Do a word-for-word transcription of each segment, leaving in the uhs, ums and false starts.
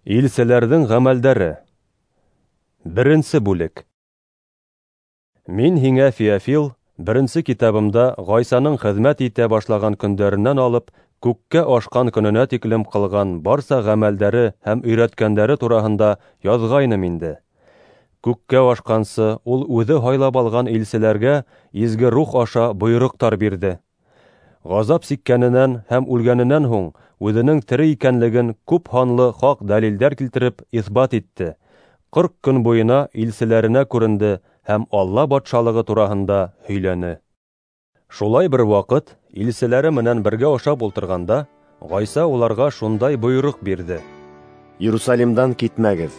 Илселәрҙең ғәмәлдәре. Беренсе бүлек. Мин һиңә, Феофил, беренсе китабымда Ғайсаның хеҙмәт итә башлаған көндәренән алып күккә ашҡан көнөнә тиклем ҡылған барса ғәмәлдәре һәм өйрәткәндәре тураһында яҙғайным инде. Күккә ашҡансы ул үҙе һайлап алған илселәргә изге рух аша бойороҡтар бирҙе. Ғазап сиккәненән һәм үлгәненән һуң үҙенең тере икәнлеген күп һанлы хаҡ дәлилдәр килтереп иҫбат итте. Ҡырҡ көн буйына илселәренә күренде һәм Алла батшалығы тураһында һөйләне. Шулай бер ваҡыт илселәре менән бергә ашап ултырғанда, Ғайса уларға шундай бойороҡ бирҙе: Иерусалимдан китмәгеҙ.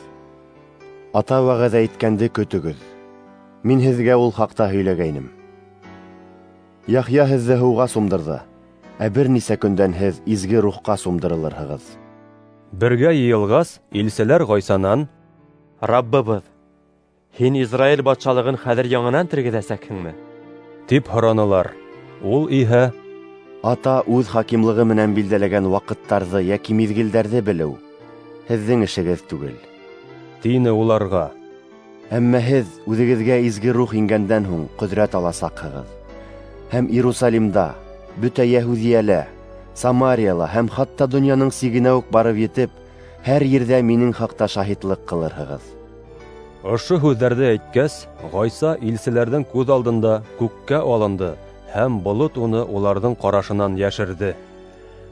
Ата вәғәҙә иткәнде көтөгөҙ. Мин һеҙгә ул хаҡта һөйләгәйнем. Яхъя һеҙҙе һыуға сумдырҙы, ә бер нисә көндән һеҙ изге рухҡа сумдырылырһығыҙ. Бергә йыйылғас, илселәр Ғайсанан: Раббыбыҙ, һин Израиль батшалығын хәҙер яңынан тергеҙәсәкһеңме? Тип һоранылар. Ул иһә: Ата үҙ хакимлығы менән билдәләгән ваҡыттарҙы йәки миҙгелдәрҙе белеү һеҙҙең эшегеҙ түгел, тине уларға. Әммә һеҙ үҙегеҙгә изге рух ингәндән һуң ҡөҙрәт аласаҡһығыҙ. Һәм Иерусалимда, бөтә Йәһүҙиәлә, Самарияла һәм хатта донъяның сигенә үк барып етеп, һәр ерҙә минең хаҡта шаһитлыҡ ҡылырһығыҙ. Ошо һүҙҙәрҙе әйткәс, Ғайса илселәрҙең күҙ алдында күккә алынды, һәм болот уны уларҙың ҡарашынан йәшерҙе.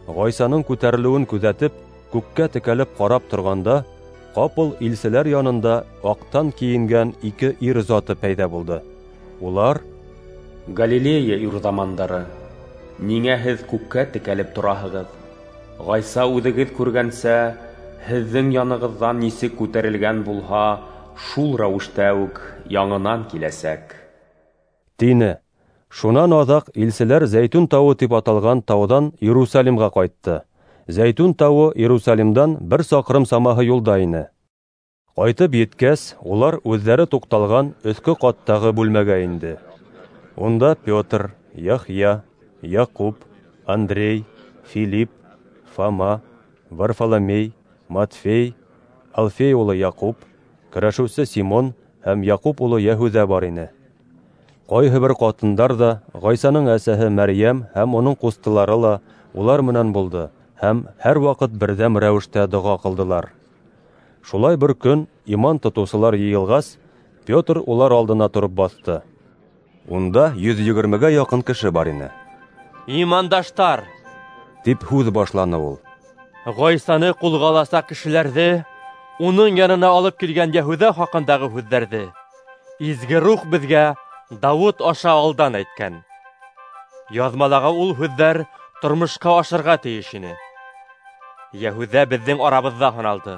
Ғайсаның күтәрелеүен күҙәтеп, күккә текәлеп ҡарап торғанда, ҡапыл илселәр янында аҡтан кейенгән ике ир заты пәйҙә булды. Улар: Галилея ирҙамандары, ниңә һеҙ күккә текәлеп тораһығыҙ? Ғайса үҙегеҙ күргәнсә, һеҙҙең янығыҙҙан нисек күтәрелгән булһа, шул рәүештә үк яңынан киләсәк, тине. Шунан аҙаҡ илселәр Зәйтүн тауы тип аталған тауҙан Иерусалимға ҡайтты. Зәйтүн тауы Иерусалимдан бер саҡрым самаһы юлда ине. Ҡайтып еткәс, улар үҙҙәре туҡталған өҫкө ҡаттағы бүлмәгә инде. Унда Петр, Яхъя, Яҡуп, Андрей, Филипп, Фома, Варфоломей, Матфей, Алфей улы Яҡуп, көрәшеүсе Симон һәм Яҡуп улы Йәһүҙә бар ине. Ҡайһы бер ҡатындар ҙа, Ғайсаның әсәһе Мәрйәм һәм уның ҡустылары ла улар менән булды һәм һәр ваҡыт берҙәм рәүештә доға ҡылдылар. Шулай бер көн иман тотоусылар йыйылғас, Петр улар алдына тороп баҫты. Унда йөҙ егермегә яҡын кеше бар ине. Имандаштар, тип һүҙ башланы ул. Ғайсаны ҡулға аласаҡ кешеләрҙе, уның янына алып килгән Йәһүҙә хаҡындағы һүҙҙәрҙе изге рух беҙгә Дауыт аша алдан әйткән. Яҙмалағы ул һүҙҙәр тормошҡа ашырға тейеш ине. Йәһүҙә беҙҙең арабыҙҙа һаналды.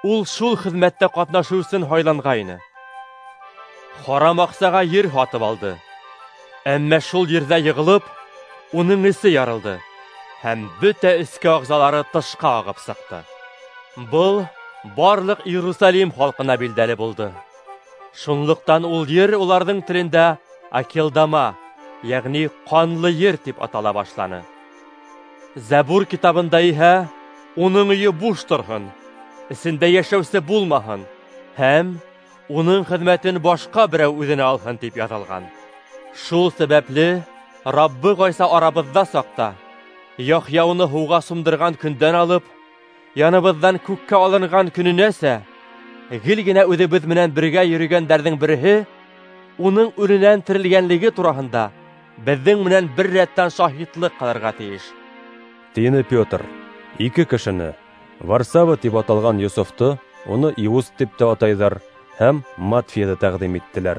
Ул шул хеҙмәттә ҡатнашыу өсөн һайланғайны. Харам аҡсаға ер һатып алды. Әммә шул ерҙә йығылып, уның эсе ярылды һәм бөтә эске ағзалары тышҡа ағып сыҡты. Был барлыҡ Иерусалим халҡына билдәле булды. Шунлыҡтан ул ер уларҙың телендә Акелдама, йәғни ҡанлы ер тип атала башланы. Зәбур китабында иһә уның өйө буш торһон, эсендә йәшәүсе булмаһын һәм уның хеҙмәтен башҡа берәү үҙенә алһын тип яҙылған. Шул сәбәпле Раббы Ғайса арабыҙҙа саҡта Яхъя уны һыуға сумдырған көндән алып, яныбыҙҙан күккә алынған көнөнәсә гел генә үҙебеҙ менән бергә йөрөгәндәрҙең береһе уның үленән терелгәнлеге тураһында беҙҙең менән бер рәттән шаһитлыҡ ҡылырға тейеш, тине Петр. Ике кешене, Варсава тип аталған Йософто, уны Иуст тип тә атайҙар, һәм Матфейҙы тәҡдим иттеләр.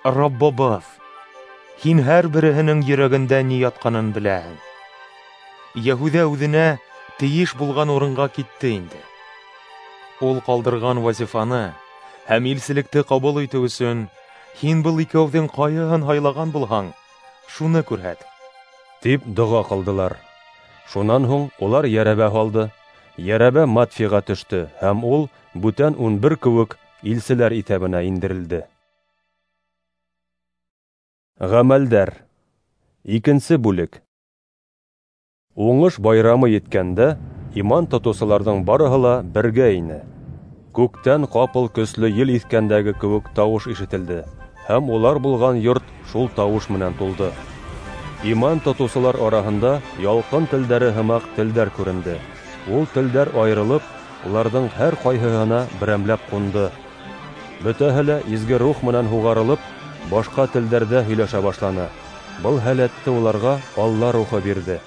Раббыбыҙ, һин һәр береһенең йөрәгендә ни ятҡанын беләһең. Йәһүҙә үҙенә тейеш булған урынға китте инде. Ул ҡалдырған вазифаны һәм илселекте ҡабул итеү өсөн һин был икәүҙең ҡайһыһын һайлаған булһаң, шуны күрһәт, тип доға ҡылдылар. Шунан һуң улар йәрәбә һалды. Йәрәбә Матфейға төштө, һәм ул бүтән ун бер кеүек илселәр иҫәбенә индерелде. Ғәмәлдәр. Икенсе бүлек. Уңыш байрамы еткәндә, Иман тотоусыларҙың барыһы ла бергә ине. Күктән ҡапыл көслө ел иҫкәндәге кеүек тауыш ишетелде, һәм улар булған йорт шул тауыш менән тулды. Иман тотоусылар араһында ялҡын телдәре һымаҡ телдәр күренде. Ул телдәр айырылып, уларҙың һәр ҡайһыһына берәмләп ҡунды. Бөтәһе лә изге рух менән һуғарылып, башҡа телдәрҙә һөйләшә башланы. Был һәләтте уларға Алла рухы бирҙе.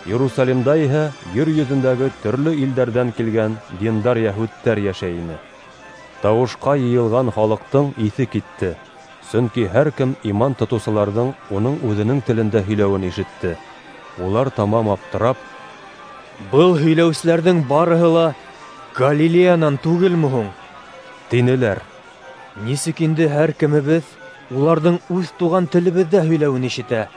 Иерусалимда иһә ер йөҙөндәге төрлө илдәрҙән килгән диндар йәһүдтәр йәшәй ине. Тауышҡа йыйылған халыҡтың иҫе китте, сөнки һәр кем иман тотоусыларҙың уның үҙенең телендә һөйләүен ишетте. Улар тамам аптырап: "Был һөйләүселәрҙең барыһы ла Галилеянан түгелме һуң?" тинеләр. "Нисек инде һәр кемебеҙ уларҙың үҙ туған телебеҙҙә һөйләүен ишетә?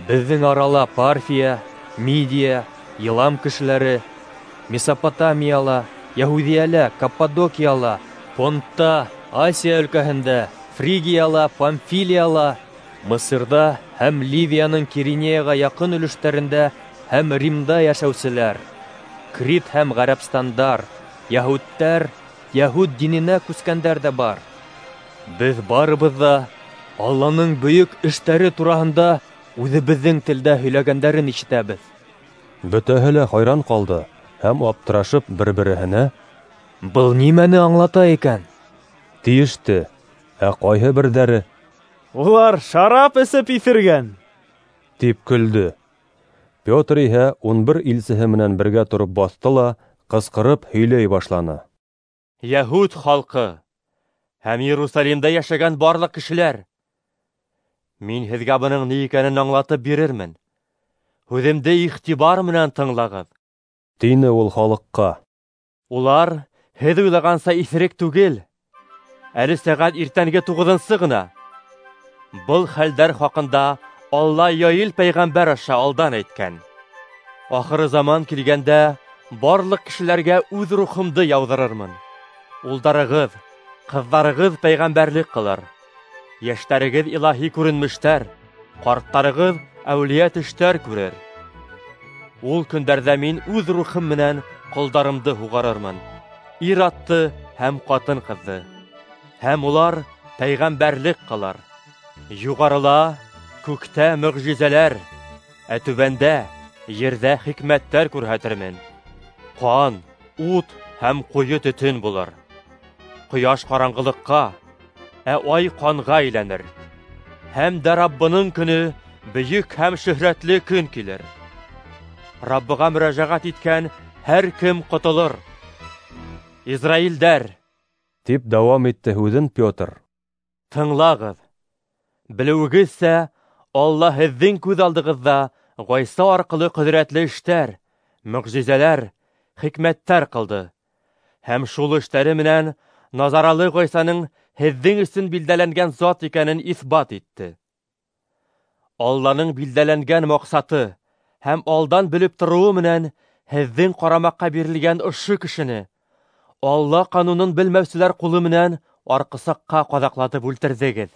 Беҙҙең арала Парфия, Мидия, Илам кешеләре, Месопотамияла, Йәһүҙиәлә, Каппадокияла, Понтта, Асия өлкәһендә, Фригияла, Памфилияла, Мысырҙа һәм Ливияның Киринеяға яҡын өлөштәрендә һәм Римда йәшәүселәр, Крит һәм Ғәрәбстандар, йәһүдтәр, йәһүд диненә күскәндәр ҙә бар. Беҙ барыбыҙ ҙа Алланың бөйөк эштәре тураһында үҙебеҙҙең телдә һөйләгәндәрен ишетәбеҙ." Бөтәһе лә хайран ҡалды һәм аптырашып бер-береһенә: "Был нимәне аңлата икән?" тиеште. Ә ҡайһы берҙәре: "Улар шарап эсеп иҫергән", тип көлдө. Петр иһә ун бер илсеһе менән бергә тороп баҫты ла ҡысҡырып һөйләй башланы: "Йәһүд халҡы һәм Иерусалимда йәшәгән барлыҡ кешеләр, мин һеҙгә бының ни икәнен аңлатып бирермен. Һүҙемде иғтибар менән тыңлағыҙ", тине ул халыҡҡа. "Улар һеҙ уйлағанса иҫерек түгел. Әле сәғәт иртәнге туғыҙынсы ғына. Был хәлдәр хаҡында Алла Йоил пәйғәмбәр аша алдан әйткән. Ахыры заман килгәндә барлыҡ кешеләргә үҙ рухымды яуҙырырмын. Улдарығыҙ, ҡыҙҙарығыҙ пәйғәмбәрлек ҡылыр. Йәштәрегеҙ илаһи күренмештәр, ҡарттарығыҙ әүлиә төштәр күрер. Ул көндәрҙә мин үҙ рухым менән ҡолдарымды һуғарырмын, ир атты һәм ҡатын-ҡыҙҙы, һәм улар пәйғәмбәрлек ҡылыр. Юғарыла күктә мөғжизәләр, ә түбәндә ерҙә хикмәттәр күрһәтермен. Ҡан, ут һәм ҡуйы төтөн булыр. Ҡояш ҡараңғылыҡҡа, ә ай ҡанға әйләнер. Һәм дә Раббының көнө бөйөк һәм шөһрәтле көн килер. Раббыға мөрәжәғәт иткән һәр кем ҡотолор. Израилдәр, тип дауам итте һүҙен Петр, тыңлағыҙ. Белеүегеҙсә, Алла һеҙҙең күҙ алдығыҙҙа Ғайса арҡылы ҡөҙрәтле эштәр, мөғжизәләр, хикмәттәр ҡылды. Һәм шул эштәре менән Назаралы Ғайсаның һеҙҙең өсөн билдәләнгән зат икәнен иҫбат итте. Алланың билдәләнгән маҡсаты һәм алдан белеп тороуы менән һеҙҙең ҡарамаҡҡа бирелгән ошо кешене Алла ҡанунын белмәүселәр ҡулы менән арҡысаҡҡа ҡаҙаҡлатып үлтерҙегеҙ.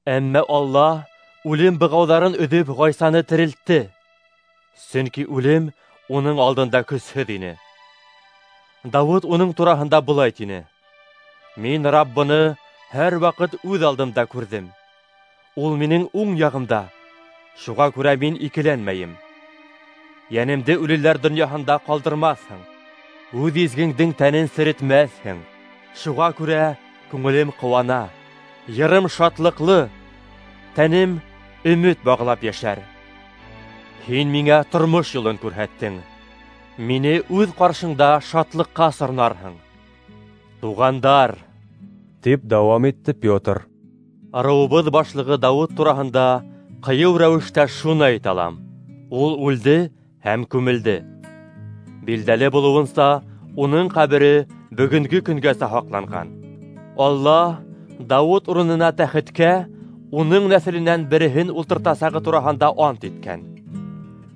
Әммә Алла үлем бығауҙарын өҙөп Ғайсаны терелтте, сөнки үлем уның алдында көсһөҙ ине. Дауыт уның тураһында былай тине: Мин Раббыны һәр ваҡыт үҙ алдымда күрҙем. Ул минең уң яғымда, шуға күрә мин икеләнмәйем. Йәнемде үлеләр донъяһында ҡалдырмаҫһың, үҙ изгеңдең тәнен серетмәҫһең. Шуға күрә күңелем ҡыуана, йырым шатлыҡлы, тәнем өмөт бағлап йәшәр. Һин миңә тормош юлын күрһәттең, мине үҙ ҡаршыңда шатлыҡҡа сорнарһың. Туғандар, тип дауам итте Петр, ырыуыбыҙ башлығы Дауыт тураһында ҡыйыу рәүештә шуны әйтә алам: ул үлде һәм күмелде. Билдәле булыуынса, уның ҡәбере бөгөнгө көнгәсә һаҡланған. Алла Дауыт урынына тәхеткә уның нәҫеленән береһен ултыртасағы тураһында ант иткән.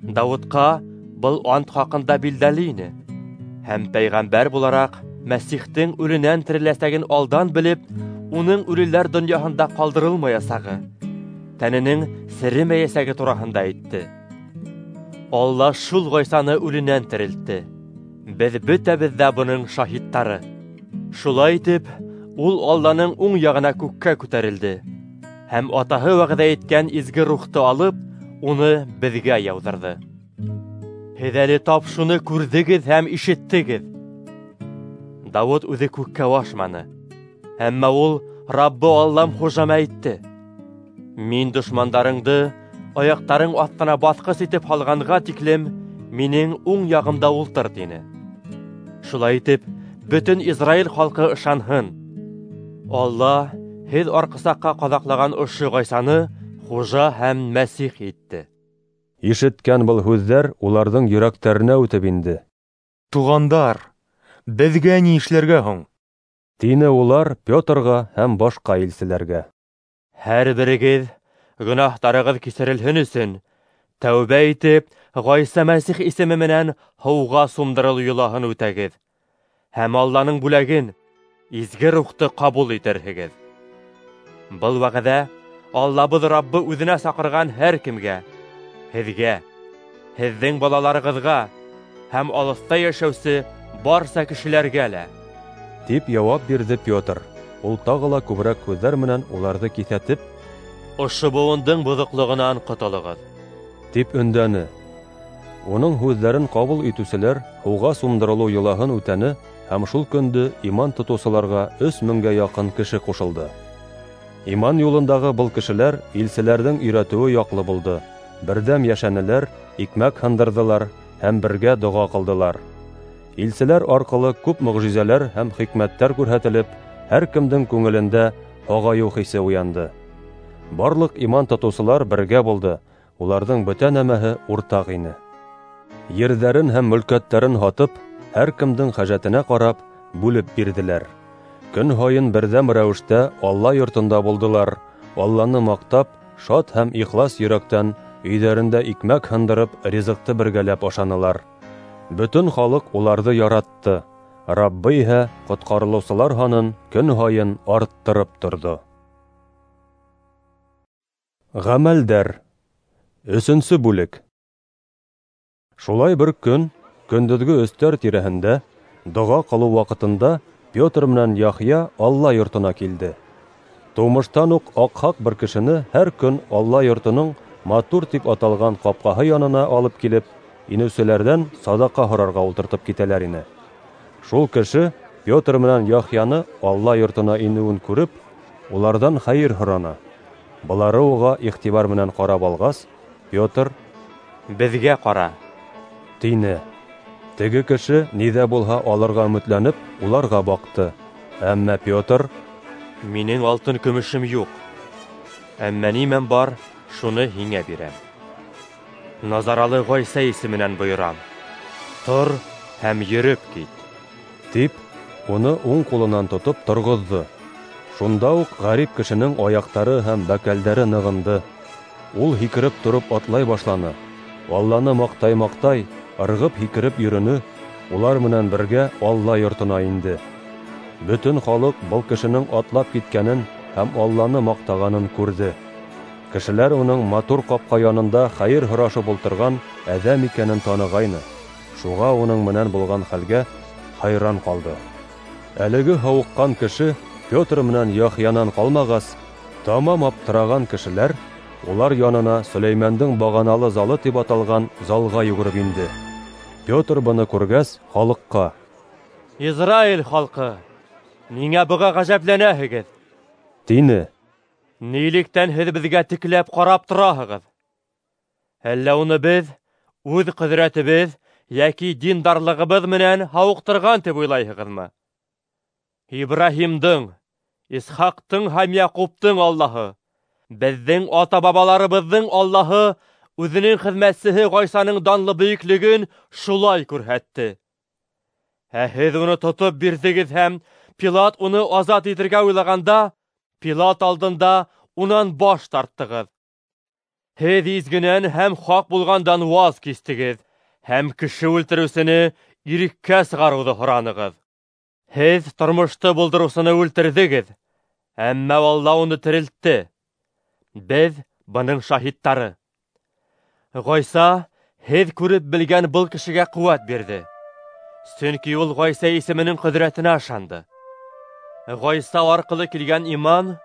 Дауытҡа был ант хаҡында билдәле ине, һәм пәйғәмбәр булараҡ Мәсихтең үленән тереләсәген алдан белеп, уның үлеләр донъяһында ҡалдырылмаясағы, тәненең серемәйәсәге тураһында әйтте. Алла шул Ғайсаны үленән терелтте. Беҙ бөтәбеҙ ҙә бының шаһиттары. Шулай итеп, ул Алланың уң яғына күккә күтәрелде һәм атаһы вәғәҙә иткән изге рухты алып, уны беҙгә яуҙырҙы. Һеҙ әле тап шуны күрҙегеҙ һәм ишеттегеҙ. Дауыт үҙе күккә ашманы, әммә ул Раббы Аллам хужама әйтте: Мин дошмандарыңды аяҡтарың аҫтына баҫҡыс итеп һалғанға тиклем минең уң яғымда ултыр, тине. Шулай итеп, бөтөн Израиль халҡы ышанһын: Алла һеҙ арҡысаҡҡа ҡаҙаҡлаған ошо Ғайсаны хужа һәм Мәсих итте. Ишеткән был һүҙҙәр уларҙың йөрәктәренә үтеп инде. Туғандар, беҙгә ни эшләргә һуң? Тине улар Петрға һәм башҡа илселәргә. Һәр берегеҙ гонаһтарығыҙ кисерелһен өсөн тәүбә итеп, Ғайса Мәсих исеме менән һыуға сумдырылыу йолаһын үтәгеҙ һәм Алланың бүләген, изге рухты ҡабул итерһегеҙ. Был вәғәҙә Аллабыҙ Раббы үҙенә саҡырған һәр кемгә, һеҙгә, һеҙҙең балаларығыҙға һәм алыҫта йәшәүсе барса кешеләргә лә. Тип яуап бирҙе Петр. Ул тағы ла күберәк һүҙҙәр менән уларҙы киҫәтеп, Ошо быуындың боҙоҡлоғонан ҡотолоғоҙ, тип өндәне. Уның һүҙҙәрен ҡабул итеүселәр һыуға сумдырылыу йолаһын үтәне һәм шул көндө иман тотоусыларға өс меңгә яҡын кеше ҡушылды. Иман юлындағы был кешеләр илселәрҙең өйрәтеүе яҡлы булды. Берҙәм йәшәнеләр, икмәк һындырҙылар һәм бергә доға ҡылдылар. Илселәр арҡылы күп мөғжизәләр һәм хикмәттәр күрһәтелеп, һәр кемдең күңелендә һағайыу хисе уянды. Барлыҡ иман тотоусылар бергә булды, уларҙың бөтә нәмәһе уртаҡ ине. Ерҙәрен һәм мөлкәттәрен һатып, һәр кемдең хәжәтенә ҡарап, бүлеп бирҙеләр. Көн һайын берҙәм рәүештә Алла йортонда булдылар, Алланы маҡтап, шат һәм ихлас йөрәктән өйҙәрендә икмәк һындырып, ризыҡты бергәләп ашанылар. Бөтөн халыҡ уларҙы яратты. Раббы иһә ҡотҡарылыусылар һанын көн һайын арттырып торҙо. Ғәмәлдәр. Өсөнсө бүлек. Шулай бер көн, көндөҙгө өстәр тирәһендә, доға ҡылыу ваҡытында Петр менән Яхъя Алла йортона килде. Тыумыштан уҡ аҡһаҡ бер кешене һәр көн Алла йортоноң матур тип аталған ҡапҡаһы янына алып килеп, инеүселәрҙән саҙаҡа һорарға ултыртып китәләр ине. Шул кеше Петр менән Яхъяны Алла йортона инеүен күреп, уларҙан хәйер һораны. Былары уға иғтибар менән ҡарап алғас, Петр: Беҙгә ҡара, тине. Теге кеше ни ҙә булһа алырға өмөтләнеп, уларға баҡты. Әммә Петр: Минең алтын көмөшөм юҡ, әммә нимәм бар, шуны һиңә бирәм. Назаралы Ғайса исеменән бойорам, тор һәм йөрөп кит, тип, уны уң ҡулынан тотоп торғоҙҙо. Шунда уҡ ғәрип кешенең аяҡтары һәм бәкәлдәре нығынды. Ул һикереп тороп атлай башланы. Алланы маҡтай-маҡтай, ырғып һикереп йөрөнө, улар менән бергә Алла йортона инде. Бөтөн халыҡ был кешенең атлап киткәнен һәм Алланы маҡтағанын күрҙе. Кешеләр уның матур ҡапҡа янында хәйер һорашып ултырған әҙәм икәнен танығайны. Шуға уның менән булған хәлгә хайран ҡалды. Әлеге һауыҡҡан кеше Петр менән Яхъянан ҡалмағас, тамам аптыраған кешеләр улар янына Сөләймәндең бағаналы залы тип аталған залға йүгереп инде. Петр быны күргәс, халыҡҡа: Израиль халҡы, ниңә быға ғәжәпләнәһегеҙ? Тине. Нилектән һеҙ беҙгә текләп ҡарап тораһығыҙ? Әллә уны беҙ үҙ ҡөҙрәтебеҙ йәки диндарлығыбыҙ менән һауыҡтырған тип уйлайһығыҙмы? Ибраһимдың, Исхаҡтың һәм Яҡуптың Аллаһы, беҙҙең ата-бабаларыбыҙҙың Аллаһы үҙенең хеҙмәтсеһе Ғайсаның данлы бөйөклөгөн шулай күрһәтте. Ә һеҙ уны тотоп бирҙегеҙ һәм Пилат уны азат итергә уйлағанда, Пилат алдында унан баш тарттығыҙ. Һеҙ изгенән һәм хаҡ булғандан ваз кистегеҙ һәм кеше үлтереүсене иреккә сығарыуҙы һоранығыҙ. Һеҙ тормошто булдырыусыны үлтерҙегеҙ, әммә Алла уны терелтте. Беҙ бының шаһиттары. Ғайса һеҙ күреп белгән был кешегә ҡеүәт бирҙе. Сөнки ул Ғайса исеменең ҡөҙрәтенә ышанды. Ғайса арҡылы килгән иман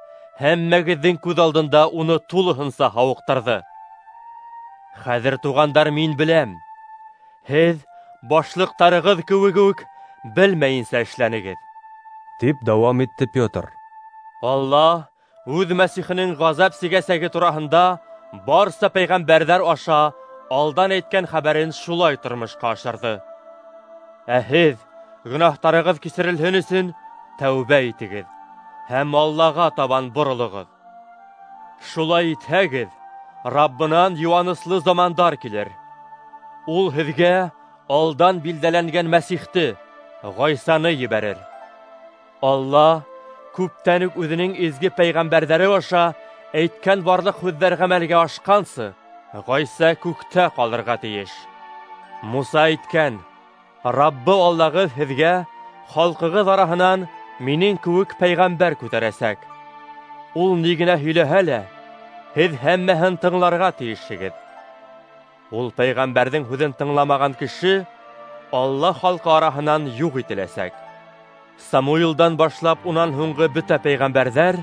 һәммәгеҙҙең күҙ алдында уны тулыһынса һауыҡтырҙы. Хәҙер, туғандар, мин беләм, һеҙ башлыҡтарығыҙ кеүек үк белмәйенсә эшләнегеҙ, тип дауам итте Петр. Алла үҙ Мәсихенең ғазап сигәсәге тураһында барса пәйғәмбәрҙәр аша алдан әйткән хәбәрен шулай тормошҡа ашырҙы. Ә һеҙ гонаһтарығыҙ кисерелһен өсөн тәүбә итегеҙ һәм Аллаға табан боролоғоҙ. Шулай итһәгеҙ, Раббынан йыуаныслы замандар килер. Ул һеҙгә алдан билдәләнгән Мәсихте, Ғайсаны ебәрер. Алла күптән үк үҙенең изге пәйғәмбәрҙәре аша әйткән барлыҡ һүҙҙәр ғәмәлгә ашҡансы, Ғайса күктә ҡалырға тейеш. Муса әйткән: Раббы Аллағыҙ һеҙгә халҡығыҙ араһынан минең кеүек пәйғәмбәр күтәрәсәк. Ул ни генә һөйләһә лә, һеҙ һәммәһен тыңларға тейешһегеҙ. Ул пәйғәмбәрҙең һүҙен тыңламаған кеше Алла халҡы араһынан юҡ ителәсәк. Самуилдан башлап унан һуңғы бөтә пәйғәмбәрҙәр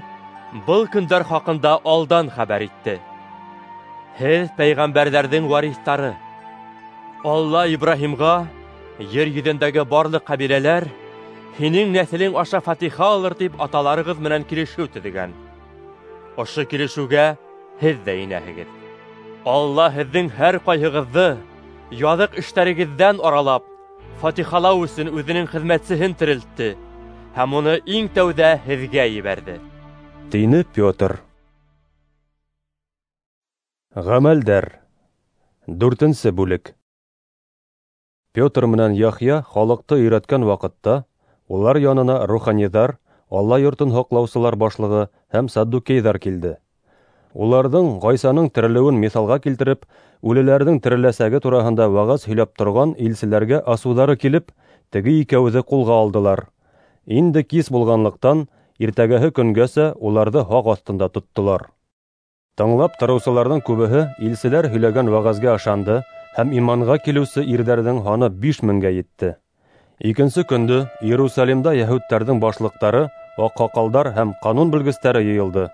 был көндәр хаҡында алдан хәбәр итте. Һеҙ пәйғәмбәрҙәрҙең вариҫтары. Алла Ибраһимға: ер йөҙөндәге барлыҡ ҡәбиләләр һинең нәҫелең аша фатиха алыр тип аталарығыҙ менән килешеү төҙөгән. Ошо килешеүгә һеҙ ҙә инәһегеҙ. Алла һеҙҙең һәр ҡайһығыҙҙы яҙыҡ эштәрегеҙҙән аралап, фатихалау өсөн үҙенең хеҙмәтсеһен терелтте һәм уны иң тәүҙә һеҙгә ебәрҙе, тине Петр. Ғәмәлдәр. Дүртенсе бүлек. Петр менән Яхъя халыҡты өйрәткән ваҡытта улар янына руханиҙар, Алла йортон һаҡлаусылар башлығы һәм саддукейҙар килде. Уларҙың Ғайсаның терелеүен миҫалға килтереп, үлеләрҙең тереләсәге тураһында вәғәз һөйләп торған илселәргә асыуҙары килеп, теге икәүҙе ҡулға алдылар. Инде кис булғанлыҡтан, иртәгәһе көнгәсә уларҙы һаҡ аҫтында тоттолар. Тыңлап тороусыларҙың күбеһе илселәр һөйләгән вәғәзгә ышанды һәм иманға килеүсе ирҙәрҙең һаны биш меңгә етте. Икенсе көндө Иерусалимда йәһүдтәрҙең башлыҡтары, аҡһаҡалдар һәм ҡанун белгестәре йыйылды.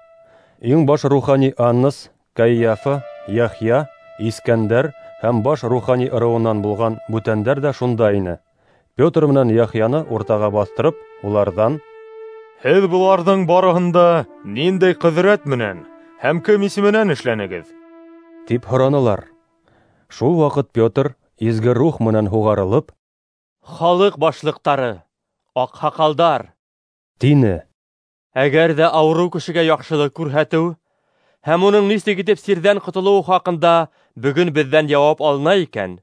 Иң баш рухани Аннас, Кайяфа, Яхъя, Искәндәр һәм баш рухани ырыуынан булған бүтәндәр ҙә шунда ине. Петр менән Яхъяны уртаға баҫтырып, уларҙан: Һеҙ быларҙың барыһында ниндәй ҡөҙрәт менән һәм кем исеменән эшләнегеҙ? Тип һоранылар. Шул ваҡыт Петр изге рух менән һуғарылып: Халыҡ башлыҡтары, аҡһаҡалдар, тине. Әгәр ҙә ауырыу кешегә яҡшылыҡ күрһәтеү һәм уның нисек итеп сирҙән ҡотолоуы хаҡында бөгөн беҙҙән яуап алына икән,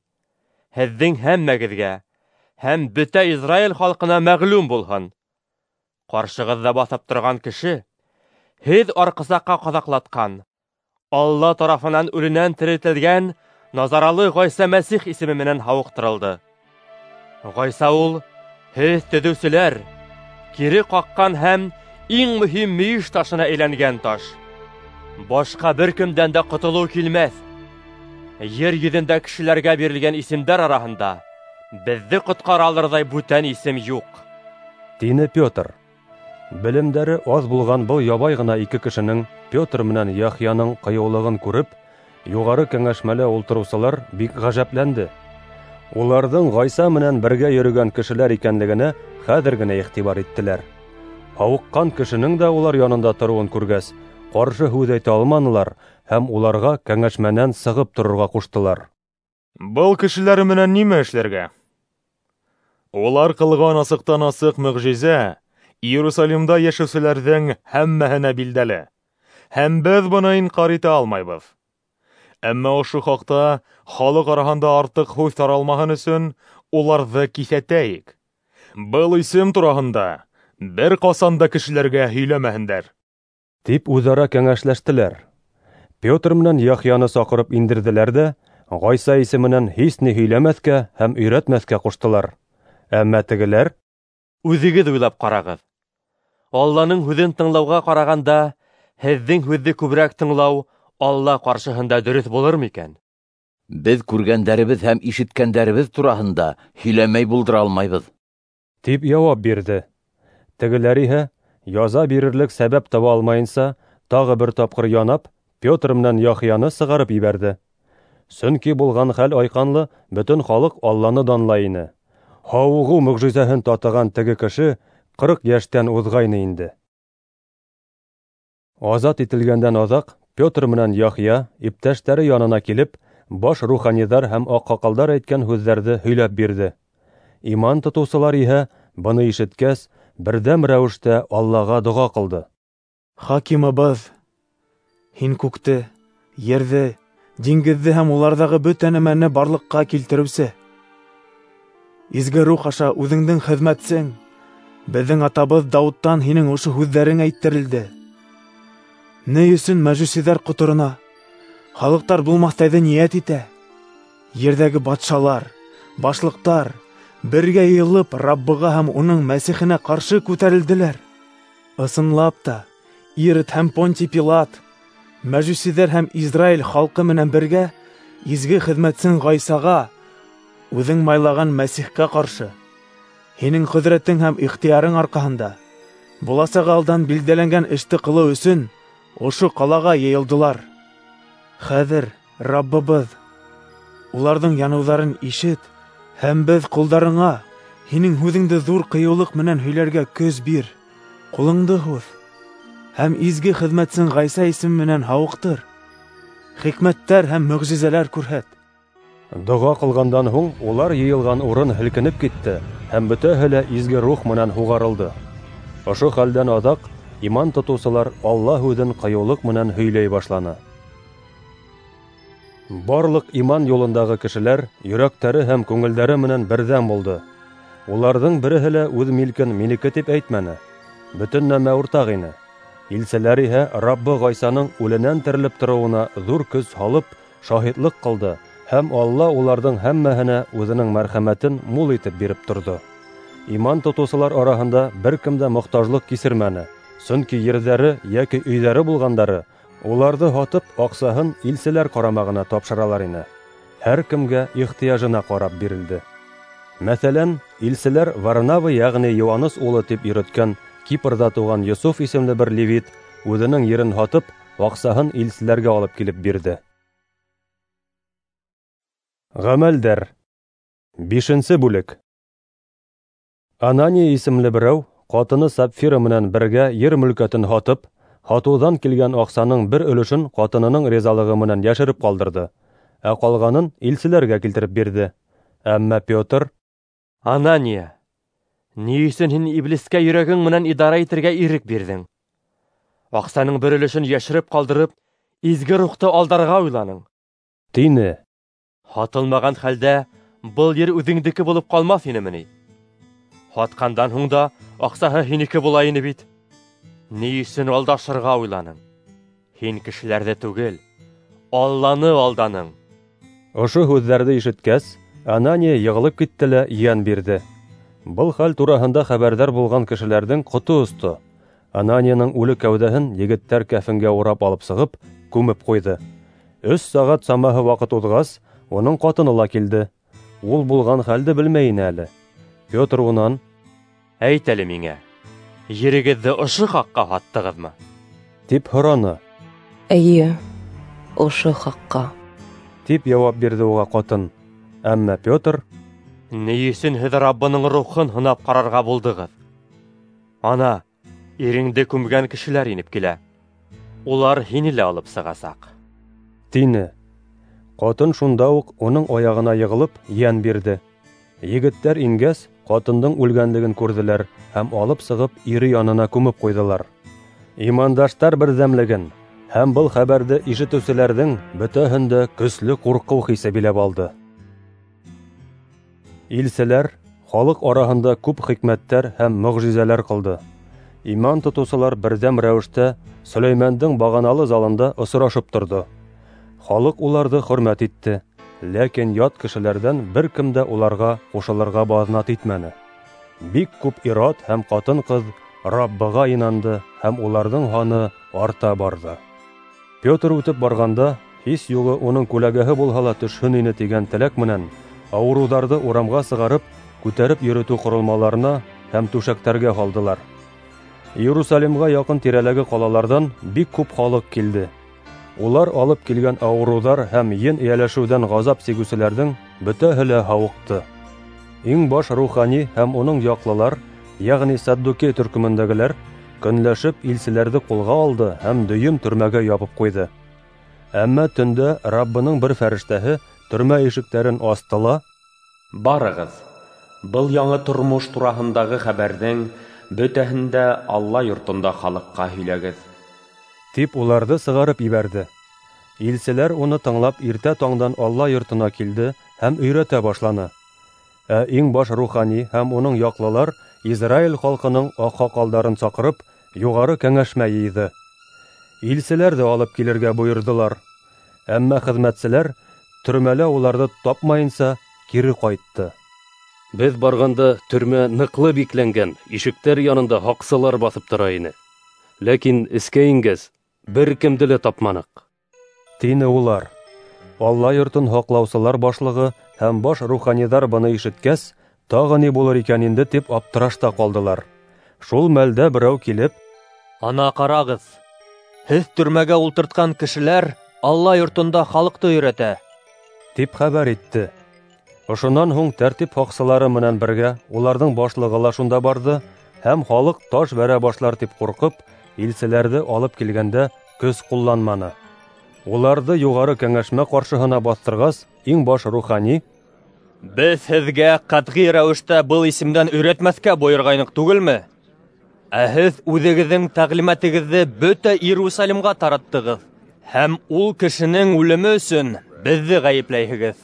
һеҙҙең һәммәгеҙгә һәм бөтә Израиль халҡына мәғлүм булһын: ҡаршығыҙҙа баҫып торған кеше һеҙ арҡысаҡҡа ҡаҙаҡлатҡан, Алла тарафынан үленән терелтелгән Назаралы Ғайса Мәсих исеме менән һауыҡтырылды. Ғайса ул һеҙ төҙөүселәр кире ҡаҡҡан һәм иң мөһим мөйөш ташына әйләнгән таш. Башҡа бер кемдән дә ҡотолоу килмәҫ. Ер йөҙөндә кешеләргә бирелгән исемдәр араһында беҙҙе ҡотҡара алырҙай бүтән исем юҡ, тине Петр. Белемдәре аҙ булған был ябай ғына ике кешенең, Петр менән Яхъяның ҡыйыулығын күреп, юғары кәңәшмәлә ултырыусылар бик ғәжәпләнде. Уларҙың Ғайса менән бергә йөрөгән кешеләр икәнлегенә хәҙер генә иғтибар иттеләр. Һауыҡҡан кешенең дә улар янында тороуын күргәс, ҡаршы һүҙ әйтә алманылар һәм уларға кәңәшмәнән сығып торорға ҡуштылар. Был кешеләр менән нимә эшләргә? Улар ҡылған асыҡтан асыҡ мөғжизә Иерусалимда йәшәүселәрҙең һәммәһенә билдәле, һәм беҙ быны инҡар итә алмайбыҙ. Әммә ошо хаҡта халыҡ араһында артыҡ һүҙ таралмаһын өсөн уларҙы киҫәтәйек. Был исем тураһында бер ҡасан да кешеләргә һөйләмәһендәр, тип үҙ-ара кәңәшләштеләр. Петр менән Яхъяны саҡырып индерҙеләр ҙә Ғайса исеменән һис ни һөйләмәҫкә һәм өйрәтмәҫкә ҡуштылар. Әммә тегеләр: Үҙегеҙ уйлап ҡарағыҙ. Алланың һүҙен тыңлауға ҡарағанда һеҙҙең һүҙҙе күберәк тыңлау Алла ҡаршыһында дөрөҫ булыр микән? Беҙ күргәндәребеҙ һәм ишеткәндәребеҙ тураһында һөйләмәй булдыра алмайбыҙ, тип яуап бирҙе. Тегеләр иһә, яза бирерлек сәбәп таба алмайынса, тағы бер тапҡыр янап, Петр менән Яхъяны сығарып ебәрҙе. Сөнки булған хәл айҡанлы, бөтөн халыҡ Алланы данлай ине. Һауығыу мөғжизәһен татыған теге кеше ҡырҡ йәштән уҙғайны инде. Азат ителгәндән аҙаҡ Петр менән Яхъя иптәштәре янына килеп, баш руханиҙар һәм аҡһаҡалдар әйткән һүҙҙәрҙе һөйләп бирҙе. Иман тотоусылар иһә, быны ишеткәс, берҙәм рәүештә Аллаға доға ҡылды. Хакимыбыҙ, һин күкте, ерҙе, диңгеҙҙе һәм уларҙағы бөтә нәмәне барлыҡҡа килтереүсе. Изге рух аша үҙеңдең хеҙмәтсең, беҙҙең атабыҙ Дауыттан һинең ошо һүҙҙәрең әйттерелде. Ни өсөн мәжүсиҙәр ҡоторона, халыҡтар булмаҫтайҙы ниәт итә? Ерҙәге батшалар, башлыҡтар бергә йыйылып Раббыға һәм уның Мәсихенә ҡаршы күтәрелделәр. Ысынлап та, Ирод һәм Понтий Пилат, мәжүсиҙәр һәм Израиль халҡы менән бергә изге хеҙмәтсең Ғайсаға, үҙең майлаған Мәсихкә ҡаршы, һинең ҡөҙрәтең һәм ихтыярың арҡаһында буласаҡ алдан билдәләнгән эште ҡылыу өсөн ошо ҡалаға йыйылдылар. Хәҙер, Раббыбыҙ, уларҙың яныуҙарын ишет һәм беҙ ҡолдарыңа һинең һүҙеңде ҙур ҡыйыулыҡ менән һөйләргә көс бир. Ҡулыңды һуҙ һәм изге хеҙмәтсең Ғайса исеме менән һауыҡтыр. Хикмәттәр һәм мөғжизәләр күрһәт. Доға ҡылғандан һуң улар йыйылған урын һелкенеп китте һәм бөтәһе лә изге рух менән һуғарылды. Ошо хәлдән аҙаҡ иман тотоусылар Алла һүҙен ҡыйыулыҡ менән һөйләй башланы. Барлыҡ иман юлындағы кешеләр йөрәктәре һәм күңелдәре менән берҙәм булды. Уларҙың береһе лә үҙ милкен минеке тип әйтмәне. Бөтөн нәмә уртаҡ ине. Илселәр иһә Раббы Ғайсаның үленән терелеп тороуына ҙур көс һалып шаһитлыҡ ҡылды һәм Алла уларҙың һәммәһенә үҙенең мәрхәмәтен мул итеп биреп торҙо. Иман тотоусылар араһында бер кем дә мохтажлыҡ кисермәне, сөнки ерҙәре йәки өйҙәре булғандары уларҙы һатып, аҡсаһын илселәр ҡарамағына тапшыралар ине. Һәр кемгә ихтыяжына ҡарап бирелде. Мәҫәлән, илселәр Варнава, йәғни Иоаннес улы тип йөрөткән Кипрҙа тыуған Йософ исемле бер левит үҙенең ерен һатып, аҡсаһын илселәргә алып килеп бирҙе. Ғәмәлдәр. Бишенсе бүлек. Анания исемле берәү ҡатыны Сапфира менән бергә ер мөлкәтен һатып, һатыуҙан килгән аҡсаның бер өлөшөн ҡатынының ризалығы менән йәшереп ҡалдырҙы, ә ҡалғанын илселәргә килтереп бирҙе. Әммә Петр: Анания, ни өсөн һин иблискә йөрәгең менән идара итергә ирек бирҙең? Аҡсаның бер өлөшөн йәшереп ҡалдырып, изге рухты алдарға уйланың, тине. Һатылмаған хәлдә был ер үҙеңдеке булып ҡалмаҫ инеме ни? Һатҡандан һуң да аҡсаһы һинеке була ине бит. Ни өсөн алдашырға уйланың? Һин кешеләрҙе түгел, Алланы алданың. Ошо һүҙҙәрҙе ишеткәс, Анания йығылып китте лә йән бирҙе. Был хәл тураһында хәбәрҙар булған кешеләрҙең ҡото осто. Ананияның үле кәүҙәһен егеттәр кәфенгә урап алып сығып, күмеп ҡуйҙы. Өс сәғәт самаһы ваҡыт уҙғас, уның ҡатыны ла килде. Ул булған хәлде белмәй ине әле. Петр унан: Әйт әле миңә, ерегеҙҙе ошо хаҡҡа һаттығыҙмы? тип һораны. Эйе, ошо хаҡҡа, тип яуап бирҙе уға ҡатын. Әммә Петр: Ни өсөн һеҙ Раббының рухын һынап ҡарарға булдығыҙ? Ана, иреңде күмгән кешеләр инеп килә. Улар һине лә алып сығасаҡ, тине. Ҡатын шунда уҡ уның аяғына йығылып йән бирҙе. Егеттәр ингәс, ҡатындың үлгәнлеген күрҙеләр һәм алып сығып ире янына күмеп ҡуйҙылар. Имандаштар берҙәмлеген һәм был хәбәрҙе ишетеүселәрҙең бөтәһен дә көслө ҡурҡыу хисе биләп алды. Илселәр халыҡ араһында күп хикмәттәр һәм мөғжизәләр ҡылды. Иман тотоусылар берҙәм рәүештә Сөләймәндең бағаналы залында осрашып торҙо. Халыҡ уларҙы хөрмәт итте, ләкин ят кешеләрҙән бер кем дә уларға ҡушылырға баҙнат итмәне. Бик күп ир-ат һәм ҡатын-ҡыҙ Раббыға инанды һәм уларҙың һаны арта барҙы. Петр үтеп барғанда, Һис юғы уның күләгәһе булһа ла төшһөн ине тигән теләк менән ауырыуҙарҙы урамға сығарып, күтәреп йөрөтөү ҡоролмаларына һәм түшәктәргә һалдылар. Иерусалимға яҡын тирәләге ҡалаларҙан бик күп халыҡ килде. Улар алып килгән ауырыуҙар һәм ен эйәләшеүҙән ғазап сигеүселәрҙең бөтәһе лә һауыҡты. Иң баш рухани һәм уның яҡлылар, йәғни саддукей төркөмөндәгеләр, көнләшеп илселәрҙе ҡулға алды һәм дөйөм төрмәгә ябып ҡуйҙы. Әммә төндә Раббының бер фәрештәһе төрмә ишектәрен асты ла: "Барығыҙ, был яңы тормош тураһындағы хәбәрҙең бөтәһен дә Алла йортонда халыҡҡа һөйләгеҙ", тип уларҙы сығарып ебәрҙе. Илселәр уны тыңлап иртә таңдан Алла йортона килде һәм өйрәтә башланы. Ә иң баш рухани һәм уның яҡлылар Израиль халҡының аҡһаҡалдарын саҡырып, юғары кәңәшмә йыйҙы. Илселәрҙе алып килергә бойорҙолар. Әммә хеҙмәтселәр төрмәлә уларҙы тапмайынса кире ҡайтты. Беҙ барғанда төрмә ныҡлы бикләнгән, ишектәр янында һаҡсылар баҫып тора ине. Ләкин эскә ингәс, бер кемде лә тапманыҡ, тине улар. Алла йортон һаҡлаусылар башлығы һәм баш руханиҙар быны ишеткәс, тағы ни булыр икән инде тип аптырашта ҡалдылар. Шул мәлдә берәү килеп: "Ана ҡарағыҙ, һеҙ төрмәгә ултыртҡан кешеләр Алла йортонда халыҡты өйрәтә", тип хәбәр итте. Ошонан һуң тәртип һаҡсылары менән бергә уларҙың башлығы ла шунда барҙы һәм халыҡ таш бәрә башлар тип ҡурҡып, илселәрҙе алып килгәндә көс ҡулланманы. Уларҙы юғары кәңәшмә ҡаршыһына баҫтырғас, иң баш рухани: "Беҙ һеҙгә ҡәтғи рәүештә был исемдән өйрәтмәҫкә бойорғайныҡ түгелме? Ә һеҙ үҙегеҙҙең тәғлимәтегеҙҙе бөтә Иерусалимға тараттығыҙ һәм ул кешенең үлеме өсөн беҙҙе ғәйепләйһегеҙ",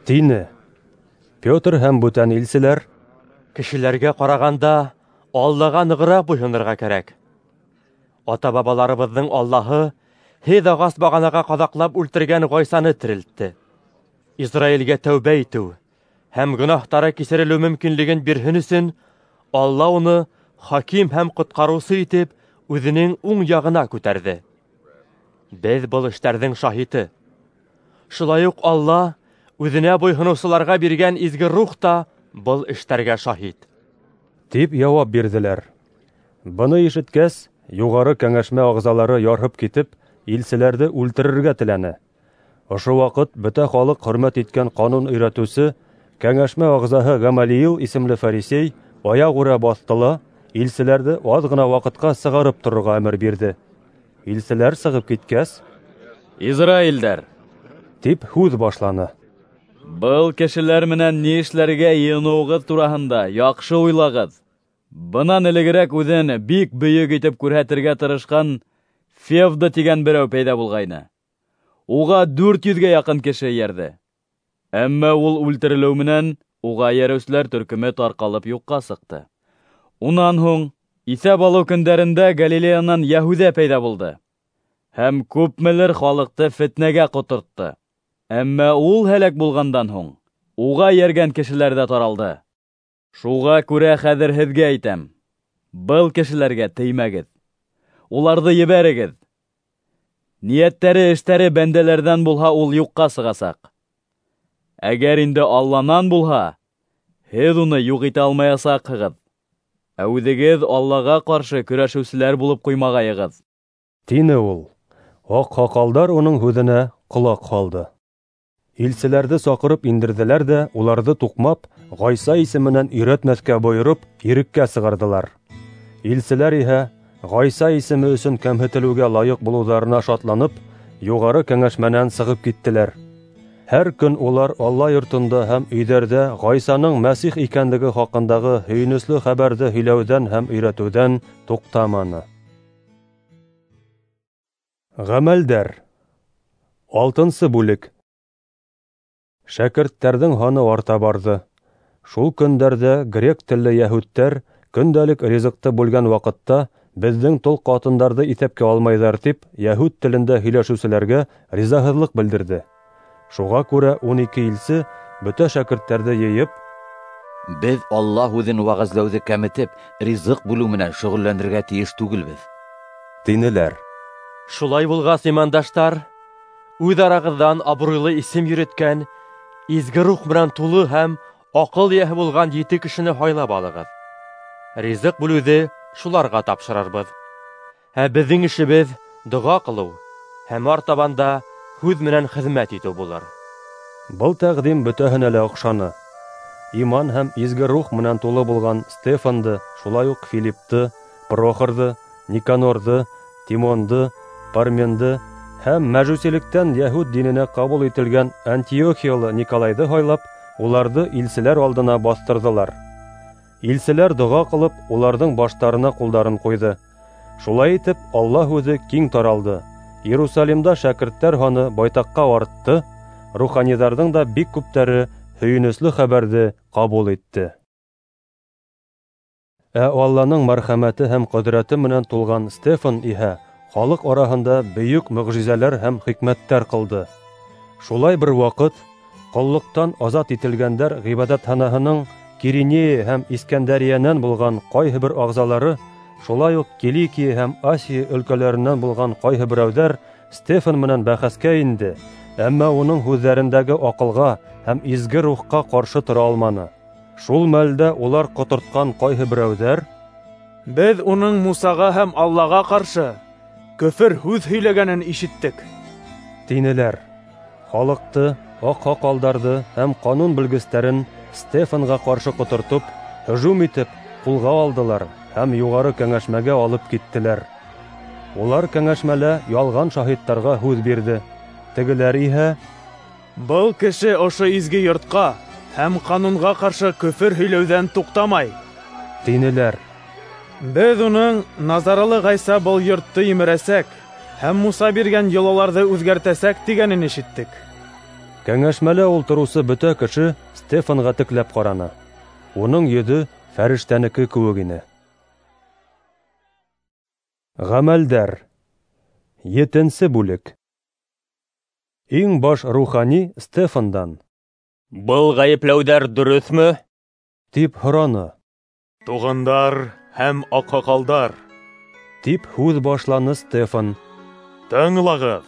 тине. Петр һәм бүтән илселәр: "Кешеләргә ҡарағанда Аллаға нығыраҡ буйһонорға кәрәк. Ата-бабаларыбыҙҙың Аллаһы һеҙ ағас бағанаға ҡаҙаҡлап үлтергән Ғайсаны терелтте. Израилгә тәүбә итеү һәм гонаһтары кисерелеү мөмкинлеген бирһен өсөн Алла уны хаким һәм ҡотҡарыусы итеп үҙенең уң яғына күтәрҙе. Беҙ был эштәрҙең шаһиты. Шулай уҡ Алла үҙенә буйһоноусыларға биргән изге рух та был эштәргә шаһит", тип яуап бирҙеләр. Быны ишеткәс, юғары кәңәшмә ағзалары ярһып китеп, илселәрҙе үлтерергә теләне. Ошо ваҡыт бөтә халыҡ хөрмәт иткән ҡанун өйрәтеүсе, кәңәшмә ағзаһы Гамалиил исемле фарисей аяғүрә баҫты ла илселәрҙе аҙ ғына ваҡытҡа сығарып торорға әмер бирҙе. Илселәр сығып киткәс: "Израилдәр", тип һүҙ башланы. "Был кешеләр менән ни эшләргә йыйыныуығыҙ тураһында яҡшы уйлағыҙ. Бынан элегерәк үҙен бик бөйөк итеп күрһәтергә тырышҡан Февда тигән берәү пәйҙә булғайны. Уға дүрт йөҙгә яҡын кеше эйәрҙе. Әммә ул үлтерелеү менән уға эйәреүселәр төркөмө тарҡалып юҡҡа сыҡты. Унан һуң иҫәп алыу көндәрендә Галилеянан Йәһүҙә пәйҙә булды һәм күпмелер халыҡты фетнәгә ҡотортто. Әммә ул һәләк булғандан һуң уға эйәргән кешеләр ҙә таралды. Шуға күрә хәҙер һеҙгә әйтәм: был кешеләргә теймәгеҙ, уларҙы ебәрегеҙ. Ниәттәре, эштәре бәндәләрҙән булһа, ул юҡҡа сығасаҡ. Әгәр инде Алланан булһа, һеҙ уны юҡ итә алмаясаҡһығыҙ. Ә үҙегеҙ Аллаға ҡаршы көрәшеүселәр булып ҡуймағайығыҙ", тине ул. Аҡһаҡалдар уның һүҙенә ҡолаҡ һалды. Илселәрҙе саҡырып индерҙеләр ҙә уларҙы туҡмап, Ғайса исеменән өйрәтмәҫкә бойороп, иреккә сығарҙылар. Илселәр иһә Ғайса исеме өсөн кәмһетелеүгә лайыҡ булыуҙарына шатланып, юғары кәңәшмәнән сығып киттеләр. Һәр көн улар Алла йортонда һәм өйҙәрҙә Ғайсаның Мәсих икәнлеге хаҡындағы һөйөнөслө хәбәрҙе һөйләүҙән һәм өйрәтеүҙән туҡтаманы. Ғәмәлдәр. Алтынсы бүлек. Шәкерттәрҙең һаны арта барҙы. Шул көндәрҙә грек телле йәһүдтәр көндәлек ризыҡты бүлгән ваҡытта беҙҙең тол ҡатындарҙы иҫәпкә алмайҙар тип йәһүд телендә һөйләшеүселәргә ризаһыҙлыҡ белдерҙе. Шуға күрә ун ике илсе бөтә шәкерттәрҙе йыйып: "Беҙ Алла һүҙен вәғәзләүҙе кәметеп, ризыҡ бүлеү менән шөғөлләнергә тейеш түгелбеҙ", тинеләр. Шулай булғас, имандаштар, үҙ арағыҙҙан абруйлы исем йөрөткән, изге рух менән тулы һәм аҡыл эйәһе булған ете кешене һайлап алығыҙ. Ризыҡ бүлеүҙе шуларға тапшырырбыҙ. Ә беҙҙең эшебеҙ доға ҡылыу һәм артабан да һүҙ менән хеҙмәт итеү булыр. Был тәҡдим бөтәһенә лә оҡшаны. Иман һәм изге рух менән тулы булған Стефанды, шулай уҡ Филиппты, Прохорҙы, Никанорҙы, Тимонды, Парменды һәм мәжүсилектән йәһүд диненә ҡабул ителгән Антиохиялы Николайҙы һайлап, уларҙы илселәр алдына баҫтырҙылар. Илселәр доға ҡылып, уларҙың баштарына ҡулдарын ҡуйҙы. Шулай итеп, Алла һүҙе киң таралды. Иерусалимда шәкерттәр һаны байтаҡҡа артты, руханиҙарҙың да бик күптәре һөйөнөслө хәбәрҙе ҡабул итте. Ә Алланың мәрхәмәте һәм ҡөҙрәте менән тулған Стефан иһә халыҡ араһында бөйөк мөғжизәләр һәм хикмәттәр ҡылды. Шулай бер ваҡыт ҡоллоҡтан азат ителгәндәр ғибәҙәтханаһының Киринея һәм Искәндәриәнән булған ҡайһы бер ағзалары, шулай уҡ Киликия һәм Асия өлкәләренән булған ҡайһы берәүҙәр Стефан менән бәхәскә инде, әммә уның һүҙҙәрендәге аҡылға һәм изге рухҡа ҡаршы тора алманы. Шул мәлдә улар ҡотортҡан ҡайһы берәүҙәр: "Беҙ уның Мусаға һәм Аллаға ҡаршы көфөр һүҙ һөйләгәнен ишеттек", тинеләр. Халыҡты, аҡһаҡалдарҙы һәм ҡанун белгестәрен Стефанға ҡаршы ҡотортоп, һөжүм итеп, ҡулға алдылар һәм юғары кәңәшмәгә алып киттеләр. Улар кәңәшмәлә ялған шаһиттарға һүҙ бирҙе. Тегеләр иһә: "Был кеше ошо изге йортҡа һәм ҡанунға ҡаршы көфөр һөйләүҙән туҡтамай", тинеләр. "Беҙ уның Назаралы Ғайса был йортто емерәсәк һәм Муса биргән йолаларҙы үҙгәртәсәк тигәнен ишеттек". Кәңәшмәлә ултырыусы бөтә кеше Стефанға текләп ҡараны. Уның йөҙө фәрештәнеке кеүек ине. Ғәмәлдәр. Етенсе бүлек. Иң баш рухани Стефандан: "Был ғәйепләүҙәр дөрөҫмө?" тип һораны. "Туғандар һәм аҡһаҡалдар", тип һүҙ башланы Стефан. "Тыңлағыҙ.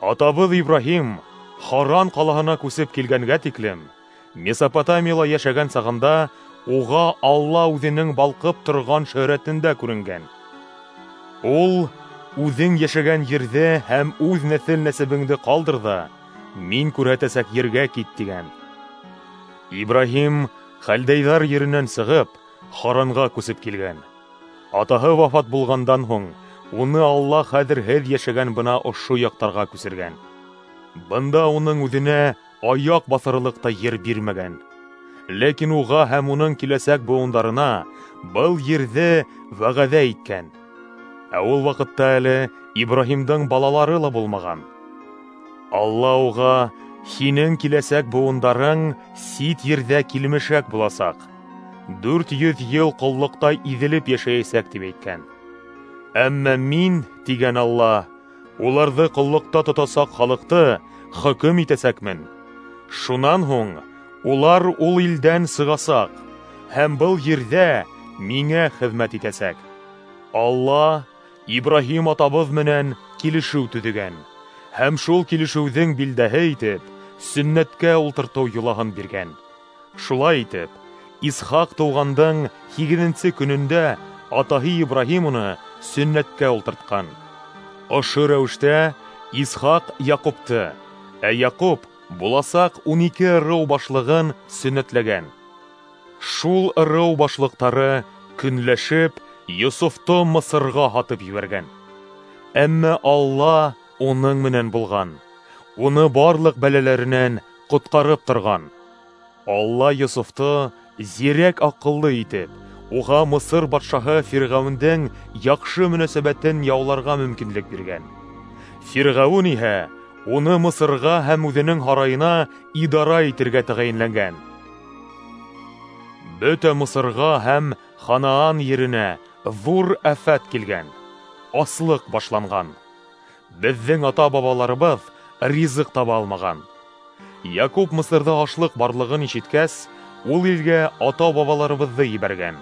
Атабыҙ Ибраһим Харан ҡалаһына күсеп килгәнгә тиклем Месопотамияла йәшәгән сағында уға Алла үҙенең балҡып торған шөһрәтендә күренгән. Ул үҙең йәшәгән ерҙе һәм үҙ нәҫел-нәсәбеңде ҡалдыр ҙа, мин күрһәтәсәк ергә кит, тигән. Ибраһим хәлдәйҙар еренән сығып, Харанға күсеп килгән. Атаһы вафат булғандан һуң, уны Алла хәҙер һеҙ йәшәгән бына ошо яҡтарға күсергән. Бында уның үҙенә аяҡ баҫырлыҡ та ер бирмәгән. Ләкин уға һәм уның киләсәк быуындарына был ерҙе вәғәҙә иткән. Ә ул ваҡытта әле Ибраһимдың балалары ла булмаған. Алла уға: "Һинең киләсәк быуындарың сит ерҙә килмешәк буласаҡ, дүрт йөҙ йыл ҡоллоҡта иҙелеп йәшәйәсәк", тип әйткән. Әммә мин, тигән Алла, уларҙы ҡоллоҡта тотасаҡ халыҡты хөкөм итәсәкмен. Шунан һуң улар ул илдән сығасаҡ һәм был ерҙә миңә хеҙмәт итәсәк. Алла Ибраһим атабыҙ менән килешеү төҙөгән һәм шул килешеүҙең билдәһе итеп сөннәткә ултыртыу йолаһын биргән. Шулай итеп, Исхаҡ тыуғандың һигеҙенсе көнөндә атаһы Ибраһим уны сөннәткә ултыртҡан. Ошо рәүештә Исхаҡ Яҡупты, ә Яҡуп буласаҡ ун ике ырыу башлығын сөннәтләгән. Шул ырыу башлыҡтары көнләшеп Йософто Мысырға һатып ебәргән. Әммә Алла уның менән булған, уны барлыҡ бәләләренән ҡотҡарып торған. Алла Йософто зирәк аҡыллы итеп, уға Мысыр батшаһы Фирғәүендең яҡшы мөнәсәбәтен яуларға мөмкинлек биргән. Фирғәүен иһә уны Мысырға һәм үҙенең һарайына идара итергә тәғәйенләнгән. Бөтә Мысырға һәм Ханаан еренә ҙур афәт килгән, аслыҡ башланған. Беҙҙең ата-бабаларыбыҙ ризыҡ таба алмаған. Яҡуп Мысырҙа ашлыҡ барлығын ишеткәс, ул илгә ата-бабаларыбыҙҙы ебәргән.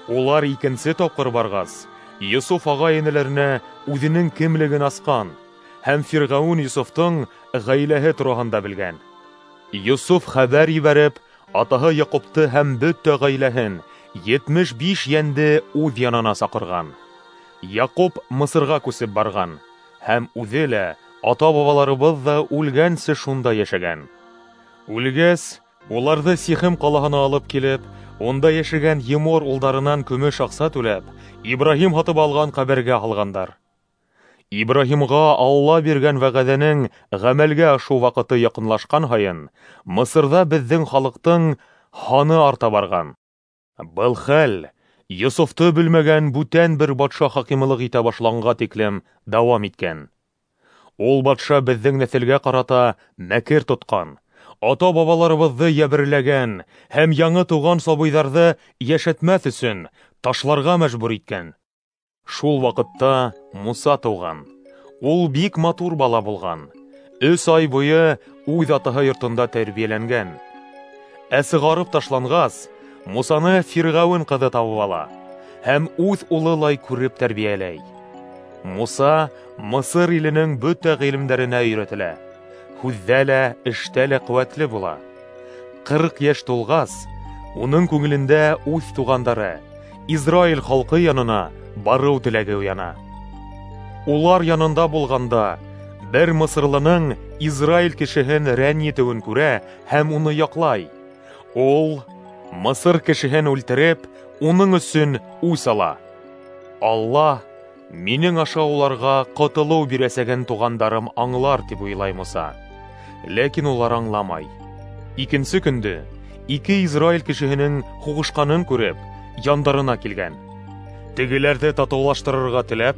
Улар икенсе тапҡыр барғас, Йософ ағай-энеләренә үҙенең кемлеген асҡан һәм Фирғәүен Йософтоң ғаиләһе тураһында белгән. Йософ хәбәр ебәреп, атаһы Яҡупты һәм бөтә ғаиләһен, етмеш биш йәнде үҙ янына саҡырған. Яҡуп Мысырға күсеп барған һәм үҙе лә, ата-бабаларыбыҙ ҙа үлгәнсе шунда йәшәгән. Үлгәс, уларҙы Сихем ҡалаһына алып килеп, унда йәшәгән Емор улдарынан көмөш аҡса түләп, Ибраһим һатып алған ҡәбергә һалғандар. Ибраһимға Алла биргән вәғәҙәнең ғәмәлгә ашыу ваҡыты яҡынлашҡан һайын, Мысырҙа беҙҙең халыҡтың һаны арта барған. Был хәл Йософто белмәгән бүтән бер батша хакимлыҡ итә башланға тиклем дауам иткән. Ул батша беҙҙең нәҫелгә ҡарата мәкер тотҡан, ата-бабаларыбыҙҙы йәберләгән һәм яңы тыуған сабыйҙарҙы йәшәтмәҫ өсөн ташларға мәжбүр иткән. Шул ваҡытта Муса тыуған. Ул бик матур бала булған. Өс ай буйы үҙ атаһы йортонда тәрбиәләнгән. Ә сығарып ташланғас, Мусаны Фирғәүен ҡыҙы табып ала һәм үҙ улылай күреп тәрбиәләй. Муса Мысыр иленең бөтә ғилемдәренә өйрәтелә. Һүҙҙә лә, эштә лә ҡеүәтле була. Ҡырҡ йәш тулғас, уның күңелендә үҙ туғандары, Израиль халҡы янына барыу теләге уяна. Улар янында булғанда, бер мысырлының Израиль кешеһен рәнйетеүен күрә һәм уны яҡлай. Ул Мысыр кешеһен үлтереп, уның өсөн үс ала. Алла минең аша уларға ҡотолоу бирәсәген туғандарым аңлар тип уйлай Муса. Ләкин улар аңламай. Икенсе көндө ике Израиль кешеһенең һуғышҡанын күреп, яндарына килгән. Тегеләрҙе татыулаштырырға теләп,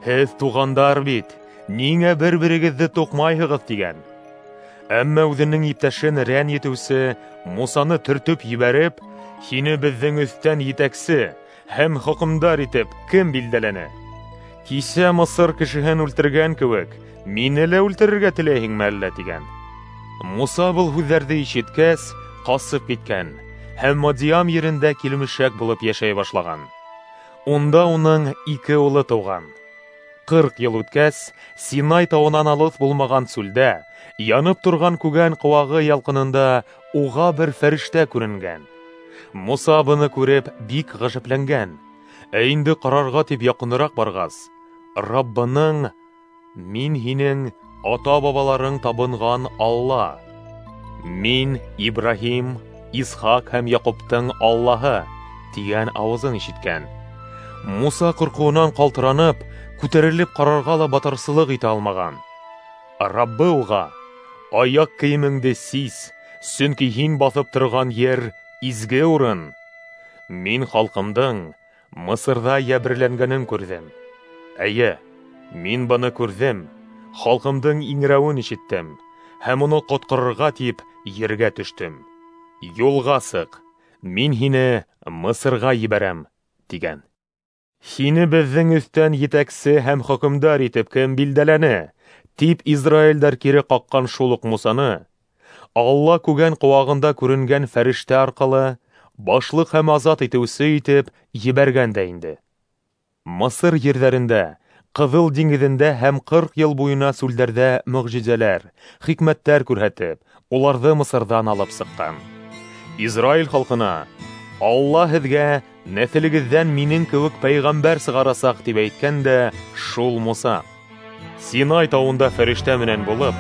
«Һеҙ туғандар бит, ниңә бер-берегеҙҙе туҡмайһығыҙ?» тигән. Әммә үҙенең иптәшен рәнйетеүсе Мусаны төртөп ебәреп, «Һине беҙҙең өҫтән етәксе һәм хөкөмдар итеп кем билдәләне? Кисә Мысыр кешеһен үлтергән кеүек, мине лә үлтерергә теләйһеңме әллә?» тигән. Муса был һүҙҙәрҙе ишеткәс, ҡасып киткән һәм Мадиам ерендә килмешәк булып йәшәй башлаған. Унда уның ике улы тыуған. Ҡырҡ йыл үткәс, Синай тауынан алыҫ булмаған сүлдә, янып торған күгән ҡыуағы ялҡынында уға бер фәрештә күренгән. Муса быны күреп бик ғәжәпләнгән. Ә инде ҡарарға тип яҡыныраҡ барғас, Раббының «Мин һинең ата-бабаларың табынған Алла, мин Ибраһим, Исхаҡ һәм Яҡуптың Аллаһы» тигән ауызын ишеткән. Муса ҡурҡыуынан ҡалтыранып, күтәрелеп ҡарарға ла батырсылыҡ итә алмаған. Раббы уға: «Аяҡ кейемеңде сис, сөнки һин баҫып торған ер изге урын. Мин халҡымдың Мысырҙа йәберләнгәнен күрҙем. Эйе, мин быны күрҙем, халҡымдың иңрәүен ишеттем һәм уны ҡотҡарырға тип ергә төштөм. Юлға сыҡ, мин һине Мысырға ебәрәм», тигән. «Һине беҙҙең өҫтән етәксе һәм хөкөмдар итеп кем билдәләне?» тип Израилдәр кире ҡаҡҡан шул уҡ Мусаны Алла күгән ҡыуағында күренгән фәрештә арҡылы башлыҡ һәм азат итеүсе итеп ебәргән дә инде. Мысыр ерҙәрендә, Ҡыҙыл диңгеҙендә һәм ҡырҡ йыл буйына сүлдәрҙә мөғжизәләр, хикмәттәр күрһәтеп, уларҙы Мысырҙан алып сыҡҡан. Израиль халҡына Алла һеҙгә нәҫелегеҙҙән минең кеүек пәйғәмбәр сығарасаҡ тип әйткән дә шул Муса. Синай тауында фәрештә менән булып,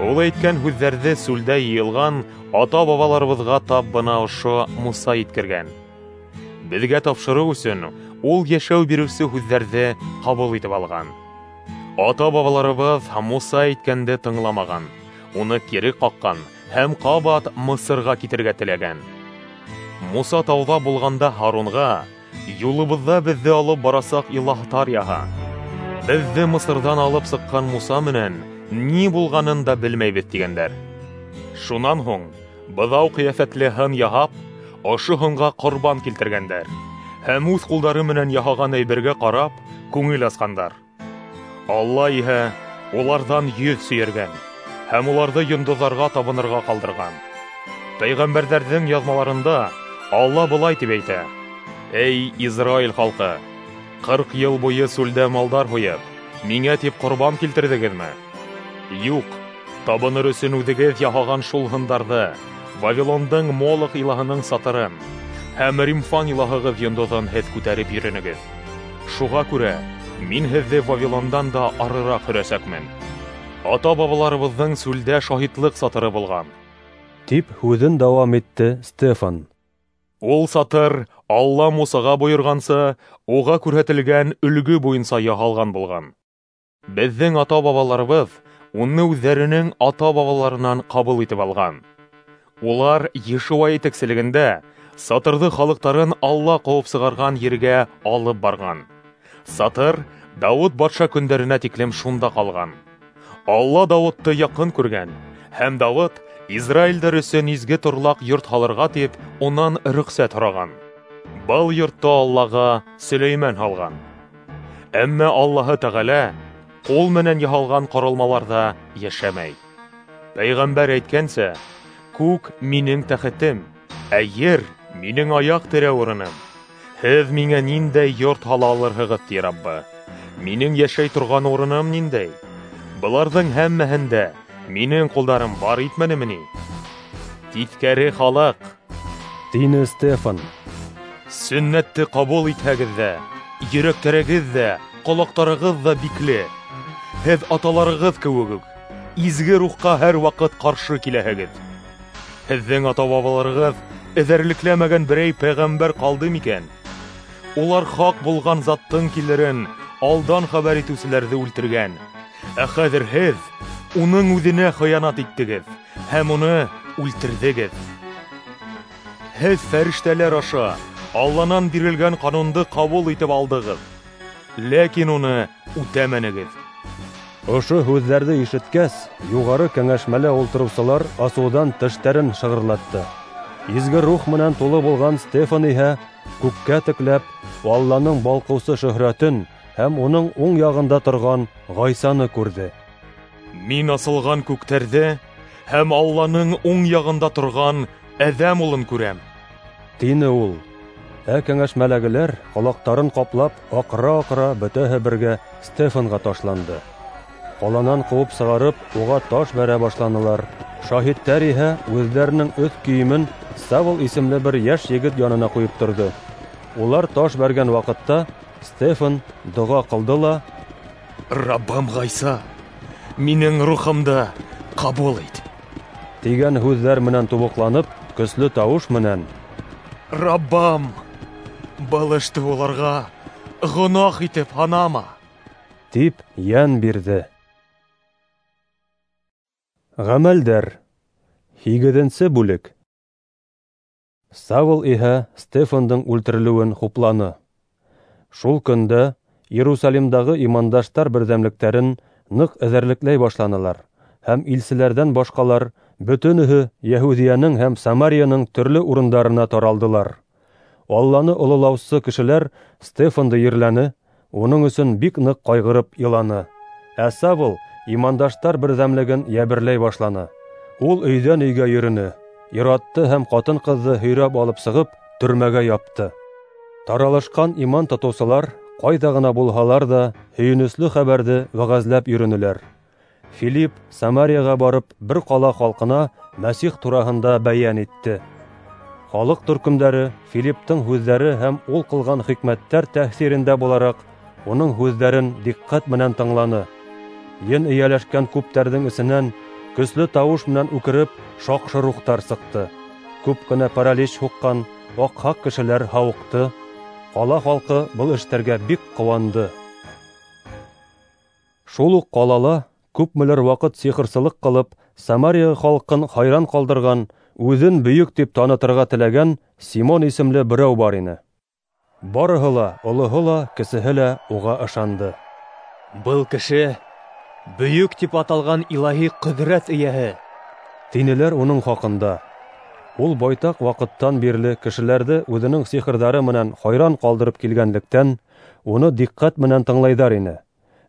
ул әйткән һүҙҙәрҙе сүлдә йыйылған ата-бабаларыбыҙға тап бына ошо Муса еткергән. Беҙгә тапшырыу өсөн ул йәшәү биреүсе һүҙҙәрҙе ҡабул итеп алған. Ата-бабаларыбыҙ Муса әйткәнде тыңламаған, уны кире ҡаҡҡан һәм ҡабат Мысырға китергә теләгән. Муса тауҙа булғанда Һарунға: «Юлыбыҙҙа беҙҙе алып барасаҡ илаһтар яһа. Беҙҙе Мысырҙан алып сыҡҡан Муса менән ни булғанын да белмәйбеҙ», тигәндәр. Шунан һуң быҙау ҡиәфәтле һын яһап, ошо һынға ҡорбан килтергәндәр һәм үҙ ҡулдары менән яһаған әйбергә ҡарап күңел асҡандар. Алла иһә уларҙан йөҙ сөйөргән һәм уларҙы йондоҙҙарға табынырға ҡалдырған. Пәйғәмбәрҙәрҙең яҙмаларында Алла былай тип әйтә: «Эй, Израиль халҡы, ҡырҡ йыл буйы сүлдә малдар һуйып, миңә тип ҡорбан килтерҙегеҙме? Юҡ, табыныр өсөн үҙегеҙ яһаған шул һындарҙы, Вавилондың Молох илаһының сатырын һәм Римфан илаһығыҙ йондоҙон һеҙ күтәреп йөрөнөгөҙ. Шуға күрә мин һеҙҙе Вавилондан да арыраҡ һөрәсәкмен. Ата-бабаларыбыҙҙың сүлдә шаһитлыҡ сатыры булған, тип һүҙен дауам итте Стефан. Ул сатыр Алла Мусаға бойорғанса, уға күрһәтелгән өлгө буйынса яһалған булған. Беҙҙең ата-бабаларыбыҙ уны үҙҙәренең ата-бабаларынан ҡабул итеп алған. Улар Йешуа етәкселегендә сатырҙы халыҡтарын Алла ҡыуып сығарған ергә алып барған. Сатыр Дауыт батша көндәренә тиклем шунда ҡалған. Алла Дауытты яҡын күргән, һәм Дауыт Израилдәр өсөн изге торлаҡ йорт һалырға тип унан рөхсәт һораған. Был йортто Аллаға Сөләймән һалған. Әммә Аллаһы Тәғәлә ҡул менән яһалған ҡоролмаларҙа йәшәмәй. Пәйғәмбәр әйткәнсә, күк минең тәхетем, ә ер минең аяҡ терәү урыным. Һеҙ миңә ниндәй йорт һала алырһығыҙ, ти Раббы? Минең йәшәй торған урыным ниндәй? Быларҙың һәммәһендә минең ҡулдарым бар итмәнеме ни? Тиҫкәре халыҡ, тине Стефан. Сөннәтте ҡабул итһәгеҙ ҙә, йөрәктәрегеҙ ҙә, ҡолаҡтарығыҙ ҙа бикле. Һеҙ аталарығыҙ кеүек үк изге рухҡа һәр ваҡыт ҡаршы киләһегеҙ. Һеҙҙең ата-бабаларығыҙ эҙәрлекләмәгән берәй пәйғәмбәр ҡалды микән? Улар хаҡ булған заттың килерен алдан хәбәр итеүселәрҙе үлтергән. Ә хәҙер һеҙ уның үҙенә хыянат иттегеҙ һәм уны үлтерҙегеҙ. Һеҙ фәрештәләр аша Алланан бирелгән ҡанунды ҡабул итеп алдығыҙ, ләкин уны үтәмәнегеҙ. Ошо һүҙҙәрҙе ишеткәс, юғары кәңәшмәлә ултырыусылар асыуҙан тештәрен шығырлатты. Изге рух менән тулы булған Стефан иһә күккә текләп, Алланың балҡыусы шөһрәтен һәм уның уң яғында торған Ғайсаны күрҙе. Мин асылған күктәрҙе һәм Алланың уң яғында торған Әҙәм улын күрәм, тине ул. Ә кәңәшмәләгеләр ҡолаҡтарын ҡаплап, аҡыра-аҡыра бөтәһе бергә Стефанға ташланды. Ҡаланан ҡыуып сығарып, уға таш бәрә башланылар. Шаһиттәр иһә үҙҙәренең өҫ кейемен Савл исемле бер йәш егет янына ҡуйып торҙо. Улар таш бәргән ваҡытта Стефан доға ҡылды ла: Раббым Ғайса, минең рухымды ҡабул ит, тигән һүҙҙәр менән тубыҡланып, көслө тауыш менән: Раббым, был эште уларға гонаһ итеп һанама, тип йән бирҙе. Ғәмәлдәр, һигеҙенсе бүлек. Савл иһә Стефандың үлтерелеүен хупланы. Шул көндә Иерусалимдағы имандаштар берҙәмлектәрен ныҡ эҙәрлекләй башланылар, һәм илселәрҙән башҡалар бөтөнөһө Йәһүҙиәнең һәм Самарияның төрлө урындарына таралдылар. Алланы ололаусы кешеләр Стефанды ерләне, уның өсөн бик ныҡ ҡайғырып иланы. Ә Савл имандаштар берҙәмлеген йәберләй башланы. Ул өйҙән өйгә йөрөнө, ир-атты һәм ҡатын-ҡыҙҙы һөйрәп алып сығып, төрмәгә япты. Таралышҡан иман тотоусылар ҡайҙа ғына булһалар ҙа һөйөнөслө хәбәрҙе вәғәзләп йөрөнөләр. Филипп Самарияға барып, бер ҡала халҡына Мәсих тураһында бәйән итте. Халыҡ төркөмдәре Филипптың һүҙҙәре һәм ул ҡылған хикмәттәр тәьҫирендә булараҡ уның һүҙҙәрен диҡҡәт менән тыңланы. Ен эйәләшкән күптәрҙең эсенән көслө тауыш менән үкереп шаҡшы рухтар сыҡты. Күп кенә паралич һуҡҡан аҡһаҡ кешеләр һауыҡты. Ҡала халҡы был эштәргә бик ҡыуанды. Шул уҡ ҡалала күпмелер ваҡыт сихырсылыҡ ҡылып, Самария халҡын хайран ҡалдырған, үҙен бөйөк тип танытырға теләгән Симон исемле берәү бар ине. Барыһы ла, олоһо ла, кесеһе лә уға ышанды. Был кеше бөйөк тип аталған илаһи ҡөҙрәт эйәһе, тинеләр уның хаҡында. Ул байтаҡ ваҡыттан бирле кешеләрҙе үҙенең сихырҙары менән хайран ҡалдырып килгәнлектән, уны диҡҡәт менән тыңлайҙар ине.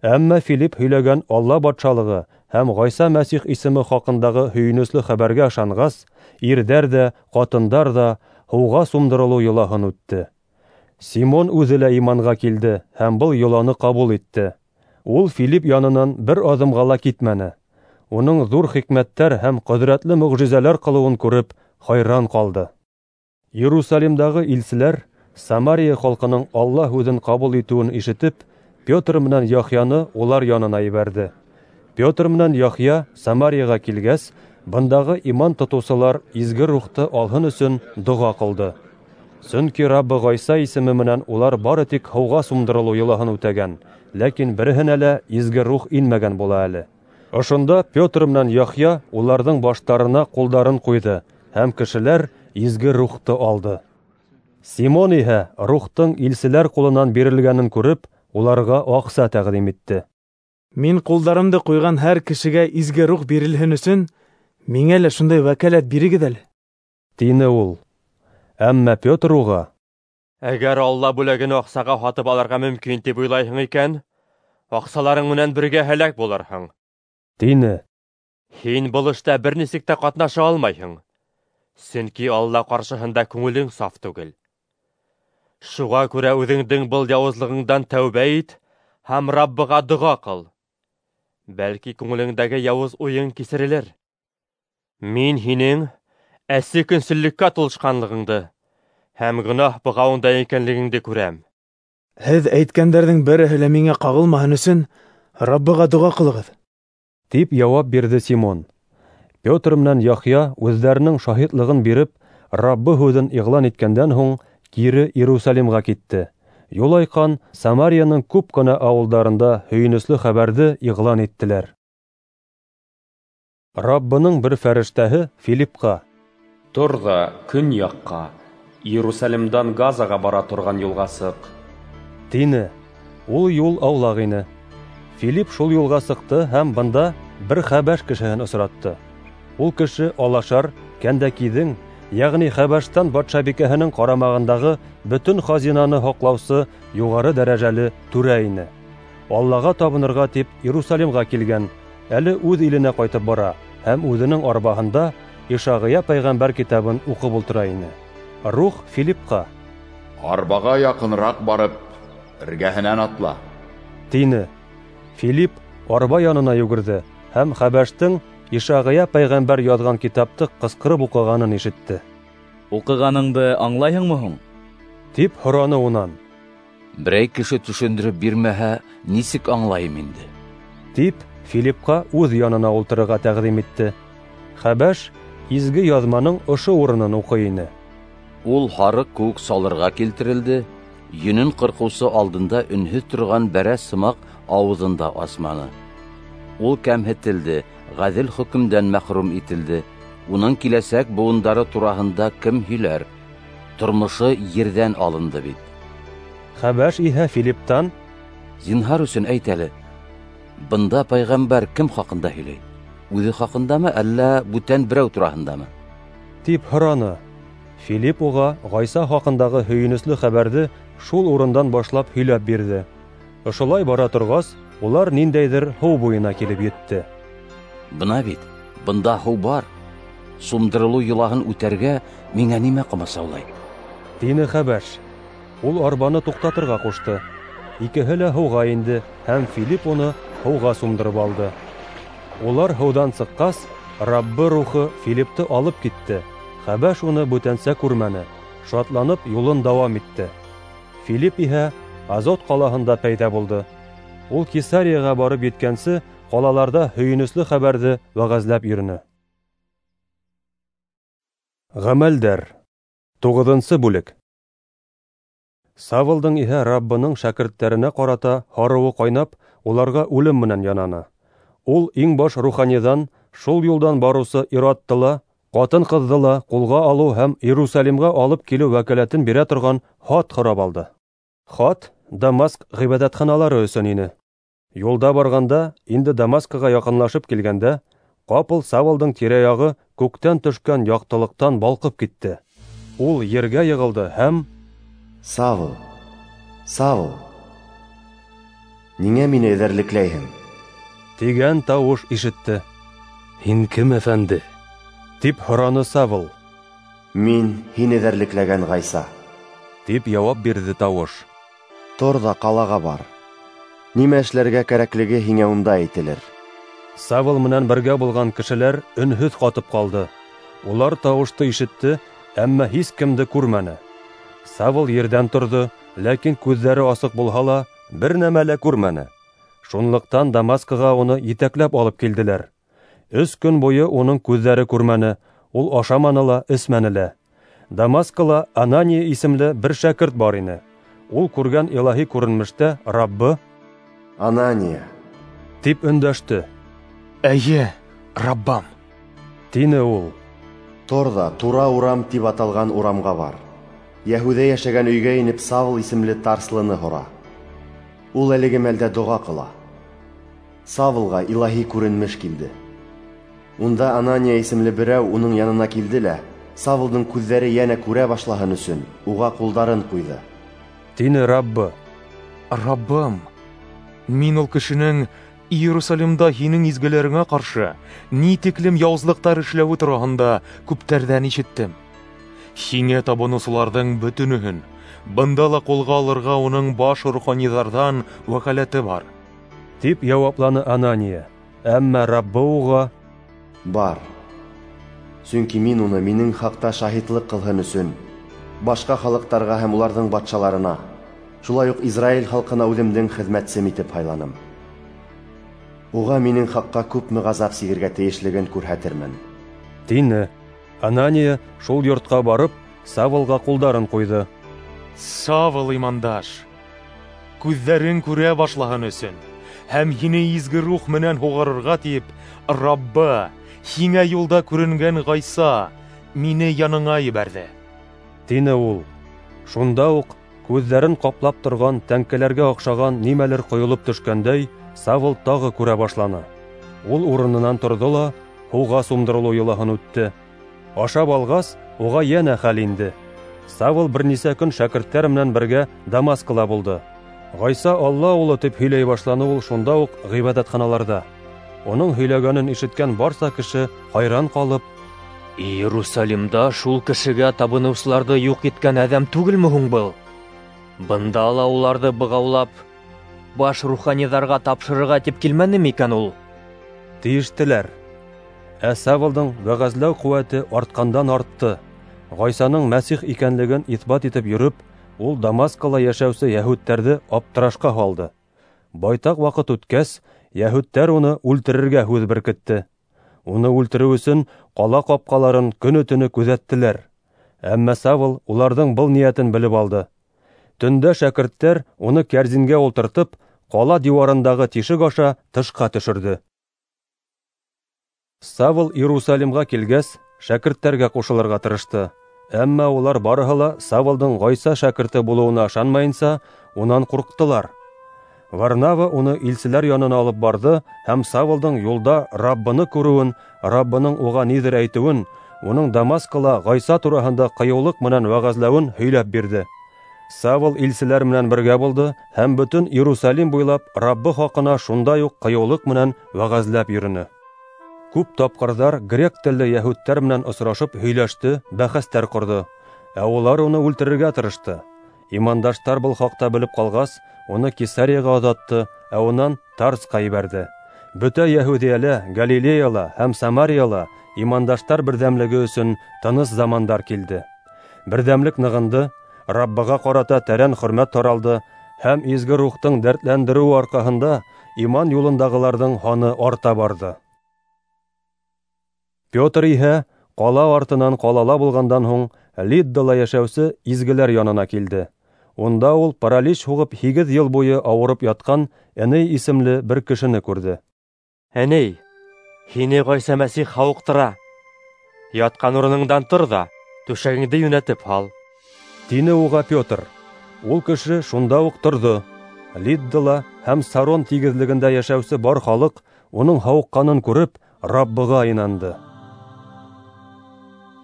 Әммә Филипп һөйләгән Алла батшалығы һәм Ғайса Мәсих исеме хаҡындағы һөйөнөслө хәбәргә ышанғас, ирҙәр ҙә, ҡатындар ҙа һыуға сумдырылыу йолаһын үтте. Симон үҙе лә иманға килде һәм был йоланы ҡабул итте. Ул Филипп янынан бер аҙымға ла китмәне. уның ҙур хикмәттәр һәм ҡөҙрәтле мөғжизәләр ҡылыуын күреп хайран ҡалды. Иерусалимдағы илселәр Самария халҡының Алла һүҙен ҡабул итеүен ишетеп, Петр менән Яхъяны улар янына ебәрҙе. Петр менән Яхъя Самарияға килгәс, бындағы иман тотоусылар изге рухты алһын өсөн доға ҡылды. Сөнки Раббы Ғайса исеме менән улар бары тик һыуға сумдырылыу йолаһын үтәгән, ләкин береһенә лә изге рух инмәгән була әле. Ошонда Петр менән Яхъя уларҙың баштарына ҡулдарын ҡуйҙы, һәм кешеләр изге рухты алды. Симон иһә рухтың илселәр ҡулынан бирелгәнен күреп, уларға аҡса тәҡдим итте. Мин ҡулдарымды ҡуйған һәр кешегә изге рух бирелһен өсөн, миңә лә шундай вәкәләт бирегеҙ әле, тине ул. Әммә Петр уға: Әгәр Алла бүләген аҡсаға һатып алырға мөмкин тип уйлайһың икән, аҡсаларың менән бергә һәләк булырһың, тине. Һин был эштә бер нисек тә ҡатнаша алмайһың, сөнки Алла ҡаршыһында күңелең саф түгел. Шуға күрә үҙеңдең был яуызлығыңдан тәүбә ит һәм Раббыға доға ҡыл. Бәлки күңелеңдәге яуыз уйың кисерелер. Мин һинең әсе көнсөллөккә тулышҡанлығыңды һәм гонаһ бығауында икәнлегеңде күрәм. Һеҙ әйткәндәрҙең береһе лә миңә ҡағылмаһын өсөн Раббыға доға ҡылығыҙ, тип яуап бирҙе Симон. Петр менән Яхъя үҙҙәренең шаһитлығын биреп, Раббы һүҙен иғлан иткәндән һуң кире Иерусалимға китте. Юлайҡан Самарияның күп кенә ауылдарында һөйөнөслө хәбәрҙе иғлан иттеләр. Раббының бер фәрештәһе Филипҡа: Тор ҙа көньяҡҡа, Иерусалимдан Газаға бара торған юлға сыҡ, тине. Ул юл аулаҡ ине. Филипп шул юлға сыҡты һәм бында бер хәбәш кешеһен осратты. Ул кеше алашар Кәндәкиҙең, йәғни Хәбәштән батшабикәһенең ҡарамағындағы бөтөн хазинаны һаҡлаусы юғары дәрәжәле түрә ине. Аллаға табынырға тип Иерусалимға килгән, әле үҙ иленә ҡайтып бара һәм үҙенең арбаһында Ишағия пәйғәмбәр китабын уҡып ултыра ине. Рух Филипҡа: Арбаға яҡыныраҡ барып, эргәһенән атла, тине. Филипп арба янына йүгерҙе һәм хәбәштең Ишағия пәйғәмбәр яҙған китапты ҡысҡырып уҡығанын ишетте. Уҡығаныңды аңлайһыңмы һуң? Тип һораны унан. Берәй кеше төшөндөрөп бирмәһә, нисек аңлайым инде? Тип Филипҡа үҙ янына ултырырға тәҡдим итте. Хәбәш изге яҙманың ошо урынын уҡый ине. Ул һарыҡ кеүек салырға килтерелде, йөнөн ҡырҡыусы алдында өнһөҙ торған бәрәс һымаҡ ауыҙын да асманы. Ул кәмһетелде, ғәҙел хөкөмдән мәхрүм ителде. Уның киләсәк быуындары тураһында кем һөйләр? Тормошо ерҙән алынды бит. Хәбәш иһә Филиптан: Зинһар өсөн әйт әле, бында пәйғәмбәр кем хаҡында һөйләй? Үҙе хаҡындамы, әллә бүтән берәү тураһындамы? Тип һораны. Филипп уға Ғайса хаҡындағы һөйөнөслө хәбәрҙе шул урындан башлап һөйләп бирҙе. Ошолай бара торғас, улар ниндәйҙер һыу буйына килеп етте. Бына бит, бында һыу бар. Сумдырылыу йолаһын үтәргә миңә нимә ҡамасаулай? Тине хәбәш. Ул арбаны туҡтатырға ҡушты. Икеһе лә һыуға инде, һәм Филипп уны һыуға сумдырып алды. Улар һыуҙан сыҡҡас, Раббы рухы Филиппты алып китте. Хәбәш уны бүтәнсә күрмәне, шатланып юлын дауам итте. Филипп иһә Азот ҡалаһында пәйҙә булды. Ул Кесарияға барып еткәнсе, ҡалаларҙа һөйөнөслө хәбәрҙе вәғәзләп йөрөнө. Ғәмәлдәр. Туғыҙынсы бүлек. Савлдың иһә Раббының шәкерттәренә ҡарата һарыуы ҡайнап, уларға үлем менән янаны. Ул иң баш руханиҙан шул юлдан барыусы ир-атты ла, ҡатын-ҡыҙҙы ла ҡулға алыу һәм Иерусалимға алып килеү вәкәләтен бирә торған хат һорап алды. Хат Дамаск ғибәҙәтханалары өсөн ине. Юлда барғанда, инде Дамаскыға яҡынлашып килгәндә, ҡапыл Савлдың тирә-яғы күктән төшкән яҡтылыҡтан балҡып китте. Ул ергә йығылды һәм: Савл, Савл, ниңә мине эҙәрлекләйһең? Тигән тауыш ишетте. Һин кем, әфәнде? Тип һораны Савл. Мин һин эҙәрлекләгән Ғайса, тип яуап бирҙе тауыш. Тор ҙа ҡалаға бар. Нимә эшләргә кәрәклеге һиңә унда әйтелер. Савл менән бергә булған кешеләр өнһөҙ ҡатып ҡалды. Улар тауышты ишетте, әммә һис кемде күрмәне. Савл ерҙән торҙо, ләкин күҙҙәре асыҡ булһа ла, бер нәмә лә күрмәне. Шунлыҡтан Дамаскыға уны етәкләп алып килделәр. Өс көн буйы уның күҙҙәре күрмәне, ул ашаманы ла, эсмәне лә. Дамаскыла Анания исемле бер шәкерт бар ине. Ул күргән илаһи күренештә Раббы: "Анания" тип өндәште. "Эйе, Раббам", тине ул. "Тор ҙа Тура урам тип аталған урамға бар. Йәһүҙә йәшәгән өйгә инеп Савл исемле Тарслыны һора. Ул әлеге мәлдә доға ҡыла. Савлға илаһи күренеш килде. Унда Анания исемле берәү уның янына килде лә, Савлдың күҙҙәре йәнә күрә башлаһын өсөн уға ҡулдарын ҡуйҙы", тине Раббы. "Раббым, мин ул кешенең Иерусалимда һинең изгеләреңә ҡаршы ни тиклем яуызлыҡтар эшләүе тураһында күптәрҙән ишеттем. Һиңә табыныусыларҙың бөтөнөһөн бында ла ҡулға алырға уның баш руханиҙарҙан вәкәләте бар", тип яуапланы Анания. Әммә Раббы уға: "Бар, сөнки мин уны минең хаҡта шаһитлыҡ ҡылһын өсөн башҡа халыҡтарға һәм уларҙың батшаларына, шулай уҡ Израиль халҡына үҙемдең хеҙмәтсем итеп һайланым. Уға минең хаҡҡа күпме ғазап сигергә тейешлеген күрһәтермен", тине. Анания шул йортҡа барып, Савлға ҡулдарын ҡуйҙы. "Савл имандаш, күҙҙәрең күрә башлаһын өсөн һәм һине изге рух менән һуғарырға тип, Раббы, һиңә юлда күренгән Ғайса мине яныңа ебәрҙе", тине ул. Шунда уҡ күҙҙәрен ҡаплап торған тәңкәләргә оҡшаған нимәлер ҡойолоп төшкәндәй, Савл тағы күрә башланы. Ул урынынан торҙо ла һыуға сумдырылыу йолаһын үтте. Ашап алғас, уға йәнә хәл инде. Савл бер нисә көн шәкерттәр менән бергә Дамаскыла булды. Ғайса Алла улы тип һөйләй башланы ул шунда уҡ ғибәҙәтханаларҙа. Уның һөйләгәнен ишеткән барса кеше хайран ҡалып: "Иерусалимда шул кешегә табыныусыларҙы юҡ иткән әҙәм түгелме һуң был? Бында ла уларҙы бығаулап, баш руханиҙарға тапшырырға тип килмәне микән ул?" тейештеләр. Ә Савлдың вәғәзләү ҡеүәте артҡандан артты. Ғайсаның Мәсих икәнлеген иҫбат итеп йөрөп, ул Дамаскала йәшәүсе йәһүдтәрҙе аптырашҡа һалды. Байтаҡ ваҡыт үткәс, йәһүдтәр уны үлтерергә һүҙ беркетте. Уны үлтереү өсөн ҡала ҡапҡаларын көнө-төнө күҙәттеләр. Әммә Савл уларҙың был ниәтен белеп алды. Төндә шәкерттәр уны кәрзингә ултыртып, ҡала диуарындағы тишек аша тышҡа төшөрҙө. Савл Иерусалимға килгәс, шәкерттәргә ҡушылырға тырышты. Әммә улар барыһы ла Савлдың Ғайса шәкерте булыуына ышанмайынса, унан ҡурҡтылар. Варнава уны илселәр янына алып барҙы һәм Савлдың юлда Раббыны күреүен, Раббының уға ниҙер әйтеүен, уның Дамаскыла Ғайса тураһында ҡыйыулыҡ менән вәғәзләүен һөйләп бирҙе. Савл илселәр менән бергә булды һәм бөтөн Иерусалим буйлап Раббы хаҡына шундай уҡ ҡыйыулыҡ менән вәғәзләп йөрөнө. Күп тапҡырҙар грек телле йәһүдтәр менән осрашып һөйләште, бәхәстәр ҡорҙо. Ә улар уны үлтерергә тырышты. Имандаштар был хаҡта белеп ҡалғас, уны Кесарияға оҙатты, ә унан Тарсҡа ебәрҙе. Бөтә Йәһүҙиәлә, Галилеяла һәм Самарияла имандаштар берҙәмлеге өсөн тыныс замандар килде. Берҙәмлек нығынды, Раббыға ҡарата тәрән хөрмәт таралды һәм изге рухтың дәртләндереүе арҡаһында иман юлындағыларҙың һаны арта барҙы. Петр иһә ҡала артынан ҡалала булғандан һуң Лиддала йәшәүсе изгеләр янына килде. Унда ул паралич һуғып һигеҙ йыл буйы ауырып ятҡан Эней исемле бер кешене күрҙе. "Эней, һине Ғайса Мәсих һауыҡтыра. Ятҡан урыныңдан тор ҙа, түшәгеңде йүнәтеп һал", тине уға Петр. Ул кеше шунда уҡ торҙо. Лиддала һәм Сарон тигеҙлегендә йәшәүсе бар халыҡ уның һауыҡҡанын күреп, Раббыға инанды.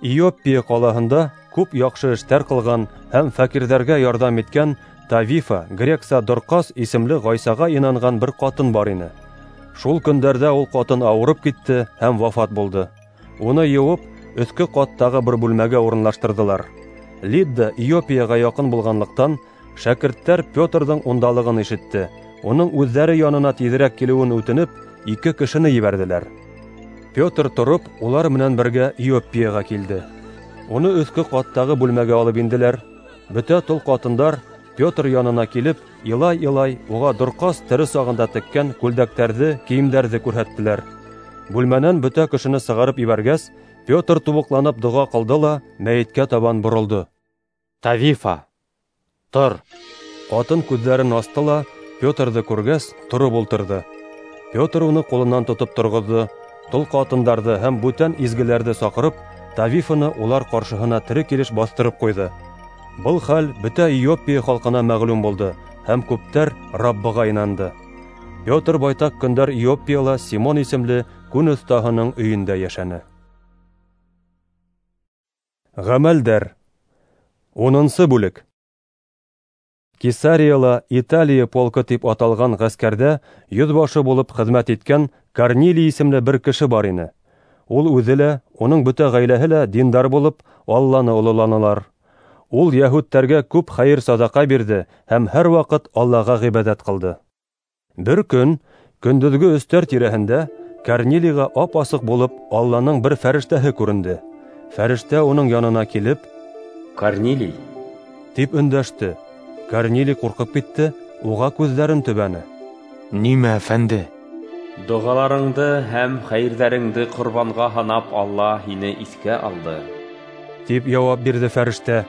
Иоппия ҡалаһында күп яҡшы эштәр ҡылған һәм фәҡирҙәргә ярҙам иткән Тавифа, грекса Дорҡас исемле Ғайсаға инанған бер ҡатын бар ине. Шул көндәрҙә ул ҡатын ауырып китте һәм вафат булды. Уны йыуып, өҫкө ҡаттағы бер бүлмәгә урынлаштырҙылар. Лидда Иоппияға яҡын булғанлыҡтан, шәкерттәр Петрҙың ундалығын ишетте. Уның үҙҙәре янына тиҙерәк килеүен үтенеп, ике кешене ебәрҙеләр. Петр тороп, улар менән бергә Иоппияға килде. Уны өҫкө ҡаттағы бүлмәгә алып инделәр. Бөтә тол ҡатындар Петр янына килеп, илай-илай уға Дорҡас тере сағында теккән күлдәктәрҙе, кейемдәрҙе күрһәттеләр. Бүлмәнән бөтә кешене сығарып ебәргәс, Петр тубыҡланып доға ҡылды ла мәйеткә табан боролдо. Тавифа, тор! Ҡатын күҙҙәрен асты ла, Петрҙы күргәс, тороп ултырҙы. Петр уны ҡулынан тотоп торғоҙҙо, тол ҡатындарҙы һәм бүтән изгеләрҙе саҡырып, Тавифаны улар ҡаршыһына тере килеш баҫтырып ҡуйҙы. Был хәл бөтә Иоппия халҡына мәғлүм булды, һәм күптәр Раббыға инанды. Петр байтаҡ көндәр Иоппияла Симон исемле күн оҫтаһының өйөндә йәшәне. Ғәмәлдәр. Унынсы бүлек. Кесарияла Италия полкы тип аталған ғәскәрҙә йөҙбашы булып хеҙмәт иткән Корнилий исемле бер кеше бар ине. Ул үҙе лә, уның бөтә ғаиләһе лә диндар булып, Алланы ололанылар. Ул йәһүдтәргә күп хәйер-саҙаҡа бирҙе һәм һәр ваҡыт Аллаға ғибәҙәт ҡылды. Бер көн, көндөҙгө өстәр тирәһендә, Корнилийға ап-асыҡ булып Алланың бер фәрештәһе күренде. Фәрештә уның янына килеп, «Корнилий!» тип өндәште. Корнилий ҡурҡып китте, уға күҙҙәрен төбәне. Нимә, әфәнде? Доғаларыңды һәм хәйерҙәреңде ҡорбанға һанап Алла һине иҫкә алды, тип яуап бирҙе фәрештә.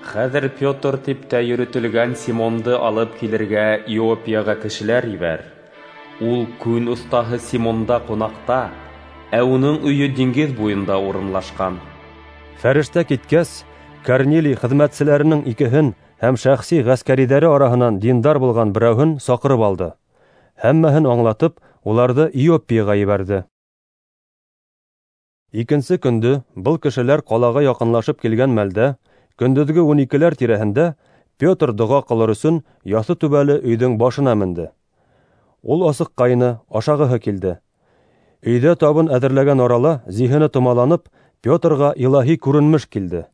Хәҙер Петр тип тә йөрөтөлгән Симонды алып килергә Иоппияға кешеләр ебәр. Ул күн оҫтаһы Симонда ҡунаҡта, ә уның өйө диңгеҙ буйында урынлашҡан. Фәрештә киткәс, Корнилий хеҙмәтселәренең икеһен һәм шәхси ғәскәриҙәре араһынан диндар булған берәүһен саҡырып алды. Һәммәһен аңлатып, уларҙы Иоппияға ебәрҙе. Икенсе көндө был кешеләр ҡалаға яҡынлашып килгән мәлдә, көндөҙгө ун икеләр тирәһендә Петр доға ҡылыр өсөн яҫы түбәле өйҙөң башына менде. Ул асыҡҡайны, ашағыһы килде. Өйҙә табын әҙерләгән арала зиһене томаланып, Петрға илаһи күренмеш килде.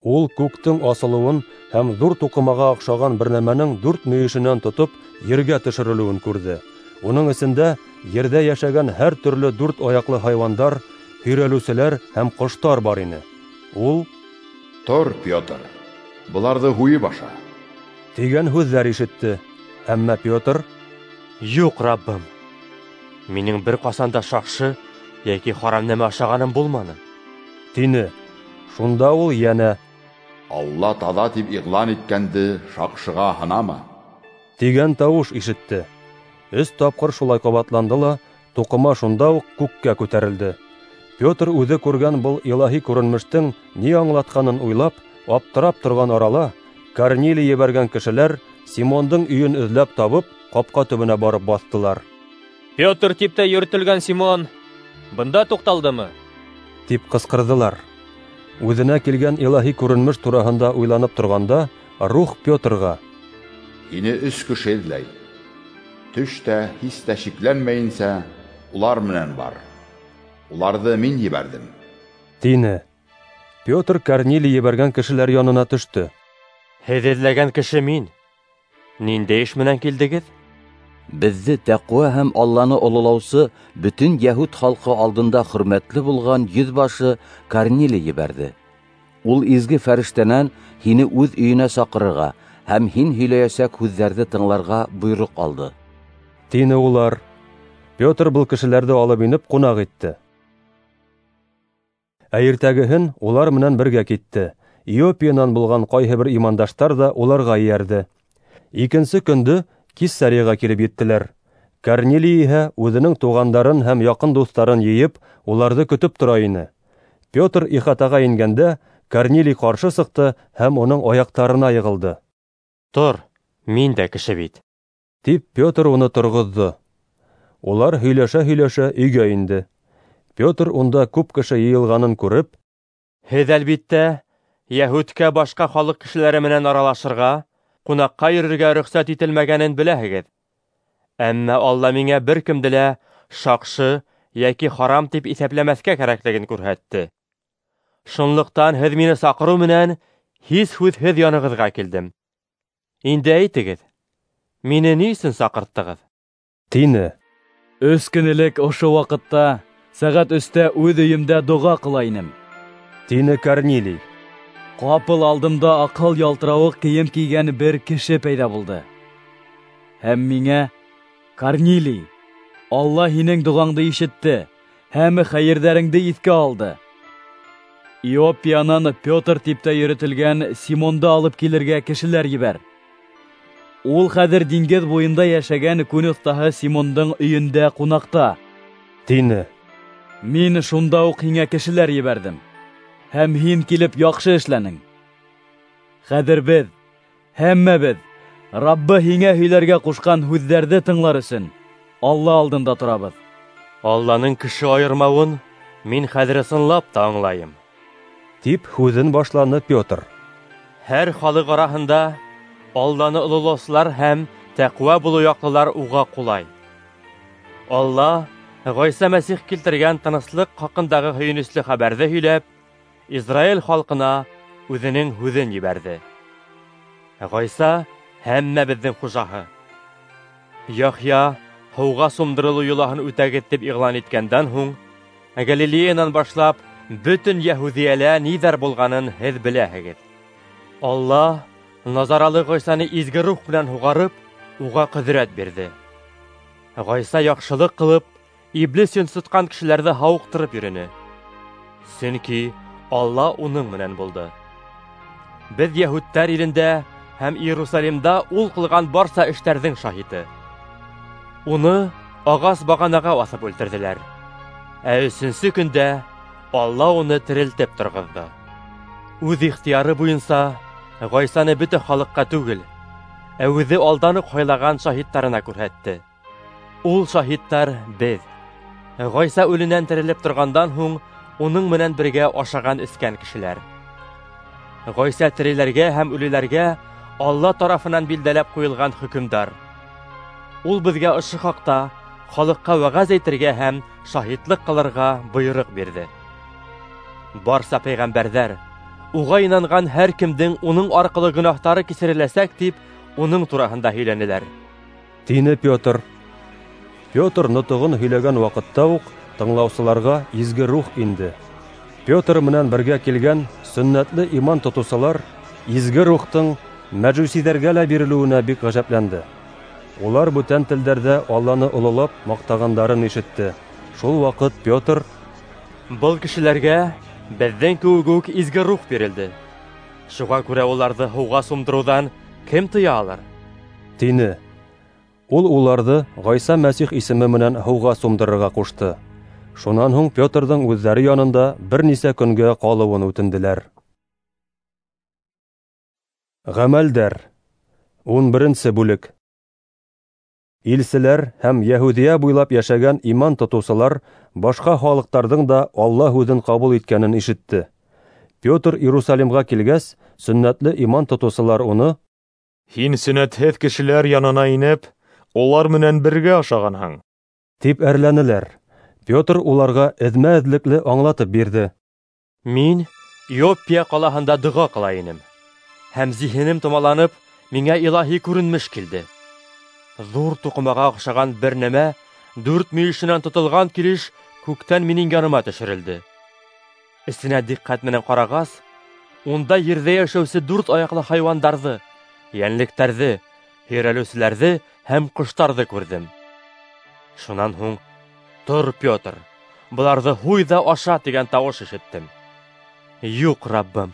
Ул күктең асылыуын һәм ҙур туҡымаға оҡшаған бер нәмәнең дүрт мөйөшөнән тотоп ергә төшөрөлөүен күрҙе. Уның эсендә ерҙә йәшәгән һәр төрлө дүрт аяҡлы хайуандар, һөйрәлеүселәр һәм ҡоштар бар ине. Ул: «Тор, Петр, быларҙы һуйып аша», тигән һүҙҙәр ишетте. Әммә Петр: «Юҡ, Раббым, минең бер ҡасан да шаҡшы йәки харам нәмә ашағаным булманы», тине. Шунда ул йәнә: «Алла таҙа тип иғлан иткәнде шаҡшыға һанама», тигән тауыш ишетте. Өс тапҡыр шулай ҡабатланды ла, туҡыма шунда уҡ күккә күтәрелде. Петр үҙе күргән был илаһи күренмештең ни аңлатҡанын уйлап, аптырап торған арала, Корнилий ебәргән кешеләр Симондың өйөн эҙләп табып, ҡапҡа төбөнә барып баҫтылар. «Петр тип тә йөрөтөлгән Симон бында туҡталдымы?» тип ҡысҡырҙылар. Үҙенә килгән илаһи күренмеш тураһында уйланып торғанда, Рух Петрға: «Һине өс кеше эҙләй. Төш тә, һис тә шикләнмәйенсә, улар менән бар. Уларҙы мин ебәрҙем», тине. Петр Корнилий ебәргән кешеләр янына төштө. «Һеҙ эҙләгән кеше мин. Ниндәй эш менән килдегеҙ?» Беҙҙе тәҡүә һәм Алланы ололаусы бөтөн йәһүд халҡы алдында хөрмәтле булған йөҙбашы Корнилий ебәрҙе. Ул изге фәрештәнән һине үҙ өйөнә саҡырырға һәм һин һөйләйәсәк һүҙҙәрҙе тыңларға бойороҡ алды, тине улар. Петр был кешеләрҙе алып инеп ҡунаҡ итте. Ә иртәгеһен улар менән бергә китте. Иоппиянан булған ҡайһы бер имандаштар ҙа уларға эйәрҙе. Икенсе көндө Кесарияға килеп еттеләр. Корнилий иһә үҙенең туғандарын һәм яҡын дуҫтарын йыйып, уларҙы көтөп тора ине. Петр ихатаға ингәндә, Корнилий ҡаршы сыҡты һәм уның аяҡтарына йығылды. «Тор, мин дә кеше бит», тип Петр уны торғоҙҙо. Улар һөйләшә-һөйләшә өйгә инде. Петр унда күп кеше йыйылғанын күреп, «Һеҙ, әлбиттә, йәһүдкә башҡа халыҡ кешеләре менән аралашырға, ҡунаҡҡа йөрөргә рөхсәт ителмәгәнен беләһегеҙ. Әммә Алла миңә бер кемде лә шаҡшы йәки харам тип иҫәпләмәҫкә кәрәклеген күрһәтте. Шунлыҡтан һеҙ мине саҡырыу менән һис һүҙһеҙ янығыҙға килдем. Инде әйтегеҙ, мине ни өсөн саҡырттығыҙ?» тине. Өс көн элек ошо ваҡытта сәғәт өстә үҙ өйөмдә доға ҡыла инем, тине Корнилий. Ҡапыл алдымда аҡһыл ялтырауыҡ кейем кейгән бер кеше пәйҙә булды. Һәм миңә: Корнилий, Алла һинең доғаңды ишетте һәм хәйерҙәреңде иҫкә алды. Иоппиянан Петр тип тә йөрөтөлгән Симонды алып килергә кешеләр ебәр. Ул хәҙер диңгеҙ буйында йәшәгән күн оҫтаһы Симондың өйөндә ҡунаҡта, тине. Мин шунда уҡ һиңә кешеләр ебәрҙем, һәм һин килеп яҡшы эшләнең. Хәҙер беҙ, һәммәбеҙ, Раббы һиңә һөйләргә ҡушҡан һүҙҙәрҙе тыңлар өсөн Алла алдында торабыҙ. Алланың кеше айырмауын мин хәҙер ысынлап та аңлайым, тип һүҙен башланы Петр. Һәр халыҡ араһында Алланы ололаусылар һәм тәҡүә булыу яҡлылар уға ҡулай. Алла Ғайса Мәсих килтергән тыныслыҡ хаҡындағы һөйөнөслө хәбәрҙе һөйләп, Израиль халҡына үҙенең һүҙен ебәрҙе. Ғайса һәммәбеҙҙең хужаһы. Яхъя һыуға сумдырылыу йолаһын үтәгеҙ тип иғлан иткәндән һуң, Галилеянан башлап бөтөн Йәһүҙиәлә ниҙәр булғанын һеҙ беләһегеҙ. Алла Назаралы Ғайсаны изге рух менән һуғарып, уға ҡөҙрәт бирҙе. Ғайса яҡшылыҡ ҡылып, иблис йонсотҡан кешеләрҙе һауыҡтырып йөрөнө. Сөнки Алла уның менән булды. Беҙ йәһүдтәр илендә һәм Иерусалимда ул ҡылған барса эштәрҙең шаһиты. Уны ағас бағанаға аҫып үлтерҙеләр. Ә өсөнсө көндә Алла уны терелтеп торғоҙҙо. Үҙ ихтыяры буйынса Ғайсаны бөтә халыҡҡа түгел, ә үҙе алдан уҡ һайлаған шаһиттарына күрһәтте. Ул шаһиттар беҙ. Ғайса үленән терелеп торғандан һуң уның менән бергә ашаған эскән кешеләр. Ғайса тереләргә һәм үлеләргә Алла тарафынан билдәләп ҡуйылған хөкөмдар. Ул беҙгә ошо хаҡта халыҡҡа вәғәз әйтергә һәм шаһитлыҡ ҡылырға бойороҡ бирҙе. Барса пәйғәмбәрҙәр уға инанған һәр кемдең уның арҡылы гонаһтары кисереләсәк тип уның тураһында һөйләнеләр, тине Петр. Петр нотоғон һөйләгән ваҡытта уҡ тыңлаусыларға изге рух инде. Петр менән бергә килгән сөннәтле иман тотоусылар изге рухтың мәжүсиҙәргә лә бирелеүенә бик ғәжәпләнде. Улар бүтән телдәрҙә Алланы ололап маҡтағандарын ишетте. Шул ваҡыт Петр: Был кешеләргә беҙҙең кеүек үк изге рух бирелде. Шуға күрә уларҙы һыуға сумдырыуҙан кем тыя алыр? тине. Ул уларҙы Ғайса Мәсих исеме менән һыуға сумдырырға ҡушты. Шунан һуң Петрҙың үҙҙәре янында бер нисә көнгә ҡалыуын үтенделәр. Ғәмәлдәр ун беренсе бүлек. Илселәр һәм Йәһүҙиә буйлап йәшәгән иман тотоусылар башҡа халыҡтарҙың да Алла һүҙен ҡабул иткәнен ишетте. Петр Иерусалимға килгәс, сөннәтле иман тотоусылар уны: Һин сөннәтһеҙ кешеләр янына инеп, улар менән бергә ашағанһың, тип әрләнеләр. Петр уларға эҙмә-эҙлекле аңлатып бирҙе. Мин Иоппия ҡалаһында доға ҡыла инем, һәм зиһенем томаланып, миңә илаһи күренмеш килде. Ҙур туҡымаға оҡшаған бер нәмә дүрт мөйөшөнән тотолған килеш күктән минең яныма төшөрөлдө. Эсенә диҡҡәт менән ҡарағас, унда ерҙә йәшәүсе дүрт аяҡлы хайуандарҙы, йәнлектәрҙе, һөйрәлеүселәрҙе һәм ҡоштарҙы күрҙем. Шунан һуң: Тор, Петр, быларҙы һуй ҙа аша, тигән тауыш ишеттем. Юҡ, Раббым,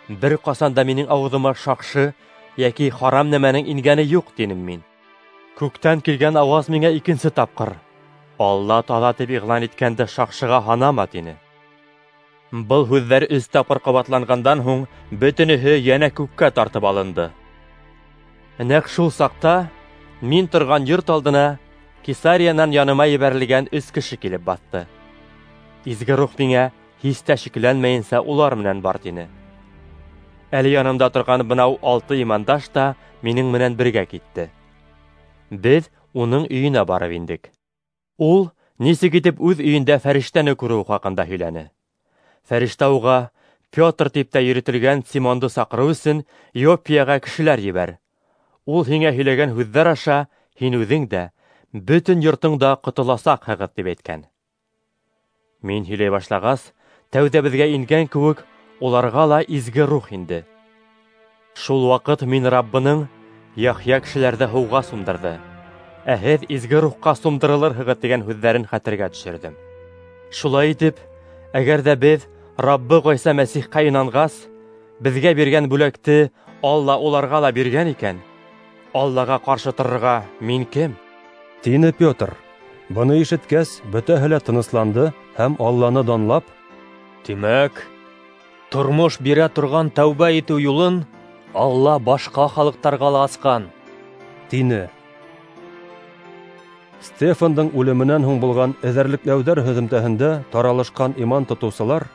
бер ҡасан да минең ауыҙыма шаҡшы йәки харам нәмәнең ингәне юҡ, тинем мин. Күктән килгән ауаз миңә икенсе тапҡыр: Алла таҙа тип иғлан иткәнде шаҡшыға һанама, тине. Был һүҙҙәр өс тапҡыр ҡабатланғандан һуң бөтөнөһө йәнә күккә тартып алынды. Нәҡ шул саҡта мин торған йорт алдына Кесариянан яныма ебәрелгән өс кеше килеп баҫты. Изге рух миңә һис тә шикләнмәйенсә улар менән бар, тине. Әле янымда торған бынау алты имандаш та минең менән бергә китте. Беҙ уның өйөнә барып индек. Ул нисек итеп үҙ өйөндә фәрештәне күреү хаҡында һөйләне. Фәрештә уға Петр тип тә йөрөтөлгән Симонды саҡырыу өсөн Иоппияға кешеләр ебәр. Ул һиңә һөйләгән һүҙҙәр аша һин үҙең дә, бөтөн йортоң да ҡотоласаҡһығыҙ, тип әйткән. Мин һөйләй башлағас, тәүҙә беҙгә ингән кеүек, уларға ла изге рух инде. Шул ваҡыт мин Раббының Яхъя кешеләрҙе һыуға сумдырҙы, ә һеҙ изге рухҡа сумдырылырһығыҙ тигән һүҙҙәрен хәтергә төшөрҙөм. Шулай итеп, әгәр ҙә беҙ Раббы Ғайса Мәсихҡа инанғас, беҙгә биргән бүләкте Алла уларға ла биргән икән, Аллаға ҡаршы торорға мин кем? Тине Петр. Быны ишеткәс, бөтәһе лә тынысланды һәм Алланы данлап: Тимәк, тормош бирә торған тәүбә итеү юлын Алла башҡа халыҡтарға ла асҡан, тине. Стефандың үлеменән һуң булған эҙәрлекләүҙәр һөҙөмтәһендә таралышҡан иман тотоусылар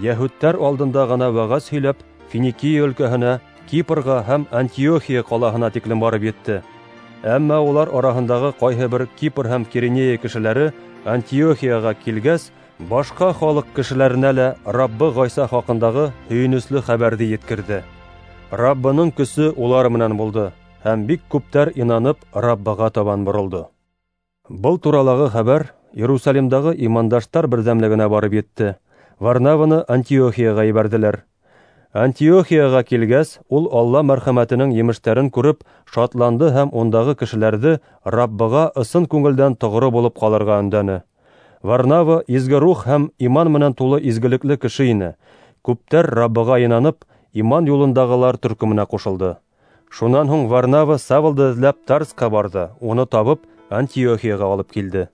йәһүдтәр алдында ғына вәғәз һөйләп, Финикия өлкәһенә, Кипрға һәм Антиохия ҡалаһына тиклем барып етте. Әммә улар араһындағы ҡайһы бер Кипр һәм Киринея кешеләре Антиохияға килгәс, башҡа халыҡ кешеләренә лә Раббы Ғайса хаҡындағы һөйөнөслө хәбәрҙе еткерҙе. Раббының көсө улар менән булды, һәм бик күптәр инанып Раббыға табан боролдо. Был туралағы хәбәр Иерусалимдағы имандаштар берҙәмлегенә барып етте. Варнаваны Антиохияға ебәрҙеләр. Антиохияға килгәс, ул Алла мәрхәмәтенең емештәрен күреп, шатланды һәм ундағы кешеләрҙе Раббыға ысын күңелдән тоғро булып ҡалырға өндәне. Варнава изге рух һәм иман менән тулы изгелекле кеше ине. Күптәр Раббыға инанып, иман юлындағылар төркөмөнә ҡушылды. Шунан һуң Варнава Савлды эҙләп Тарсҡа барҙы, уны табып, Антиохияға алып килде.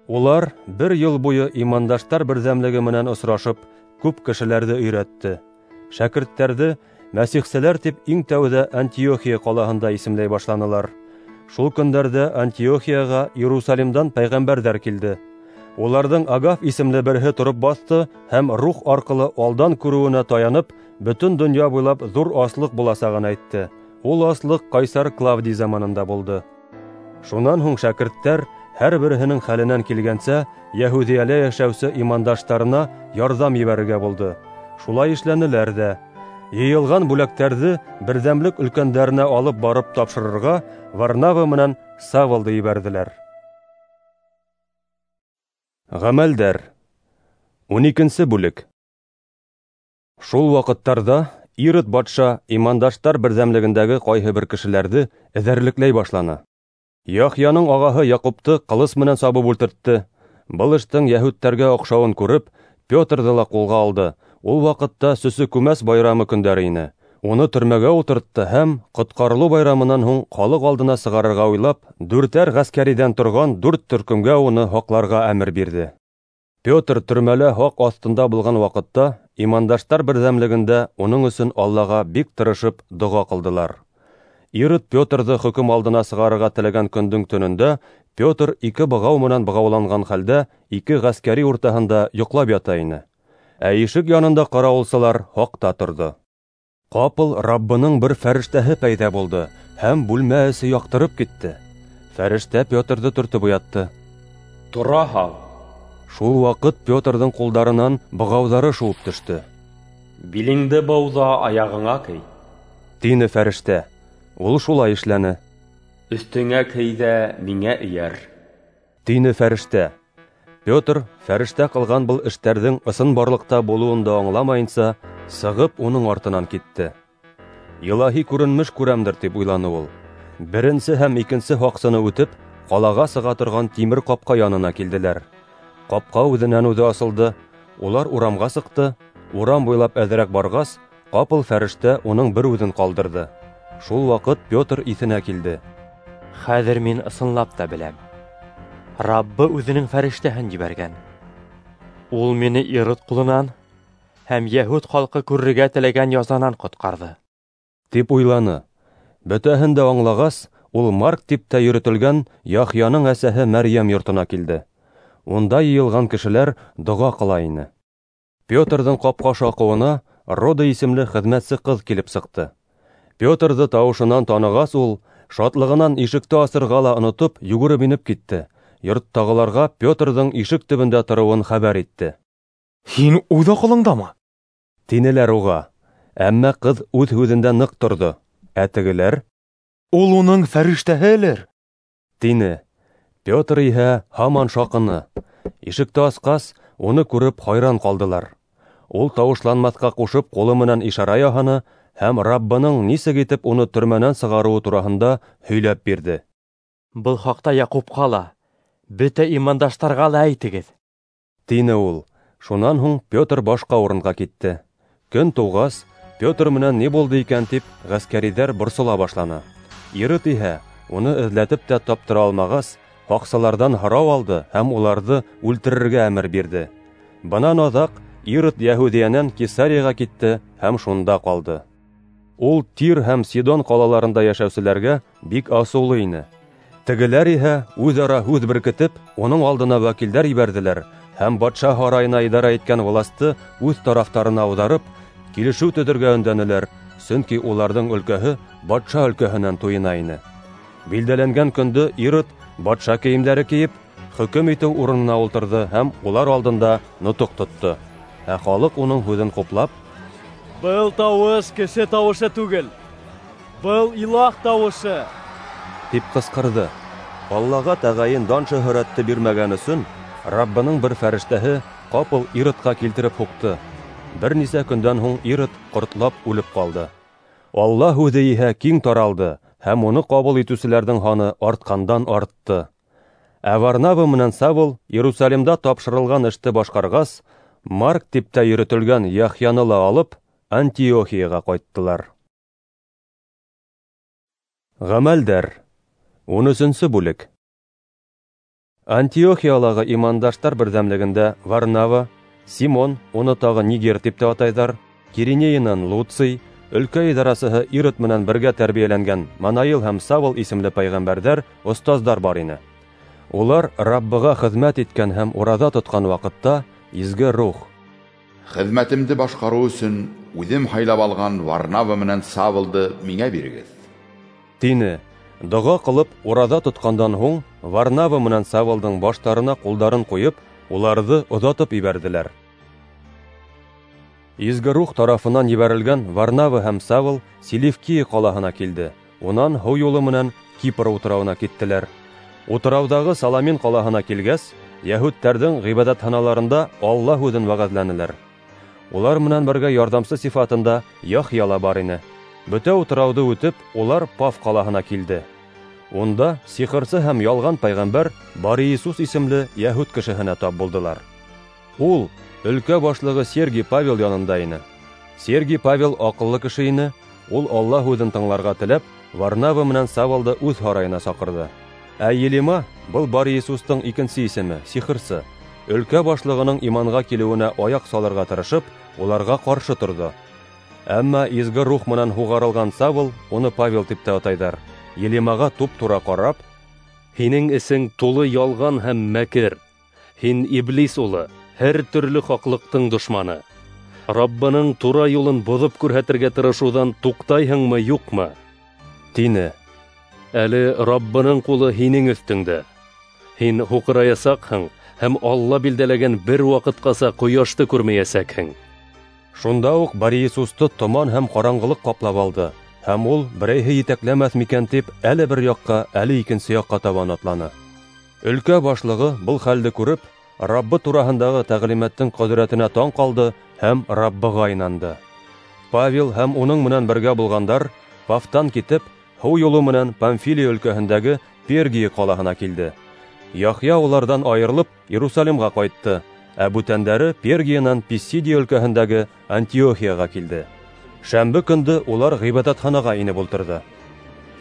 Улар бер йыл буйы имандаштар берҙәмлеге менән осрашып, күп кешеләрҙе өйрәтте. Шәкерттәрҙе мәсихселәр тип иң тәүҙә Антиохия ҡалаһында исемләй башланылар. Шул көндәрҙә Антиохияға Иерусалимдан пәйғәмбәрҙәр килде. Уларҙың Агаф исемле береһе тороп баҫты һәм рух арҡылы алдан күреүенә таянып, бөтөн донъя буйлап ҙур аслыҡ буласағын әйтте. Ул аслыҡ Ҡайсар Клавдий заманында булды. Шунан һуң шәкерттәр һәр береһенең хәленән килгәнсә Йәһүҙиәлә йәшәүсе имандаштарына ярҙам ебәрергә булды. Шулай эшләнеләр ҙә. Йыйылған бүләктәрҙе берҙәмлек өлкәндәренә алып барып тапшырырға Варнава менән Савлды ебәрҙеләр. Ғәмәлдәр. Ун икенсе бүлек. Шул ваҡыттарҙа Ирод батша имандаштар берҙәмлегендәге ҡайһы бер кешеләрҙе эҙәрлекләй башланы. Яхъяның ағаһы Яҡупты ҡылыс менән сабып үлтертте. Был эштең йәһүдтәргә оҡшауын күреп, Петрҙы ла ҡулға алды. Ул ваҡытта Сөсө Күмәс байрамы көндәре ине. Уны төрмәгә ултыртты һәм ҡотҡарылыу байрамынан һуң халыҡ алдына сығарырға уйлап, дүртәр ғәскәриҙән торған дүрт төркөмгә уны һаҡларға әмер бирҙе. Петр төрмәлә һаҡ аҫтында булған ваҡытта имандаштар берҙәмлегендә уның өсөн Аллаға бик тырышып доға ҡылдылар. Ирод Петрҙы хөкөм алдына сығарырға теләгән көндөң төнөндә Петр ике бығау менән бығауланған хәлдә ике ғәскәри уртаһында йоҡлап ята ине. Ә ишек янында ҡарауылсылар һаҡта торҙо. Ҡапыл Раббының бер фәрештәһе пәйҙә булды һәм бүлмә эсе яҡтырып китте. Фәрештә Петрҙы төртөп уятты. Тора һал. Шул ваҡыт Петрҙың ҡулдарынан бығауҙары шыуып төштө. Билеңде быу ҙа аяғыңа кей, тине фәрештә. Ул шулай эшләне. Өҫтөңә кей ҙә миңә эйәр, тине фәрештә. Петр фәрештә ҡылған был эштәрҙең ысынбарлыҡта булыуын да аңламайынса, сығып уның артынан китте. Илаһи күренмеш күрәмдер тип уйланы ул. Беренсе һәм икенсе һаҡсыны үтеп, ҡалаға сыға торған тимер ҡапҡа янына килделәр. Ҡапҡа үҙенән үҙе асылды. Улар урамға сыҡты. Урам буйлап әҙерәк барғас, ҡапыл фәрештә уның бер үҙен ҡалдырҙы. Шул ваҡыт Петр иҫенә килде. Хәҙер мин ысынлап та беләм, Раббы үҙенең фәрештәһен ебәргән. Ул мине Ирод ҡулынан һәм йәһүд халҡы күрергә теләгән язанан ҡотҡарҙы, тип уйланы. Бөтәһен дә аңлағас, ул Марк тип тә йөрөтөлгән Яхъяның әсәһе Мәрйәм йортона килде. Унда йыйылған кешеләр доға ҡыла ине. Петрҙың ҡапҡа шаҡыуына Рода исемле хеҙмәтсе ҡыҙ килеп сыҡты. Петрҙы тауышынан танығас, ул шатлығынан ишекте асырға ла онотоп, йүгереп инеп китте. Йорттағыларға Петрҙың ишек төбөндә тороуын хәбәр итте. Һин үҙ аҡылыңдамы? Тинеләр уға. Әммә ҡыҙ үҙ һүҙендә ныҡ торҙо. Ә тегеләр: Ул уның фәрештәһелер, тине. Петр иһә һаман шаҡыны. Ишекте асҡас, уны күреп хайран ҡалдылар. Ул тауышланмаҫҡа ҡушып ҡулы менән ишара яһаны һәм Раббының нисек итеп уны төрмәнән сығарыуы тураһында һөйләп бирҙе. Был хаҡта Яҡупҡа ла, бөтә имандаштарға ла әйтегеҙ, тине ул. Шунан һуң Петр башҡа урынға китте. Көн тыуғас, Петр менән ни булды икән тип ғәскәриҙәр борсола башланы. Ирод иһә уны эҙләтеп тә таптыра алмағас, һаҡсыларҙан һорау алды һәм уларҙы үлтерергә әмер бирҙе. Бынан аҙаҡ Ирод Йәһүҙиәнән Кесарияға китте һәм шунда ҡалды. Ул Тир һәм Сидон ҡалаларында йәшәүселәргә бик асыулы ине. Тегеләр иһә үҙ-ара һүҙ беркетеп, уның алдына вәкилдәр ебәрҙеләр һәм батша һарайына идара иткән власты үҙ тарафтарына ауҙарып, килешеү төҙөргә өндәнеләр, сөнки уларҙың өлкәһе батша өлкәһенән туйына ине. Билдәләнгән көндө Ирод батша кейемдәре кейеп, хөкөм итеү урынына ултырҙы һәм улар алдында нотоҡ тотто. Ә халыҡ уның һүҙен хуплап: "Был тауыш кеше тауышы түгел, был илаһ тауышы!" тип ҡысҡырҙы. Аллаға тәғәйен дан-шөһрәтте бирмәгән өсөн Раббының бер фәрештәһе ҡапыл Иродҡа килтереп һуҡты. Бер нисә көндән һуң Ирод ҡортлап үлеп ҡалды. Алла һүҙе иһә киң таралды, һәм уны ҡабул итеүселәрҙең һаны артҡандан артты. Ә Варнава менән Савл Иерусалимда тапшырылған эште башҡарғас, Марк тип тә йөрөтөлгән Яхъяны ла алып, Антиохияға ҡайттылар. Ғәмәлдәр. Ун өсөнсө бүлек. Антиохиялағы имандаштар берҙәмлегендә Варнава, Симон, уны тағы Нигер тип тә атайҙар, Киринейынан Луций, өлкә идарасыһы Ирод менән бергә тәрбиәләнгән Манаил һәм Савл исемле пәйғәмбәрҙәр, остаздар бар ине. Улар Раббыға хеҙмәт иткән һәм ураҙа тотҡан ваҡытта Изге Рух: "Хеҙмәтемде башҡарыу өсөн үҙем һайлап алған Варнава менән Савлды миңә бирегеҙ", тине. Доға ҡылып ураҙа тотҡандан һуң Варнава менән Савлдың баштарына ҡулдарын ҡуйып, уларҙы оҙатып ебәрҙеләр. Изге Рух тарафынан ебәрелгән Варнава һәм Савл Селевкия ҡалаһына килде. Унан һыу юлы менән Кипр утрауына киттеләр. Утрауҙағы Саламин ҡалаһына килгәс, йәһүдтәрҙең ғибәҙәтханаларында Алла һүҙен вәғәҙләнеләр. Улар менән бергә ярҙамсы сифатында Яхъя ла бар ине. Бөтә утрауҙы үтеп, улар Паф ҡалаһына килде. Унда сихырсы һәм ялған пәйғәмбәр Бар-Иисус исемле йәһүд кешеһенә тап булдылар. Ул өлкә башлығы Сергий Павел янында ине. Сергий Павел аҡыллы кеше ине, ул Алла һүҙен тыңларға теләп, Варнава менән Савлды үҙ һарайына саҡырҙы. Ә Елима, был Бар-Иисустың икенсе исеме, сихырсы, өлкә башлығының иманға килеүенә аяҡ салырға тырышып, уларға ҡаршы торҙо. Әммә Изге Рух менән һуғарылған Савл, уны Павел тип тә атайҙар, Елимаға туп-тура ҡарап: "Һинең эсең тулы ялған һәм мәкер. Һин иблис улы, һәр төрлө хаҡлыҡтың дошманы. Раббының тура юлын боҙоп күрһәтергә тырышыуҙан туҡтайһыңмы, юҡмы?" тине. Әле Раббының ҡулы һинең өҫтөңдә. Һин һуҡыраясаҡһың һәм Алла билдәләгән бер ваҡытҡаса ҡояшты күрмәйәсәкһең. Шунда уҡ Бар-Иисусты томан һәм ҡараңғылыҡ ҡаплап алды, һәм ул берәйһе етәкләмәҫ микән тип әле бер яҡҡа, әле икенсе яҡҡа табан атланы. Өлкә башлығы был хәлде күреп, Раббы тураһындағы тәғлимәттең ҡөҙрәтенә таң ҡалды һәм Раббыға инанды. Павел һәм уның менән бергә булғандар Пафтан китеп, һыу юлы менән Памфилия өлкәһендәге Пергия ҡалаһына килде. Яхъя уларҙан айырылып Иерусалимға ҡайтты, ә бүтәндәре Пергиянан Писидия өлкәһендәге Антиохияға килде. Шәмбе көндө улар ғибәҙәтханаға инеп ултырҙы.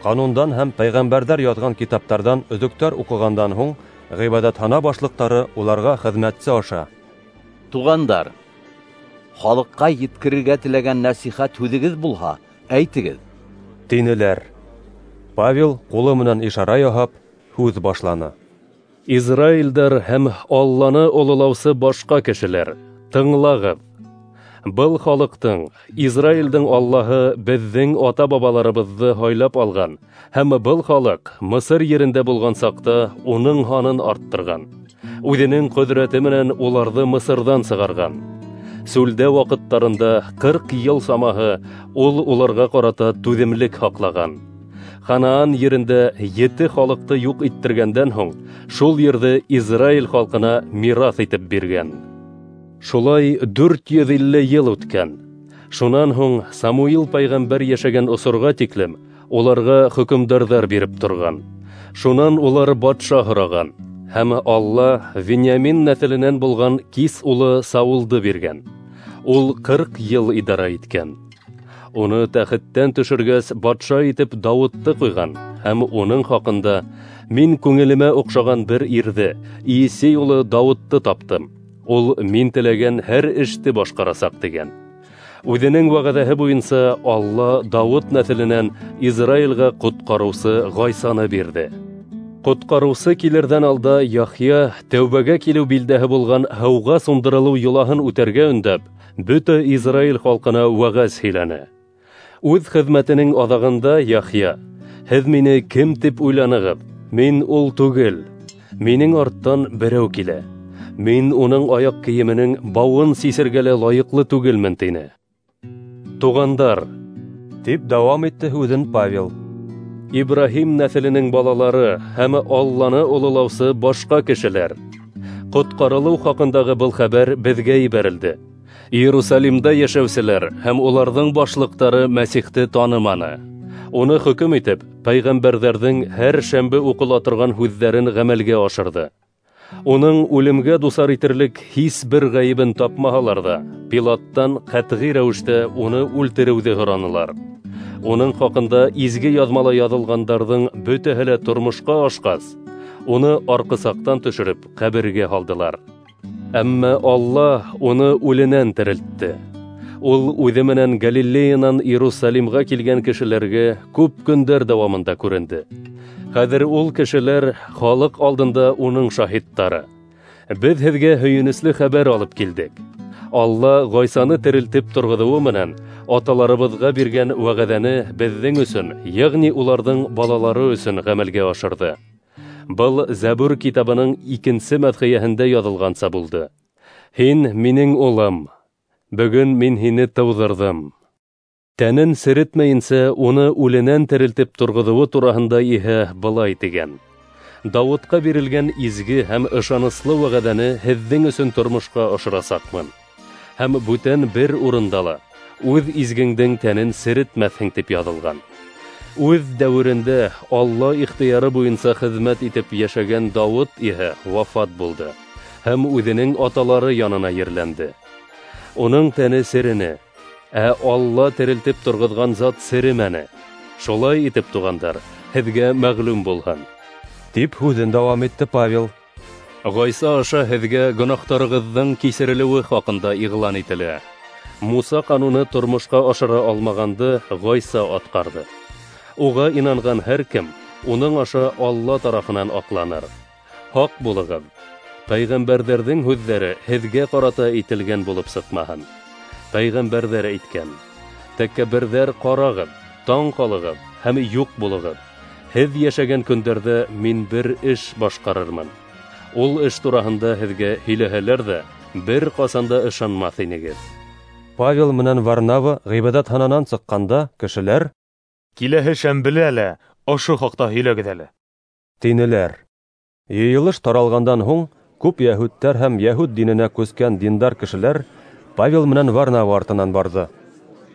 Ҡанундан һәм пәйғәмбәрҙәр яҙған китаптарҙан өҙөктәр уҡығандан һуң ғибәҙәтхана башлыҡтары уларға хеҙмәтсе аша: "Туғандар, халыҡҡа еткерергә теләгән нәсихәт һүҙегеҙ булһа, әйтегеҙ", тинеләр. Павел ҡулы менән ишара яһап һүҙ башланы. Израилдәр һәм Алланы ололаусы башҡа кешеләр, тыңлағыҙ. Был халыҡтың, Израилдең Аллаһы беҙҙең ата-бабаларыбыҙҙы һайлап алған, һәм был халыҡ Мысыр ерендә булған саҡта уның һанын арттырған, үҙенең ҡөҙрәте менән уларҙы Мысырҙан сығарған. Сүлдә ваҡыттарында ҡырҡ йыл самаһы ул уларға ҡарата түҙемлек һаҡлаған. Ханаан ерендә ете халыҡты юҡ иттергәндән һуң, шул ерҙе Израиль халҡына мираҫ итеп биргән. Шулай дүрт йөҙ илле йыл үткән. Шунан һуң Самуил пәйғәмбәр йәшәгән осорға тиклем уларға хөкөмдарҙар биреп торған. Шунан улар батша һораған, һәм Алла Вениамин нәҫеленән булған Кис улы Саулды биргән. Ул ҡырҡ йыл идара иткән. Уны тәхеттән төшөргәс, батша итеп Дауытты ҡуйған, һәм уның хаҡында: «Мин күңелемә оҡшаған бер ирҙе, Иесей улы Дауытты таптым. Ул мин теләгән һәр эште башҡарасаҡ», тигән. Үҙенең вәғәҙәһе буйынса Алла Дауыт нәҫеленән Израилгә ҡотҡарыусы Ғайсаны бирҙе. Ҡотҡарыусы килерҙән алда Яхъя тәүбәгә килеү билдәһе булған һыуға сумдырылыу йолаһын үтәргә өндәп, бөтә Израиль халҡына вәғәз һөйләне. Үҙ хеҙмәтенең аҙағында Яхъя: «Һеҙ мине кем тип уйланығыҙ? Мин ул түгел. Минең арттан берәү килә. Мин уның аяҡ кейеменең бауын сисергә лә лайыҡлы түгелмен», тине. Туғандар, тип дауам итте һүҙен Павел, Ибраһим нәҫеленең балалары һәм Алланы ололаусы башҡа кешеләр, ҡотҡарылыу хаҡындағы был хәбәр беҙгә ебәрелде. Иерусалимда йәшәүселәр һәм уларҙың башлыҡтары Мәсихте таныманы. Уны хөкөм итеп, пәйғәмбәрҙәрҙең һәр шәмбе уҡыла торған һүҙҙәрен ғәмәлгә ашырҙы. Уның үлемгә дусар итерлек һис бер ғәйебен тапмаһалар ҙа, Пилаттан ҡәтғи рәүештә уны үлтереүҙе һоранылар. Уның хаҡында изге яҙмала яҙылғандарҙың бөтәһе лә тормошҡа ашҡас, уны арҡысаҡтан төшөрөп ҡәбергә һалдылар. Әммә Алла уны үленән терелтте. Ул үҙе менән Галилеянан Иерусалимға килгән кешеләргә күп көндәр дауамында күренде. Хәҙер ул кешеләр халыҡ алдында уның шаһиттары. Беҙ һеҙгә һөйөнөслө хәбәр алып килдек. Алла Ғайсаны терелтеп торғоҙоуы менән аталарыбыҙға биргән вәғәҙәне беҙҙең өсөн, йәғни уларҙың балалары өсөн ғәмәлгә ашырҙы. Был Зәбур китабының икенсе мәҙхиәһендә яҙылғанса булды: «Һин минең улым, бөгөн мин һине тыуҙырҙым». Тәнен серетмәйенсә уны үленән терелтеп торғоҙоуы тураһында иһә былай тигән: «Дауытҡа бирелгән изге һәм ышаныслы вәғәҙәне һеҙҙең өсөн тормошҡа ашырасаҡмын. Һәм бүтән бер урында ла үҙ изгеңдең тәнен серетмәҫһең», тип яҙылған. Үҙ дәүерендә Алла ихтыяры буйынса хеҙмәт итеп йәшәгән Дауыт иһә вафат булды һәм үҙенең аталары янына ерләнде. Уның тәне серене, ә Алла терелтеп торғоҙған зат серемәне. Шулай итеп, туғандар, һеҙгә мәғлүм булһын, тип һүҙен дауам итте Павел. Ғайса аша һеҙгә гонаһтарығыҙҙың кисерелеүе хаҡында иғлан ителә. Муса ҡануны тормошҡа ашыра алмағанды Ғайса атҡарҙы. Уға инанған һәр кем уның аша Алла тарафынан аҡланыр. Һаҡ булығыҙ, пәйғәмбәрҙәрҙең һүҙҙәре һеҙгә ҡарата әйтелгән булып сыҡмаһын. Пәйғәмбәрҙәр әйткән: «Тәкәбберҙәр, ҡарағыҙ, таң ҡалығыҙ һәм юҡ булығыҙ. Һеҙ йәшәгән көндәрҙә мин бер эш башҡарырмын. Ул эш тураһында һеҙгә һөйләһәләр ҙә, бер ҡасан да ышанмаҫ инегеҙ». Павел менән Варнава ғибәҙәтхананан сыҡҡанда кешеләр: «Киләһе шәмбелә лә ошо хаҡта һөйләгеҙ әле», тинеләр. Йыйылыш таралғандан һуң күп йәһүдтәр һәм йәһүд диненә күскән диндар кешеләр Павел менән Варнава артынан барҙы.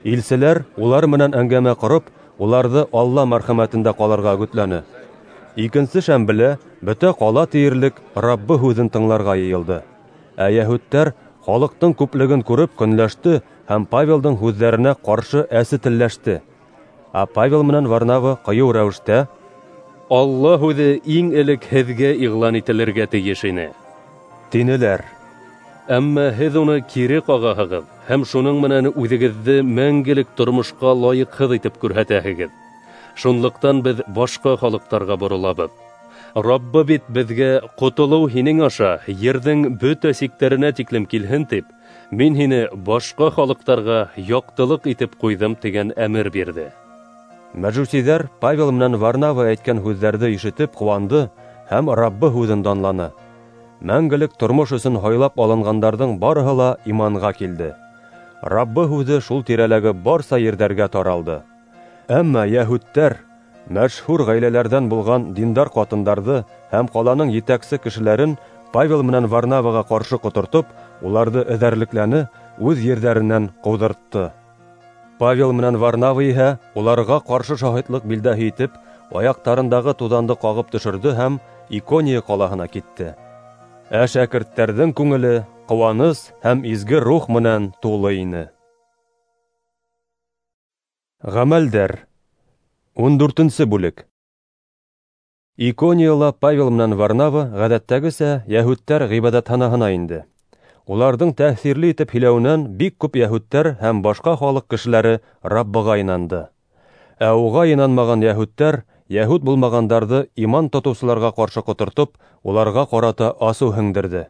Илселәр улар менән әңгәмә ҡороп, уларҙы Алла мәрхәмәтендә ҡалырға өгөтләне. Икенсе шәмбелә бөтә ҡала тиерлек Раббы һүҙен тыңларға йыйылды. Ә йәһүдтәр халыҡтың күплеген күреп көнләште һәм Павелдың һүҙҙәренә ҡаршы әсе телләште. Ә Павел менән Варнава ҡыйыу рәүештә: «Алла һүҙе иң элек һеҙгә иғлан ителергә тейеш ине», тинеләр. Әммә һеҙ уны кире ҡағаһығыҙ һәм шуның менән үҙегеҙҙе мәңгелек тормошҡа лайыҡһыҙ итеп күрһәтәһегеҙ. Шунлыҡтан беҙ башҡа халыҡтарға боролабыҙ. Раббы бит беҙгә ҡотолоу һинең аша ерҙең бөтә сиктәренә тиклем килһен тип, мин һине башҡа халыҡтарға яҡтылыҡ итеп ҡуйҙым тигән әмер бирҙе. Мәжүсиҙәр Павел менән Варнава әйткән һүҙҙәрҙе ишетеп ҡыуанды һәм Раббы һүҙен данланы. Мәңгелек тормош өсөн һайлап алынғандарҙың барыһы ла иманға килде. Раббы һүҙе шул тирәләге барса ерҙәргә таралды. Әммә йәһүдтәр мәшһүр ғаиләләрҙән булған диндар ҡатындарҙы һәм ҡаланың етәксе кешеләрен Павел менән Варнаваға ҡаршы ҡотортоп, уларҙы эҙәрлекләне, үҙ ерҙәренән ҡыуҙыртты. Павел менән Варнава иһә уларға ҡаршы шаһитлыҡ билдәһе итеп, аяҡтарындағы туҙанды ҡағып төшөрҙө һәм Икония ҡалаһына китте. Ә шәкерттәрҙең күңеле ҡыуаныс һәм изге рух менән тулы ине. Ғәмәлдәр. Ун дүртенсе бүлек. Иконияла Павел менән Варнава ғәҙәттәгесә йәһүдтәр ғибәҙәтханаһына инде. Уларҙың тәьҫирле итеп һөйләүенән бик күп йәһүдтәр һәм башҡа халыҡ кешеләре Раббыға инанды. Ә уға инанмаған йәһүдтәр йәһүд булмағандарҙы иман тотоусыларға ҡаршы ҡотортоп, уларға ҡарата асыу һеңдерҙе.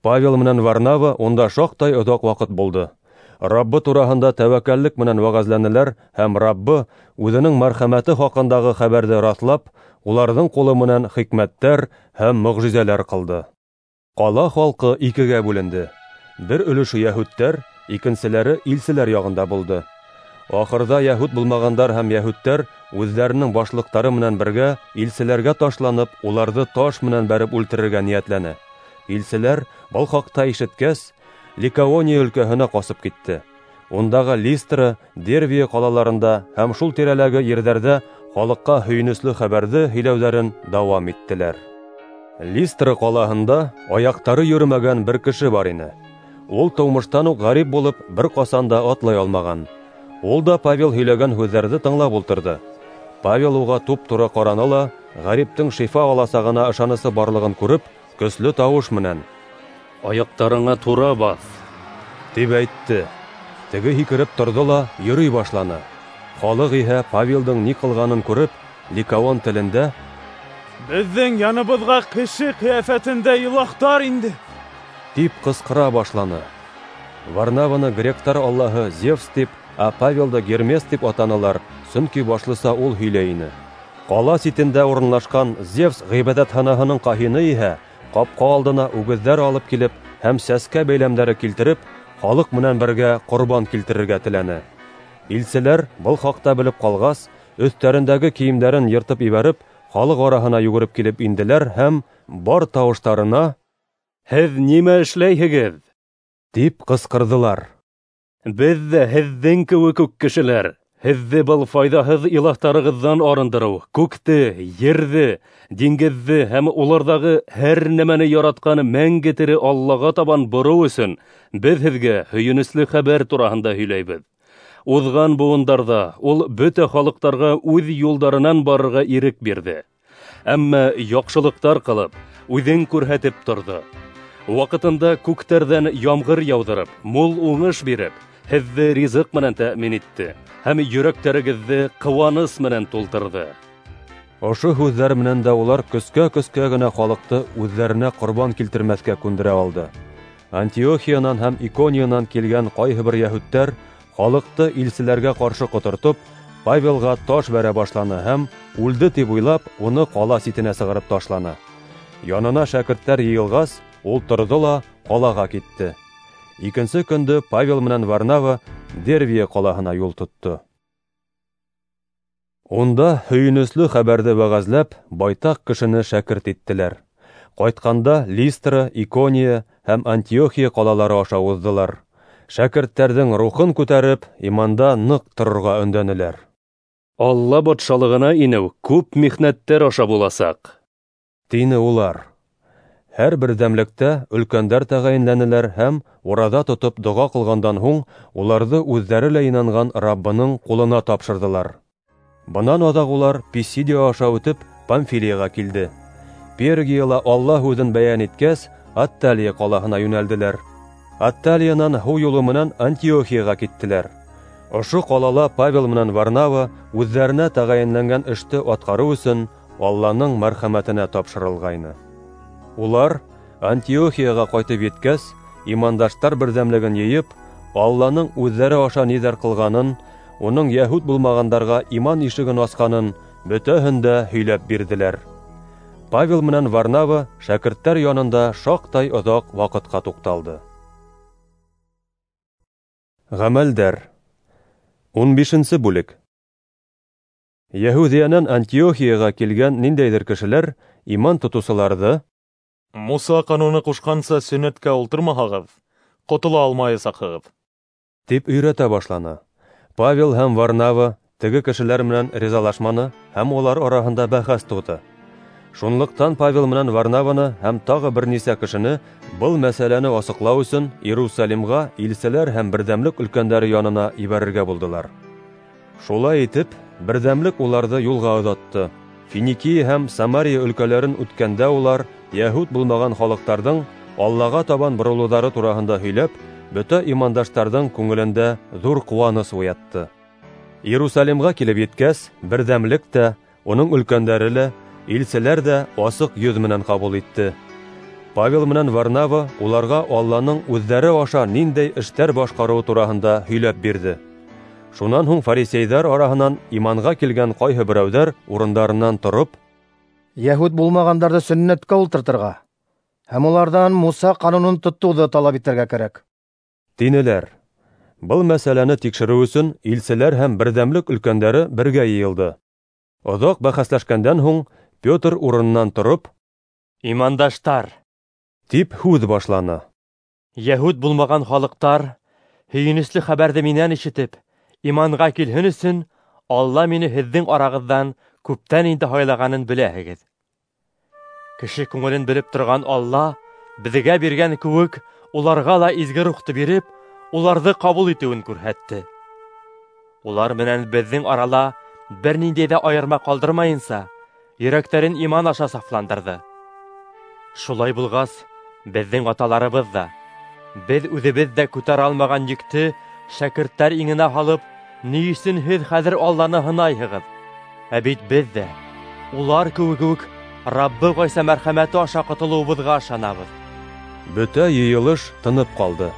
Павел менән Варнава унда шаҡтай оҙаҡ ваҡыт булды. Раббы тураһында тәүәккәллек менән вәғәзләнеләр һәм Раббы үҙенең мәрхәмәте хаҡындағы хәбәрҙе раҫлап, уларҙың ҡулы менән хикмәттәр һәм мөғжизәләр ҡылды. Ҡала халҡы икегә бүленде. Бер өлөшө йәһүдтәр, икенселәре илселәр яғында булды. Ахырҙа йәһүд булмағандар һәм йәһүдтәр үҙҙәренең башлыҡтары менән бергә илселәргә ташланып, уларҙы таш менән бәреп үлтерергә ниәтләне. Илселәр был хаҡта ишеткәс, Ликаония өлкәһенә ҡасып китте. Ундағы Листра, Дервия ҡалаларында һәм шул тирәләге ерҙәрҙә халыҡҡа һөйөнөслө хәбәрҙе һөйләүҙәрен дауам иттеләр. Листра ҡалаһында аяҡтары йөрөмәгән бер кеше бар ине. Ул тыумыштан уҡ ғәрип булып, бер ҡасан да атлай алмаған. Ул да Павел һөйләгән һүҙҙәрҙе тыңлап ултырҙы. Павел уға туп-тура ҡараны ла, ғәриптең шифа аласағына ышанысы барлығын күреп, көслө тауыш менән: "Аяҡтарыңа тура баҫ", тип әйтте. Теге һикереп торҙо ла йөрөй башланы. Халыҡ иһә Павелдың ни ҡылғанын күреп, ликаон телендә: "Беҙҙең яныбыҙға кеше ҡиәфәтендә илаһтар инде", тип ҡысҡыра башланы. Варнаваны гректар аллаһы Зевс тип, ә Павелды Гермес тип атанылар, сөнки башлыса ул һөйләй ине. Ҡала ситендә урынлашҡан Зевс ғибәҙәтханаһының ҡаһины иһә ҡапҡа алдына үгеҙҙәр алып килеп һәм сәскә бәйләмдәре килтереп, халыҡ менән бергә ҡорбан килтерергә теләне. Илселәр был хаҡта белеп ҡалғас, өҫтәрендәге кейемдәрен йыртып ебәреп, халыҡ араһына йүгереп килеп инделәр һәм бар тауыштарына: "Һеҙ нимә эшләйһегеҙ?" тип ҡысҡырҙылар. "Беҙ ҙә һеҙҙең кеүек үк кешеләр. Һеҙҙе был файҙаһыҙ илаһтарығыҙҙан арындырыу, күкте, ерҙе, диңгеҙҙе һәм уларҙағы һәр нәмәне яратҡан мәңге тере Аллаға табан бороу өсөн беҙ һеҙгә һөйөнөслө хәбәр тураһында һөйләйбеҙ. Уҙған быуындарҙа ул бөтә халыҡтарға үҙ юлдарынан барырға ирек бирҙе. Әммә яҡшылыҡтар ҡылып, үҙен күрһәтеп торҙо. Ваҡытында күктәрҙән ямғыр яуҙырып, мул уңыш биреп, һеҙҙе ризыҡ менән тәьмин итте һәм йөрәктәрегеҙҙе ҡыуаныс менән тултырҙы." Ошо һүҙҙәр менән дә улар көскә-көскә генә халыҡты үҙҙәренә ҡорбан килтермәҫкә күндерә алды. Антиохиянан һәм Икониянан килгән ҡайһы бер йәһүдтәр халыҡты илселәргә ҡаршы ҡотортоп, Павелға таш бәрә башланы һәм үлде тип уйлап, уны ҡала ситенә сығарып ташланы. Янына шәкерттәр йыйылғас, ул торҙо ла ҡалаға китте. Икенсе көндө Павел менән Варнава Дервия ҡалаһына юл тотто. Унда һөйөнөслө хәбәрҙе вәғәзләп, байтаҡ кешене шәкерт иттеләр. Ҡайтҡанда Листра, Икония һәм Антиохия ҡалалары аша уҙҙылар. Шәкерттәрҙең рухын күтәреп, иманда ныҡ торорға өндәнеләр. "Алла батшалығына инеү күп михнәттәр аша буласаҡ", тине улар. Һәр берҙәмлектә өлкәндәр тәғәйенләнеләр һәм ураҙа тотоп доға ҡылғандан һуң уларҙы үҙҙәре лә инанған Раббының ҡулына тапшырҙылар. Бынан аҙаҡ улар Писидия аша үтеп Памфилияға килде. Пергияла Алла һүҙен бәйән иткәс, Атталия ҡалаһына йүнәлделәр. Атталиянан һыу юлы менән Антиохияға киттеләр. Ошо ҡалала Павел менән Варнава үҙҙәренә тәғәйенләнгән эште атҡарыу өсөн Алланың мәрхәмәтенә тапшырылғайны. Улар Антиохияға ҡайтып еткәс, имандаштар берҙәмлеген йыйып, Алланың үҙҙәре аша ниҙәр ҡылғанын, уның йәһүд булмағандарға иман ишеген асҡанын бөтәһен дә һөйләп бирҙеләр. Павел менән Варнава шәкерттәр янында шаҡтай оҙаҡ ваҡытҡа туҡталды. Ғәмәлдәр. Ун бишенсе бүлек. Йәһүҙиәнән Антиохияға килгән ниндәйҙер кешеләр иман тотоусыларҙы: "Муса ҡануны ҡушҡанса сөннәткә ултырмаһағыҙ, ҡотола алмаясаҡһығыҙ", тип өйрәтә башланы. Павел һәм Варнава теге кешеләр менән ризалашманы һәм улар араһында бәхәс тыуҙы. Шунлыҡтан Павел менән Варнаваны һәм тағы бер нисә кешене был мәсьәләне асыҡлау өсөн Иерусалимға илселәр һәм берҙәмлек өлкәндәре янына ебәрергә булдылар. Шулай итеп, берҙәмлек уларҙы юлға оҙатты. Финикия һәм Самария өлкәләрен үткәндә улар йәһүд булмаған халыҡтарҙың Аллаға табан боролоуҙары тураһында һөйләп, бөтә имандаштарҙың күңелендә ҙур ҡыуаныс уятты. Иерусалимға килеп еткәс, берҙәмлек тә, уның өлкәндәре лә, илселәр ҙә асыҡ йөҙ менән ҡабул итте. Павел менән Варнава уларға Алланың үҙҙәре аша ниндәй эштәр башҡарыуы тураһында һөйләп бирҙе. Шунан һуң фарисейҙар араһынан иманға килгән ҡайһы берәүҙәр урындарынан тороп, "Йәһүд булмағандарҙы сөннәткә ултыртырға һәм уларҙан Муса ҡанунын тотоуҙы талап итергә кәрәк", тинеләр. Был мәсьәләне тикшереү өсөн илселәр һәм берҙәмлек өлкәндәре бергә йыйылды. Оҙаҡ бәхәсләшкәндән һуң Петр урынынан тороп, "Имандаштар", тип һүҙ башланы. "Йәһүд булмаған халыҡтар һөйөнөслө хәбәрҙе минән ишетеп, иманға килһен өсөн Алла мине һеҙҙең арағыҙҙан күптән инде һайлағанын беләһегеҙ. Кеше күңелен белеп торған Алла беҙгә биргән кеүек уларға ла изге рухты биреп, уларҙы ҡабул итеүен күрһәтте. Улар менән беҙҙең арала бер ниндәй ҙә айырма ҡалдырмайынса, йөрәктәрен иман аша сафландырҙы. Шулай булғас, беҙҙең аталарыбыҙ ҙа, беҙ үҙебеҙ ҙә күтәрә алмаған йөктө шәкерттәр иңенә һалып, ни өсөн һеҙ хәҙер Алланы һынайһығыҙ? Ә бит беҙ ҙә, улар кеүек үк, Раббы Ғайса мәрхәмәте аша ҡотолоуыбыҙға ышанабыҙ." Бөтә йыйылыш тынып ҡалды.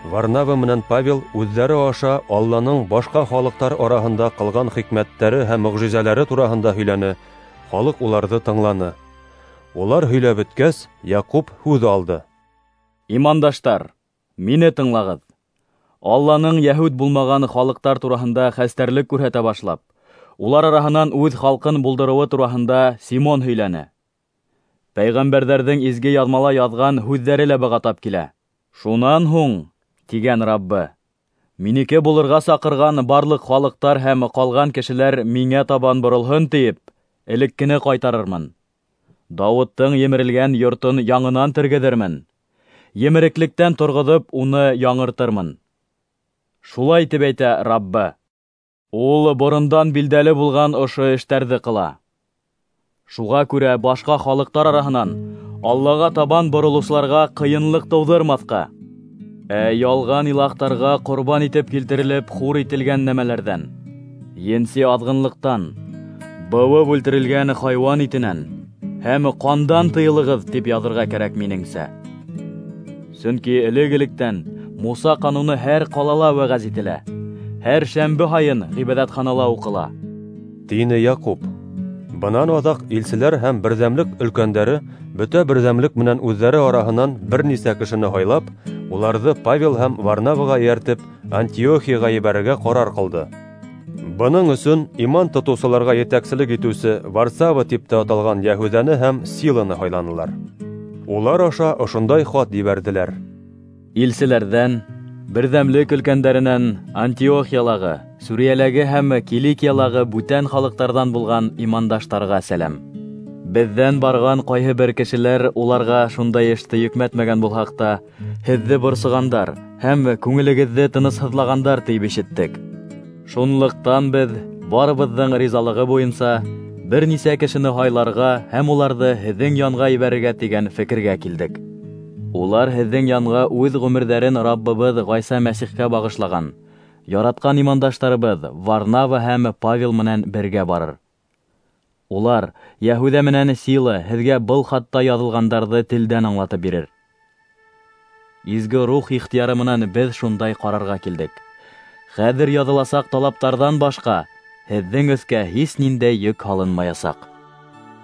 Варнава менән Павел үҙҙәре аша Алланың башҡа халыҡтар араһында ҡылған хикмәттәре һәм мөғжизәләре тураһында һөйләне. Халыҡ уларҙы тыңланы. Улар һөйләп бөткәс, Яҡуп һүҙ алды. "Имандаштар, мине тыңлағыҙ. Алланың йәһүд булмаған халыҡтар тураһында хәстәрлек күрһәтә башлап, улар араһынан үҙ халҡын булдырыуы тураһында Симон һөйләне. Пәйғәмбәрҙәрҙең изге яҙмала яҙған һүҙҙәре лә быға тап килә. Шунан һуң, тигән Раббы, минеке булырға саҡырған барлыҡ халыҡтар һәм ҡалған кешеләр миңә табан боролһон тиеп, элеккене ҡайтарырмын. Дауыттың емерелгән йортон яңынан тергеҙермен, емереклектән торғоҙоп уны яңыртырмын. Шулай тип әйтә Раббы. Ул борондан билдәле булған ошо эштәрҙе ҡыла. Шуға күрә башҡа халыҡтар араһынан Аллаға табан боролоусыларға ҡыйынлыҡ тыуҙырмаҫҡа, ә ялған илаһтарға ҡорбан итеп килтерелеп хур ителгән нәмәләрҙән, енси аҙғынлыҡтан, быуып үлтерелгән хайуан итенән һәм ҡандан тыйылығыҙ тип яҙырға кәрәк минеңсә. Сөнки элек-электән Муса ҡануны һәр ҡалала вәғәз ителә, һәр шәмбе һайын ғибәҙәтханала уҡыла", тине Яҡуп. Бынан аҙаҡ илселәр һәм берҙәмлек өлкәндәре бөтә берҙәмлек менән үҙҙәре араһынан бер нисә кешене һайлап, уларҙы Павел һәм Варнаваға эйәртеп Антиохияға ебәрергә ҡарар ҡылды. Бының өсөн иман тотоусыларға етәкселек итеүсе Варсава тип тә аталған Йәһүҙәне һәм Силаны һайланылар. Улар аша ошондай хат ебәрҙеләр: "Илселәрҙән, берҙәмлек өлкәндәренән Антиохиялағы, Сүриәләге һәм Киликиялағы бүтән халыҡтарҙан булған имандаштарға сәләм. Беҙҙән барған ҡайһы бер кешеләр уларға шундай эште йөкмәтмәгән булһаҡ та, һеҙҙе борсоғандар һәм күңелегеҙҙе тынысһыҙлағандар тип ишеттек. Шунлыҡтан беҙ барыбыҙҙың ризалығы буйынса бер нисә кешене һайларға һәм уларҙы һеҙҙең янға ебәрергә тигән фекергә килдек. Улар һеҙҙең янға үҙ ғүмерҙәрен Раббыбыҙ Ғайса Мәсихкә бағышлаған яратҡан имандаштарыбыҙ Варнава һәм Павел менән бергә барыр. Улар Йәһүҙә менән Сила һеҙгә был хатта яҙылғандарҙы телдән аңлатып бирер. Изге рух ихтыяры менән беҙ шундай ҡарарға килдек. Хәҙер яҙыласаҡ талаптарҙан башҡа һеҙҙең өҫкә һис ниндәй йөк һалынмаясаҡ.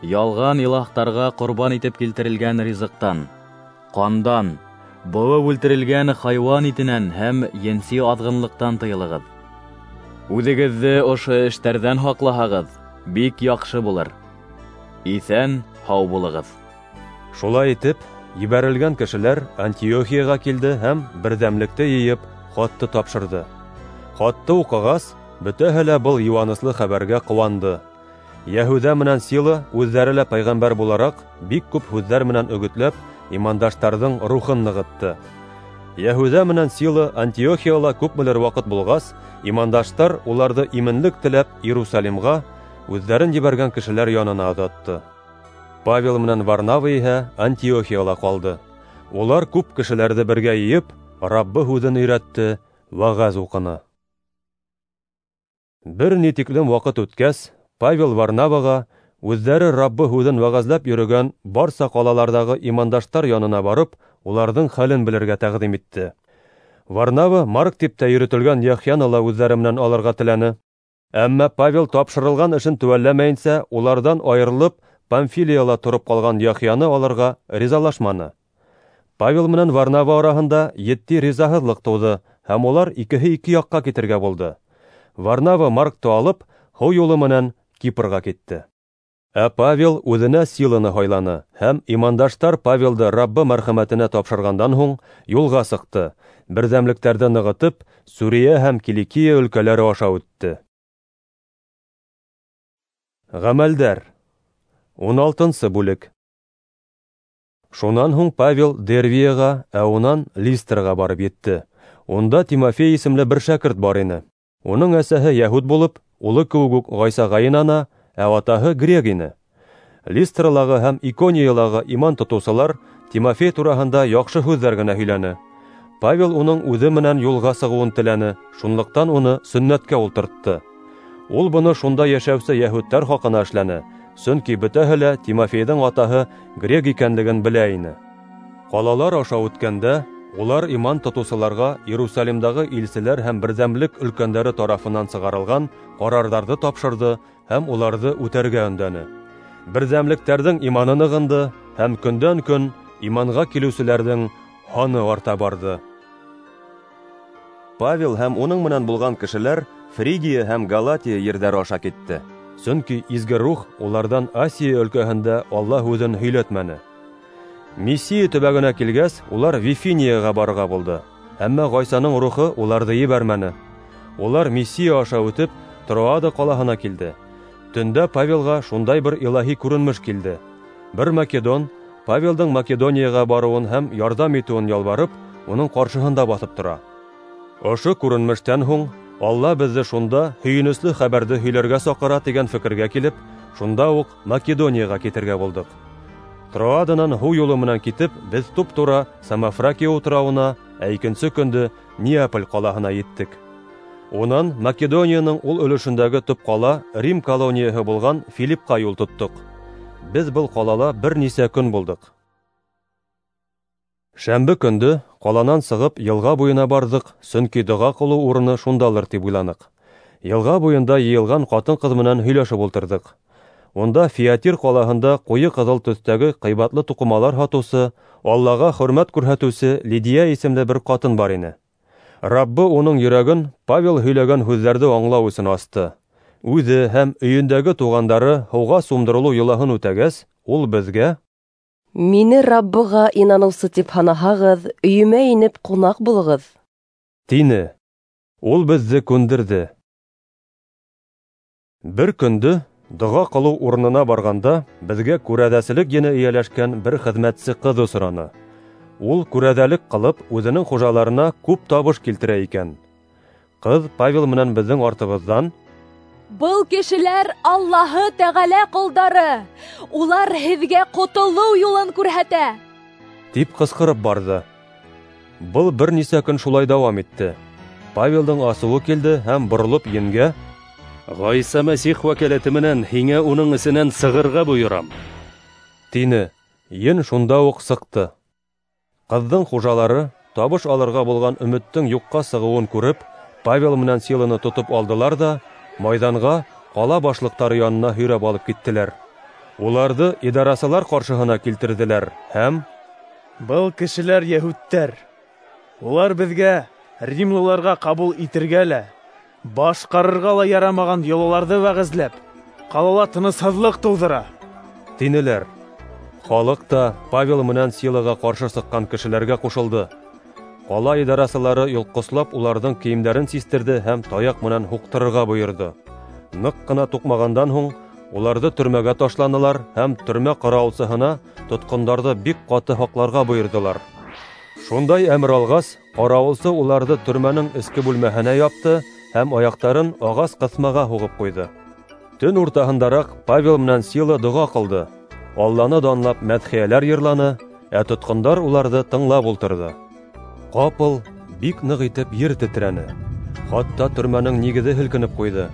Ялған илаһтарға ҡорбан итеп килтерелгән ризыҡтан, ҡандан, быуып үлтерелгән хайуан итенән һәм енси аҙғынлыҡтан тыйылығыҙ. Үҙегеҙҙе ошо эштәрҙән һаҡлаһағыҙ, бик яҡшы булыр. Иҫән һау булығыҙ. Шулай итеп, ебәрелгән кешеләр Антиохияға килде һәм берҙәмлекте йыйып, хатты тапшырҙы. Хатты уҡығас, бөтәһе лә был йыуаныслы хәбәргә ҡыуанды. Йәһүҙә менән Сила үҙҙәре лә пәйғәмбәр булараҡ бик күп һүҙҙәр менән өгөтләп, имандаштарҙың рухын нығытты. Йәһүҙә менән Сила Антиохияла күпмелер ваҡыт булғас, имандаштар уларҙы именлек теләп Иерусалимға үҙҙәрен ебәргән кешеләр янына оҙатты. Павел менән Варнава иһә Антиохияла ҡалды. Улар күп кешеләрҙе бергә йыйып, Раббы һүҙен өйрәтте, вәғәз уҡыны. Бер ни тиклем ваҡыт үткәс, Павел Варнаваға үҙҙәре Раббы һүҙен вәғәзләп йөрөгән барса ҡалаларҙағы имандаштар янына барып, уларҙың хәлен белергә тәҡдим итте. Варнава Марк тип тә йөрөтөлгән Яхъяны ла үҙҙәре менән алырға теләне. Әммә Павел тапшырылған эшен теүәлләмәйенсә, уларҙан айырылып, Памфилияла тороп ҡалған Яхъяны алырға ризалашманы. Павел менән Варнава араһында етди ризаһыҙлыҡ тыуҙы, һәм улар икеһе ике яҡҡа китергә булды. Варнава Маркты алып, һыу юлы менән Кипрға китте. Ә Павел үҙенә Силаны һайланы, һәм имандаштар Павелды Раббы мәрхәмәтенә тапшырғандан һуң юлға сыҡты, берҙәмлектәрҙе нығытып, Сүриә һәм Киликия өлкәләре аша үтте. Ғәмәлдәр. Ун алтынсы бүлек. Шунан һуң Павел Дервияға, ә унан Листрға барып етте. Унда Тимофей исемле бер шәкерт бар ине. Уның әсәһе йәһүд булып, улы кеүек үк Ғайсаға инана, ә атаһы грек ине. Листралағы һәм Икониялағы иман тотоусылар Тимофей тураһында яҡшы һүҙҙәр генә һөйләне. Павел уның үҙе менән юлға сығыуын теләне, шунлыҡтан уны сөннәткә ултыртты. Ул быны шунда йәшәүсе йәһүдтәр хаҡына эшләне, сөнки бөтәһе лә Тимофейҙың атаһы грек икәнлеген белә ине. Ҡалалар аша үткәндә, улар иман тотоусыларға Иерусалимдағы илселәр һәм берҙәмлек өлкәндәре тарафынан сығарылған ҡарарҙарҙы тапшырҙы һәм уларҙы үтәргә өндәне. Берҙәмлектәрҙең иманы нығынды һәм көндән-көн иманға килеүселәрҙең һаны арта барҙы. Павел һәм уның менән булған кешеләр Фригия һәм Галатия ерҙәре аша китте. Сөнки Изге Рух уларҙан Асия өлкәһендә Алла һүҙен һөйләтмәне. Мисия төбәгенә килгәс, улар Вифинияға барырға булды. Әммә Ғайсаның рухы уларҙы ебәрмәне. Улар Мисия аша үтеп, Троада ҡалаһына килде. Төндә Павелға шундай бер илаһи күренеш килде. Бер македон Павелдың Македонияға барыуын һәм ярҙам итеүен ялбарып, уның ҡаршыһында баҫып тора. Ошо күренештән һуң Алла беҙҙе шунда һөйөнөслө хәбәрҙе һөйләргә саҡыра тигән фекергә килеп, шунда уҡ Македонияға китергә булдыҡ. Троаданан һыу юлы менән китеп, беҙ туп-тура Самофракия утрауына, ә икенсе көндө Неаполь ҡалаһына еттек. Унан Македонияның ул өлөшөндәге төп ҡала Рим колонияһы булған Филиппҡа юл тоттоҡ. Беҙ был ҡалала бер нисә көн булдыҡ. Шәмбе көндө ҡаланан сығып йылға буйына барҙыҡ, сөнки доға ҡылыу урыны шундалыр тип уйланыҡ. Йылға буйында йыйылған ҡатын-ҡыҙ менән һөйләшеп ултырҙыҡ. Унда Фиатир ҡалаһында ҡуйы ҡыҙыл төҫтәге ҡыйбатлы туҡымалар һатыусы, Аллаға хөрмәт күрһәтеүсе Лидия исемле бер ҡатын бар ине. Раббы уның йөрәген Павел һөйләгән һүҙҙәрҙе аңлау өсөн асты. Үҙе һәм өйөндәге туғандары һыуға сумдырылыу йолаһын үтәгәс, ул беҙгә: Мине Раббыға инаныусы тип һанаһағыҙ, өйөмә инеп ҡунаҡ булығыҙ, тине. Ул беҙҙе күндерҙе. Бер көндө доға ҡылыу урынына барғанда беҙгә күрәҙәселек ене эйәләшкән бер хеҙмәтсе ҡыҙ осраны. Ул күрәҙәлек ҡылып, үҙенең хужаларына күп табыш килтерә икән. Ҡыҙ Павел менән беҙҙең артыбыҙҙан: Был кешеләр Аллаһы Тәғәлә ҡолдары, улар һеҙгә ҡотолоу юлын күрһәтә, тип ҡысҡырып барҙы. Был бер нисә көн шулай дауам итте. Павелдың асыуы килде һәм боролоп енгә: Ғайса Мәсих вәкәләте менән һиңә уның эсенән сығырға бойорам, тине. Ен шунда уҡ сыҡты. Ҡыҙҙың хужалары табыш алырға булған өмөттөң юҡҡа сығыуын күреп, Павел менән Силаны тотоп алдылар да майҙанға ҡала башлыҡтары янына һөйрәп алып киттеләр. Уларҙы идарасылар ҡаршыһына килтерҙеләр һәм: Был кешеләр йәһүдтәр. Улар беҙгә римлыларға ҡабул итергә лә, башҡарырға ла ярамаған йолаларҙы вәғәзләп, ҡалала тынысһыҙлыҡ тыуҙыра, тинеләр. Халыҡ та Павел менән Силаға ҡаршы сыҡҡан кешеләргә ҡушылды. Ҡала идарасылары йолҡҡослап уларҙың кейемдәрен систерҙе һәм таяҡ менән һуҡтырырға бойорҙо. Ныҡ ҡына туҡмағандан һуң уларҙы төрмәгә ташланылар һәм төрмә ҡарауылсыһына тотҡондарҙы бик ҡаты һаҡларға бойорҙолар. Шундай әмер алғас, ҡарауылсы уларҙы төрмәнең эске бүлмәһенә япты һәм аяҡтарын ағас ҡыҫмаға һуғып ҡуйҙы. Төн уртаһындараҡ Павел менән Сила доға ҡылды, Алланы данлап мәҙхиәләр йырланы, ә тотҡондар уларҙы тыңлап ултырҙы. Ҡапыл бик ныҡ итеп ер тетрәне, хатта төрмәнең нигеҙе һелкенеп ҡуйҙы.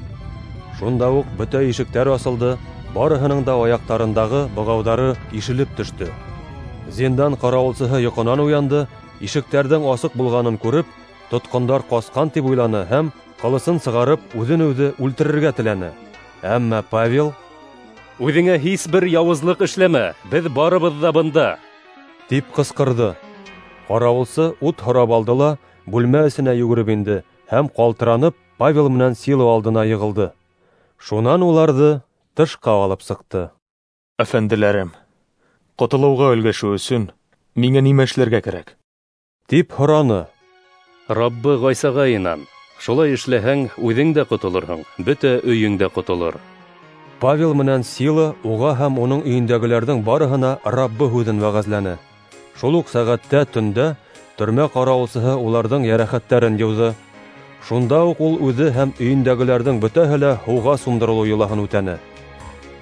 Шунда уҡ бөтә ишектәр асылды, барыһының да аяҡтарындағы бығауҙары ишелеп төштө. Зиндан ҡарауылсыһы йоҡонан уянды, ишектәрҙең асыҡ булғанын күреп, тотҡондар ҡасҡан тип уйланы һәм ҡылысын сығарып үҙен үҙе үлтерергә теләне. Әммә Павел: "Үҙеңә һис бер яуызлыҡ эшләмә, беҙ барыбыҙ ҙа бында", тип ҡысҡырҙы. Ҡарауылсы ут һорап алды ла бүлмә эсенә йүгереп инде һәм ҡалтыранып Павел менән Сила алдына йығылды. Шунан уларҙы тышҡа алып сыҡты. Әфәнделәрем, ҡотолоуға өлгәшеү өсөн миңә нимә эшләргә кәрәк? Тип һораны. Раббы Ғайсаға инан. Шулай эшләһәң, үҙең дә ҡотолорһоң, бөтә өйөң дә ҡотолор. Павел менән Сила уға һәм уның өйөндәгеләрҙең барыһына Раббы һүҙен вәғәзләне. Шул уҡ сәғәттә төндә төрмә ҡарауылсыһы уларҙың йәрәхәттәрен йыуҙы. Шунда уҡ ул үҙе һәм өйөндәгеләрҙең бөтәһе лә һыуға сумдырылыу йолаһын үтәне.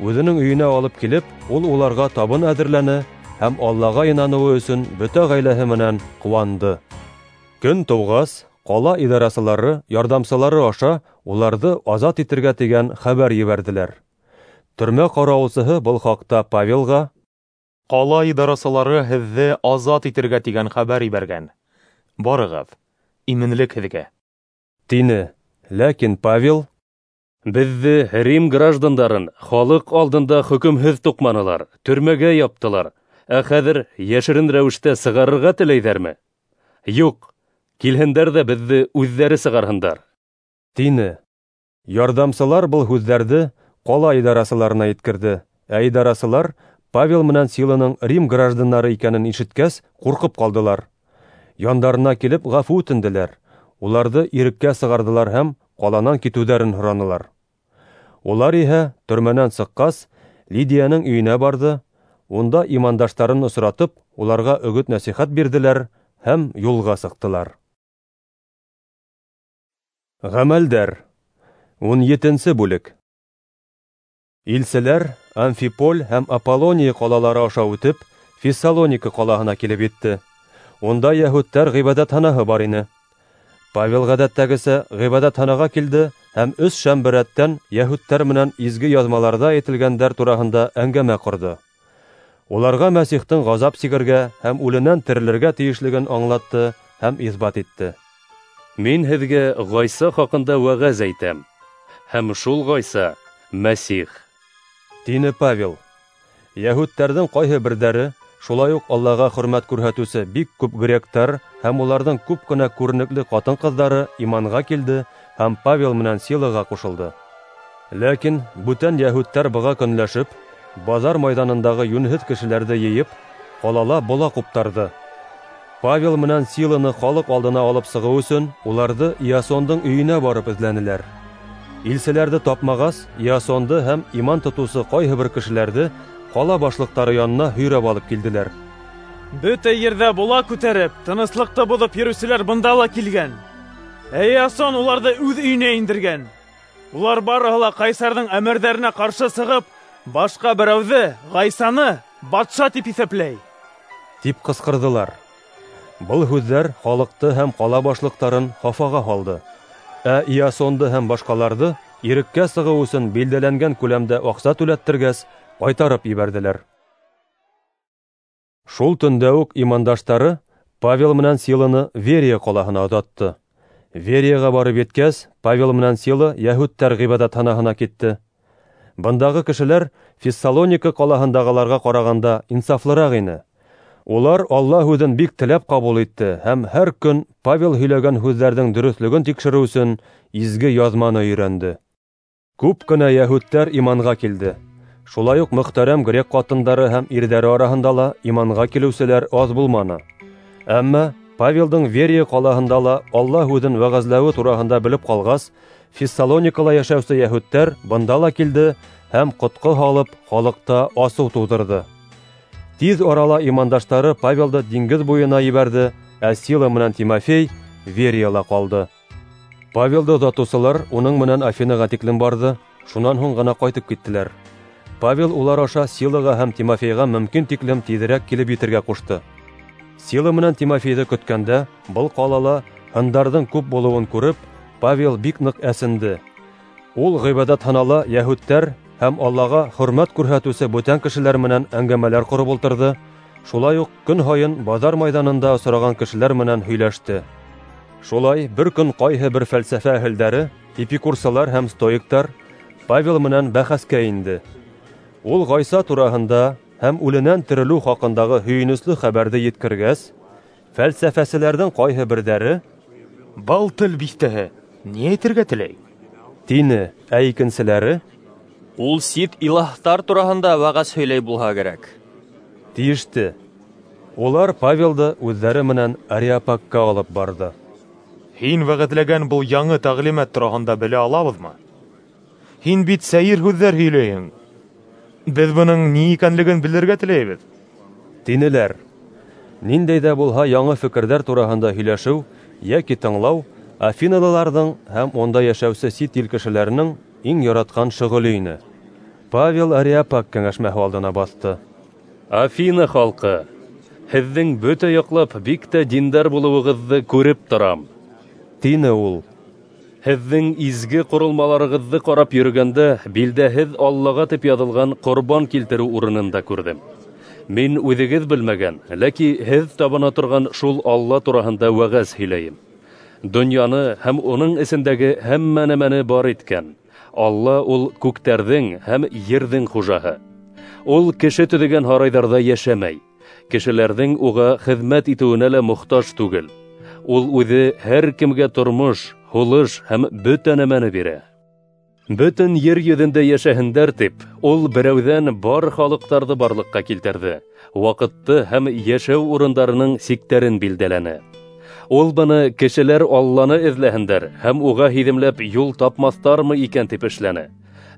Үҙенең өйөнә алып килеп, ул уларға табын әҙерләне һәм Аллаға инаныуы өсөн бөтә ғаиләһе менән ҡыуанды. Көн тыуғас, ҡала идарасылары ярҙамсылары аша уларҙы азат итергә тигән хәбәр ебәрҙеләр. Төрмә ҡарауылсыһы был хаҡта Павелға: "Ҡала идарасылары һеҙҙе азат итергә тигән хәбәр ебәргән. Барығыҙ, именлек һеҙгә", тине. Ләкин Павел: "Беҙҙе, Рим граждандарын, халыҡ алдында хөкөмһөҙ туҡманылар, төрмәгә яптылар, ә хәҙер йәшерен рәүештә сығарырға теләйҙәрме? Юҡ, килһендәр ҙә беҙҙе үҙҙәре сығарһындар", тине. Ярҙамсылар был һүҙҙәрҙе ҡала идарасыларына еткерҙе, ә идарасылар Павел менән Силаның Рим граждандары икәнен ишеткәс, ҡурҡып ҡалдылар. Яндарына килеп ғәфү үтенделәр, уларҙы иреккә сығарҙылар һәм ҡаланан китеүҙәрен һоранылар. Улар иһә төрмәнән сыҡҡас, Лидияның өйөнә барҙы, унда имандаштарын осратып, уларға өгөт-нәсихәт бирҙеләр һәм юлға сыҡтылар. Ғәмәлдәр. Ун етенсе бүлек. Илселәр Амфиполь һәм Аполлония ҡалалары аша үтеп, Фессалоника ҡалаһына килеп етте. Унда йәһүдтәр ғибәҙәтханаһы бар ине. Павел ғәҙәттәгесә ғибәҙәтханаға килде һәм өс шәмбе рәттән йәһүдтәр менән изге яҙмаларҙа әйтелгәндәр тураһында әңгәмә ҡорҙо. Уларға Мәсихтең ғазап сигергә һәм үленән терелергә тейешлеген аңлатты һәм иҫбат итте. Мин һеҙгә Ғайса хаҡында вәғәз әйтәм, һәм шул Ғайса Мәсих, тине Павел. Йәһүдтәрҙең ҡайһы берҙәре, шулай уҡ Аллаға хөрмәт күрһәтеүсе бик күп гректар һәм уларҙың күп кенә күренекле ҡатын-ҡыҙҙары иманға килде һәм Павел менән Силаға ҡушылды. Ләкин бүтән йәһүдтәр быға көнләшеп, баҙар майҙанындағы йүнһеҙ кешеләрҙе йыйып, ҡалала бола ҡуптарҙы. Павел менән Силаны халыҡ алдына алып сығыу өсөн уларҙы Иасондың өйөнә барып эҙләнеләр. Илселәрҙе тапмағас, Иасонды һәм иман тотоусы ҡайһы бер кешеләрҙе ҡала башлыҡтары янына һөйрәп алып килделәр. Бөтә ерҙә бола күтәреп, тыныслыҡты боҙоп йөрөүселәр бында ла килгән. Ә Иасон уларҙы үҙ өйөнә индергән. Улар барыһы ла ҡайсарҙың әмерҙәренә ҡаршы сығып, башҡа берәүҙе, Ғайсаны, батша тип иҫәпләй, тип ҡысҡырҙылар. Был һүҙҙәр халыҡты һәм ҡала башлыҡтарын хафаға һалды. Ә Иасонды һәм башҡаларҙы иреккә сығыу өсөн билдәләнгән күләмдә аҡса түләттергәс, ҡайтарып ебәрҙеләр. Шул төндә үк имандаштары Павел менән Силаны Верия ҡалаһына оҙатты. Верияға барып еткәс, Павел менән Сила йәһүдтәр ғибәҙәтханаһына китте. Бындағы кешеләр Фессалоника ҡалаһындағыларға ҡарағанда инсафлыраҡ ине. Улар Алла һүҙен бик теләп ҡабул итте һәм һәр көн Павел һөйләгән һүҙҙәрҙең дөрөҫлөгөн тикшереү өсөн изге яҙманы өйрәнде. Күп кенә йәһүдтәр иманға килде. Шулай уҡ мөхтәрәм грек ҡатындары һәм ирҙәре араһында ла иманға килеүселәр аҙ булманы. Әммә Павелдың Верия ҡалаһында ла Алла һүҙен вәғәзләүе тураһында белеп ҡалғас, Фессалоникала йәшәүсе йәһүдтәр бында ла килде һәм ҡотҡо һалып халыҡта асыу тыуҙырҙы. Тиҙ арала имандаштары Павелды диңгеҙ буйына ебәрҙе, ә Сила менән Тимофей Верияла ҡалды. Павелды оҙатыусылар уның менән Афинаға тиклем барҙы, шунан һуң ғына ҡайтып киттеләр. Павел улар аша Силаға һәм Тимофейға мөмкин тиклем тиҙерәк килеп етергә ҡушты. Сила менән Тимофейҙы көткәндә, был ҡалала һындарҙың күп булыуын күреп, Павел бик ныҡ әсенде. Ул ғибәҙәтханала йәһүдтәр һәм Аллаға хөрмәт күрһәтеүсе бүтән кешеләр менән әңгәмәләр ҡороп ултырҙы, шулай уҡ көн һайын баҙар майҙанында осраған кешеләр менән һөйләште. Шулай бер көн ҡайһы бер фәлсәфә әһелдәре, эпикурсалар һәм стоиктар Павел менән бәхәскә инде. Ул Ғайса тураһында һәм үленән терелеү хаҡындағы һөйөнөслө хәбәрҙе еткергәс, фәлсәфәселәрҙең ҡайһы берҙәре: "Был тел биҫтәһе ни әйтергә теләй?" тине, ә икенселәре: "Ул сит илаһтар тураһында вәғәз һөйләй булһа кәрәк", тиеште. Улар Павелды үҙҙәре менән Ареопагка алып барҙы. Һин вәғәҙләгән был яңы тәғлимәт тураһында белә алабыҙмы? Һин бит сәйер һүҙҙәр һөйләйһең. Беҙ бының ни икәнлеген белергә теләйбеҙ, тинеләр. Ниндәй ҙә булһа яңы фекерҙәр тураһында һөйләшеү йәки тыңлау афиналыларҙың һәм унда йәшәүсе сит ил кешеләренең иң яратҡан шөғөлө ине. Павел Ареопаг кәңәшмәһе алдына баҫты. Афина халҡы, һеҙҙең бөтә яҡлап бик тә диндар булыуығыҙҙы күреп торам, тине ул. Һеҙҙең изге ҡоролмаларығыҙҙы ҡарап йөрөгәндә билдәһеҙ Аллаға тип яҙылған ҡорбан килтереү урынын да күрҙем. Мин үҙегеҙ белмәгән, ләки һеҙ табына торған шул Алла тураһында вәғәз һөйләйем. Донъяны һәм уның эсендәге һәммә нәмәне бар иткән Алла ул күктәрҙең һәм ерҙең хужаһы. Ул кеше төҙөгән һарайҙарҙа йәшәмәй, кешеләрҙең уға хеҙмәт итеүенә лә мохтаж түгел. Ул үҙе һәр кемгә тормош, һулыш һәм бөтә нәмәне бирә. Бөтөн ер йөҙөндә йәшәһендәр тип, ул берәүҙән бар халыҡтарҙы барлыҡҡа килтерҙе, ваҡытты һәм йәшәү урындарының сиктәрен билдәләне. Ул быны кешеләр Алланы эҙләһендәр һәм уға һиҙемләп юл тапмаҫтармы икән тип эшләне.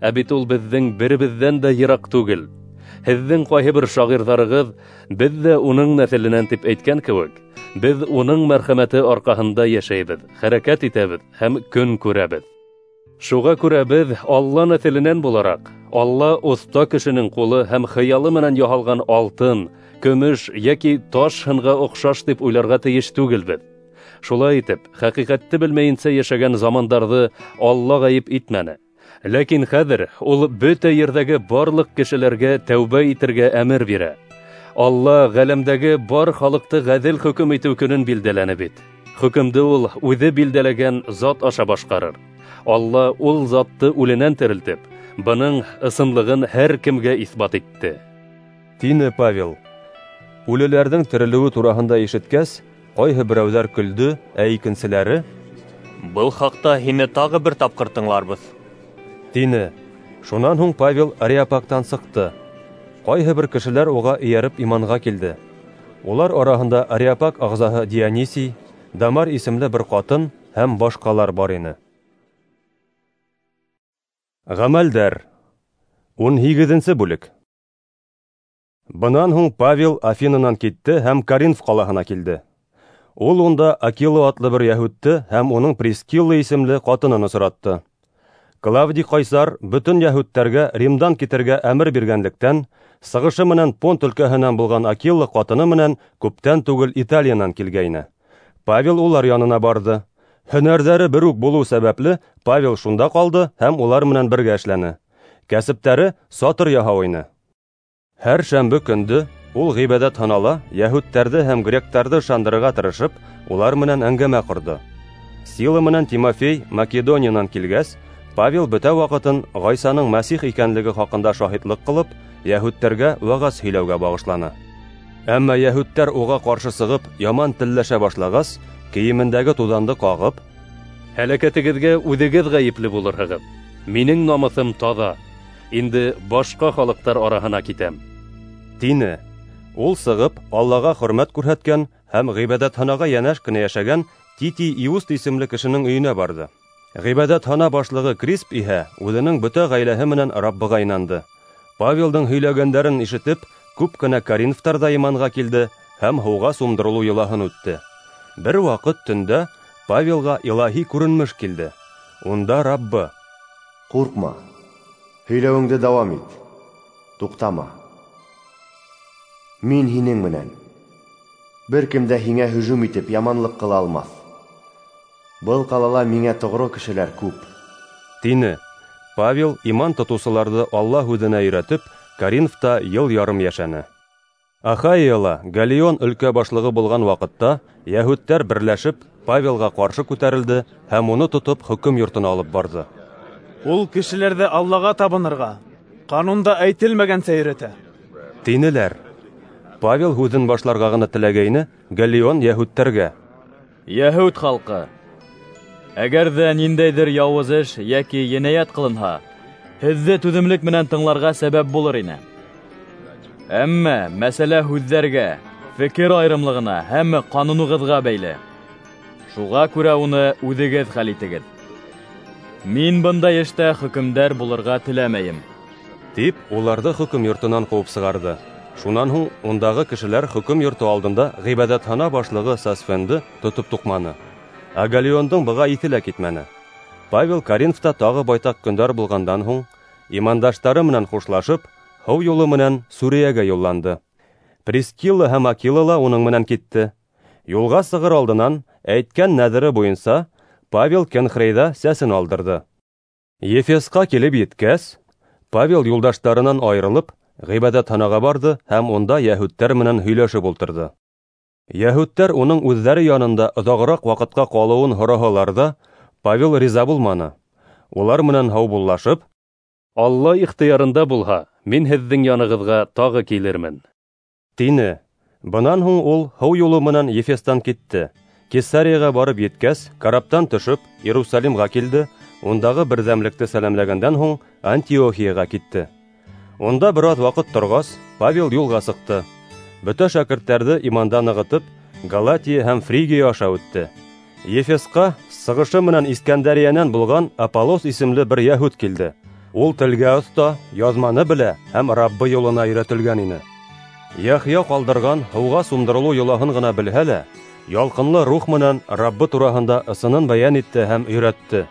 Ә бит ул беҙҙең беребеҙҙән дә йыраҡ түгел. Һеҙҙең ҡайһы бер шағирҙарығыҙ беҙ ҙә уның нәҫеленән тип әйткән кеүек, беҙ уның мәрхәмәте арҡаһында йәшәйбеҙ, хәрәкәт итәбеҙ һәм көн күрәбеҙ. Шуға күрә беҙ Алла нәҫеленән булараҡ, Алла оҫта кешенең ҡулы һәм хыялы менән яһалған алтын, көмөш йәки таш һынға оҡшаш тип уйларға тейеш түгелбеҙ. Шулай итеп, хәҡиҡәтте белмәйенсә йәшәгән замандарҙы Алла ғәйеп итмәне. Ләкин хәҙер ул бөтә ерҙәге барлыҡ кешеләргә тәүбә итергә әмер бирә. Алла ғәләмдәге бар халыҡты ғәҙел хөкөм итеү көнөн билдәләне бит. Хөкөмдө ул үҙе билдәләгән зат аша башҡарыр. Алла ул затты үленән терелтеп, бының ысынлығын һәр кемгә иҫбат итте, тине Павел. Үлеләрҙең терелеүе тураһында ишеткәс, ҡайһы берәүҙәр көлдө, ә икенселәре: "Был хаҡта һине тағы бер тапҡыр тыңларбыҙ", тине. Шунан һуң Павел Ареопагтан сыҡты. Ҡайһы бер кешеләр уға эйәреп иманға килде. Улар араһында Ареопаг ағзаһы Дионисий, Дамар исемле бер ҡатын һәм башҡалар бар ине. Ғәмәлдәр. Ун һигеҙенсе бүлек. Бынан һуң Павел Афинанан китте һәм Коринф ҡалаһына килде. Ул унда Акила атлы бер йәһүдте һәм уның Прискилла исемле ҡатынын осратты. Клавдий ҡайсар бөтөн йәһүдтәргә Римдан китергә әмер биргәнлектән, сығышы менән Понт өлкәһенән булған Акила ҡатыны менән күптән түгел Италиянан килгәйне. Павел улар янына барҙы. Һөнәрҙәре бер үк булыу сәбәпле Павел шунда ҡалды һәм улар менән бергә эшләне. Кәсептәре сатыр яһау ине. Һәр шәмбе көндө ул ғибәҙәтханала йәһүдтәрҙе һәм гректарҙы ышандырырға тырышып, улар менән әңгәмә ҡорҙо. Сила менән Тимофей Македониянан килгәс, Павел бөтә ваҡытын Ғайсаның Мәсих икәнлеге хаҡында шаһитлыҡ ҡылып, йәһүдтәргә вәғәз һөйләүгә бағышланы. Әммә йәһүдтәр уға ҡаршы сығып, яман телләшә башлағас, кейемендәге туҙанды ҡағып: "Һәләкәтегеҙгә үҙегеҙ ғәйепле булырһығыҙ. Минең намыҫым таҙа, инде башҡа халыҡтар араһына китәм, тине. Ул сығып, Аллаға хөрмәт күрһәткән һәм ғибәҙәтханаға йәнәш кенә йәшәгән Титий Иуст исемле кешенең өйөнә барҙы. Ғибәҙәтхана башлығы Крисп иһә үҙенең бөтә ғаиләһе менән Раббыға инанды. Павелдың һөйләгәндәрен ишетеп, күп кенә коринфтар ҙа иманға килде һәм һыуға сумдырылыу йолаһын үтте. Бер ваҡыт төндә Павелға илаһи күренмеш килде. Унда Раббы: "Ҡурҡма, һөйләүеңде дауам ит, туҡтама. Мин һинең менән. Бер кем дә һиңә һөжүм итеп яманлыҡ ҡыла алмаҫ. Был ҡалала миңә тоғро кешеләр күп", тине. Павел иман тотоусыларҙы Алла һүҙенә өйрәтеп, Коринфта йыл ярым йәшәне. Ахайяла Галлион өлкә башлығы булған ваҡытта йәһүдтәр берләшеп Павелға ҡаршы күтәрелде һәм уны тотоп хөкөм йортона алып барҙы. Ул кешеләрҙе Аллаға табынырға, ҡанунда әйтелмәгәнсә өйрәтә, тинеләр. Павел һүҙен башларға ғына теләгәйне, Галлион йәһүдтәргә: "Йәһүд халҡы, әгәр ҙә ниндәйҙер яуыз эш йәки енәйәт ҡылынһа, һеҙҙе түҙемлек менән тыңларға сәбәп булыр ине. Әммә мәсьәлә һүҙҙәргә, фекер айырымлығына һәм ҡанунығыҙға бәйле. Шуға күрә уны үҙегеҙ хәл итегеҙ. Мин бындай эштә хөкөмдәр булырға теләмәйем", тип уларҙы хөкөм йортонан ҡыуып сығарҙы. Шунан һуң ундағы кешеләр хөкөм йорто алдында ғибәҙәтхана башлығы Сосфенды тотоп туҡманы. Ә Галлиондың быға иҫе лә китмәне. Павел Коринфта тағы байтаҡ көндәр булғандан һуң, имандаштары менән хушлашып, һыу юлы менән Сүриәгә юлланды. Прискилла һәм Акила ла уның менән китте. Юлға сығыр алдынан әйткән нәҙере буйынса Павел Кенхрейҙа сәсен алдырҙы. Ефесҡа килеп еткәс, Павел юлдаштарынан айырылып, ғибәҙәтханаға барҙы һәм унда йәһүдтәр менән һөйләшеп ултырҙы. Йәһүдтәр уның үҙҙәре янында оҙағыраҡ ваҡытҡа ҡалыуын һораһалар ҙа, Павел риза булманы. Улар менән һаубуллашып: "Алла ихтыярында булһа, мин һеҙҙең янығыҙға тағы килермен", тине. Бынан һуң ул һыу юлы менән Ефестан китте. Кесарияға барып еткәс, караптан төшөп, Иерусалимға килде, ундағы берҙәмлекте сәләмләгәндән һуң Антиохияға китте. Унда бер аҙ ваҡыт торғас, Павел юлға сыҡты. Бөтә шәкерттәрҙе иманда нығытып, Галатия һәм Фригия аша үтте. Ефесҡа сығышы менән Искәндәриәнән булған Аполлос исемле бер йәһүд килде. Ул телгә оҫта, яҙманы белә һәм Раббы юлына өйрәтелгән ине. Яхъя ҡалдырған һыуға сумдырылыу йолаһын ғына белһә лә, ялҡынлы рух менән Раббы тураһында ысынын бәйән итте һәм өйрәтте.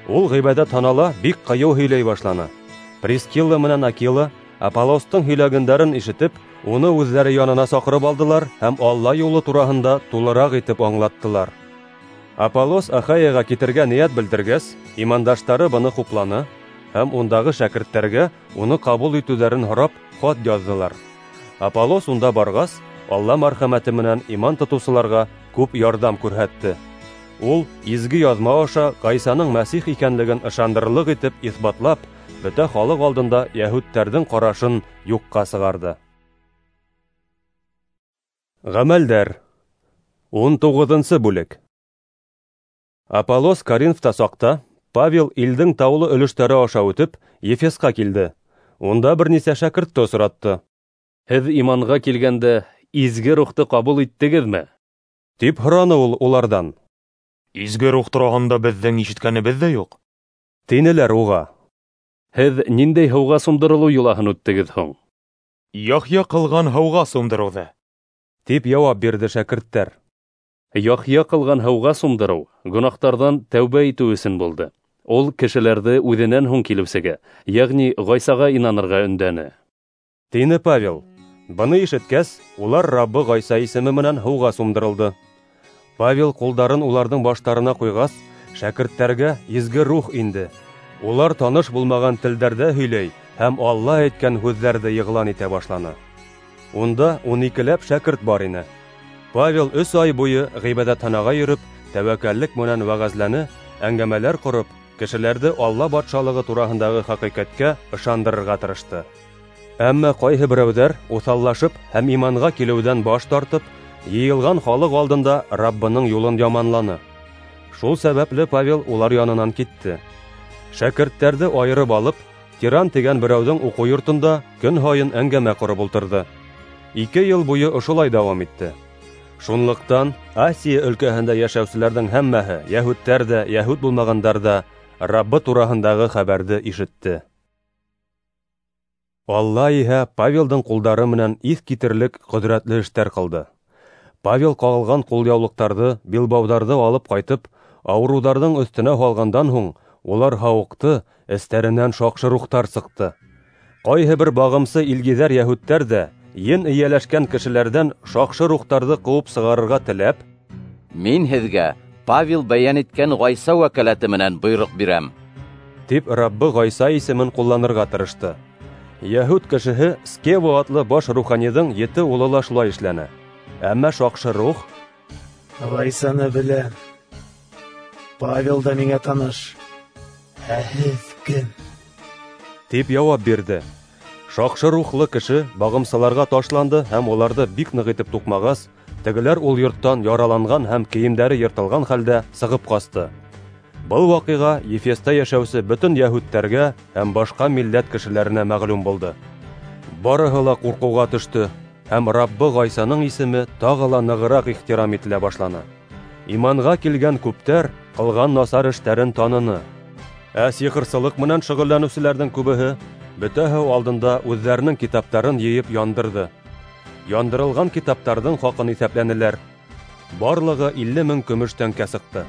Ул ғибәҙәтханала бик ҡыйыу һөйләй башланы. Прискилла менән Акила Аполлостың һөйләгәндәрен ишетеп, уны үҙҙәре янына саҡырып алдылар һәм Алла юлы тураһында тулыраҡ итеп аңлаттылар. Аполлос Ахайяға китергә ниәт белдергәс, имандаштары быны хупланы һәм ундағы шәкерттәргә уны ҡабул итеүҙәрен һорап хат яҙҙылар. Аполлос унда барғас, Алла мәрхәмәте менән иман тотоусыларға күп ярҙам күрһәтте. Ул изге яҙма аша Ғайсаның Мәсих икәнлеген ышандырырлыҡ итеп иҫбатлап, бөтә халыҡ алдында йәһүдтәрҙең ҡарашын юҡҡа сығарҙы. Ғәмәлдәр. Ун туғыҙынсы бүлек. Аполлос Коринфта саҡта Павел илдең таулы өлөштәре аша үтеп, Ефесҡа килде. Унда бер нисә шәкертте осратты. "Һеҙ иманға килгәндә изге рухты ҡабул иттегеҙме?" тип һораны ул уларҙан. "Изге рух тураһында беҙҙең ишеткәнебеҙ ҙә юҡ", тинеләр уға. "Һеҙ ниндәй һыуға сумдырылыу йолаһын үттегеҙ һуң?" "Яхъя ҡылған һыуға сумдырыуҙы", тип яуап бирҙе шәкерттәр. Яхъя ҡылған һыуға сумдырыу гонаһтарҙан тәүбә итеү өсөн булды. Ул кешеләрҙе үҙенән һуң килеүсегә, йәғни Ғайсаға инанырға өндәне, тине Павел. Быны ишеткәс, улар Раббы Ғайса исеме менән һыуға сумдырылды. Павел ҡулдарын уларҙың баштарына ҡуйғас, шәкерттәргә изге рух инде. Улар таныш булмаған телдәрҙә һөйләй һәм Алла әйткән һүҙҙәрҙе иғлан итә башланы. Унда ун икеләп шәкерт бар ине. Павел өс ай буйы ғибәҙәтханаға йөрөп, тәүәккәллек менән вәғәзләне, әңгәмәләр ҡороп, кешеләрҙе Алла батшалығы тураһындағы хәҡиҡәткә ышандырырға тырышты. Әммә ҡайһы берәүҙәр уҫаллашып һәм иманға килеүҙән баш тартып, йыйылған халыҡ алдында Раббының юлын яманланы. Шул сәбәпле Павел улар янынан китте. Шәкерттәрҙе айырып алып, Тиран тигән берәүҙең уҡыу йортонда көн һайын әңгәмә ҡороп ултырҙы. Ике йыл буйы ошолай дауам итте. Шунлыҡтан Асия өлкәһендә йәшәүселәрҙең һәммәһе, йәһүдтәр ҙә, йәһүд булмағандар ҙа, Раббы тураһындағы хәбәрҙе ишетте. Алла иһә Павелдың ҡулдары менән иҫ китерлек ҡөҙрәтле эштәр ҡылды. Павел ҡағылған ҡулъяулыҡтарҙы, билбауҙарҙы алып ҡайтып, ауырыуҙарҙың өҫтөнә һалғандан һуң, улар һауыҡты, эстәренән шаҡшы рухтар сыҡты. Ҡайһы бер бағымсы илгиҙәр йәһүдтәр ҙә ен эйәләшкән кешеләрҙән шаҡшы рухтарҙы ҡыуып сығарырға теләп, «Мин һеҙгә Павел бәйән иткән Ғайса вәкәләте менән бойороҡ бирәм», тип Раббы Ғайса исемен ҡулланырға тырышты. Йәһүд кешеһе Скева атлы баш руханиҙың ете улы ла шулай эшләне. Әммә шаҡшы рух: «Ғайсаны беләм, Павел да миңә таныш, ә һеҙ кем?» тип яуап бирҙе. Шаҡшы рухлы кеше бағымсыларға ташланды һәм уларҙы бик ныҡ итеп туҡмағас, тегеләр ул йорттан яраланған һәм кейемдәре йыртылған хәлдә сығып ҡасты. Был ваҡиға Ефеста йәшәүсе бөтөн йәһүдтәргә һәм башҡа милләт кешеләренә мәғлүм булды. Барыһы ла ҡурҡыуға төштө, һәм Раббы Ғайсаның исеме тағы ла нығыраҡ ихтирам ителә башланы. Иманға килгән күптәр ҡылған насар эштәрен таныны. Ә сихырсылыҡ менән шөғөлләнеүселәрҙең күбеһе бөтәһе алдында үҙҙәренең китаптарын йыйып яндырҙы. Яндырылған китаптарҙың хаҡын иҫәпләнеләр. Барлығы илле мең көмөш тәңкә сыҡты.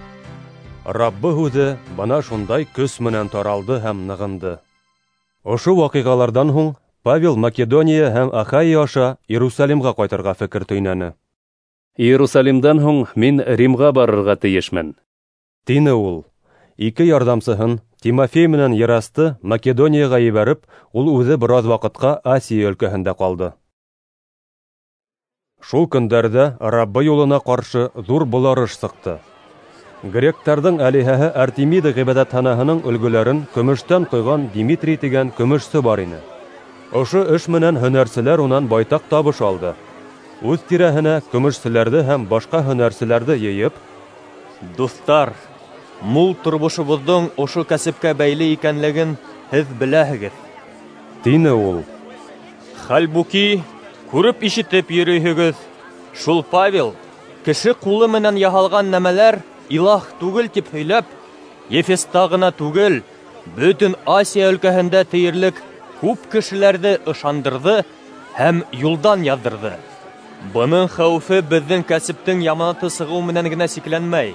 Раббы һүҙе бына шундай көс менән таралды һәм нығынды. Ошо ваҡиғаларҙан һуң Павел Македония һәм Ахайя аша Иерусалимға ҡайтырға фекер төйнәне. Иерусалимдан һуң мин Римға барырға тейешмен, тине ул. Ике ярҙамсыһын, Тимофей менән Ерасты, Македонияға ебәреп, ул үҙе бер аҙ ваҡытҡа Асия өлкәһендә ҡалды. Шул көндәрҙә Раббы юлына ҡаршы ҙур боларыш сыҡты. Гректарҙың әлиһәһе Артемида ғибәҙәтханаһының өлгөләрен көмөштән ҡойған Димитрий тигән көмөшсө бар ине. Ошо эш менән һөнәрселәр унан байтаҡ табыш алды. Үҙ тирәһенә көмөшселәрҙе һәм башҡа һөнәрселәрҙе йыйып: «Дуҫтар, мул тормошобоҙҙоң ошо кәсепкә бәйле икәнлеген һеҙ беләһегеҙ», тине ул. «Хәлбуки, күреп ишетеп йөрөйһөгөҙ, шул Павел кеше ҡулы менән яһалған нәмәләр илаһ түгел тип һөйләп, Ефеста ғына түгел, бөтөн Асия өлкәһендә тиерлек күп кешеләрҙе ышандырҙы һәм юлдан яҙҙырҙы. Бының хәүефе беҙҙең кәсептең яманаты сығыу менән генә сикләнмәй.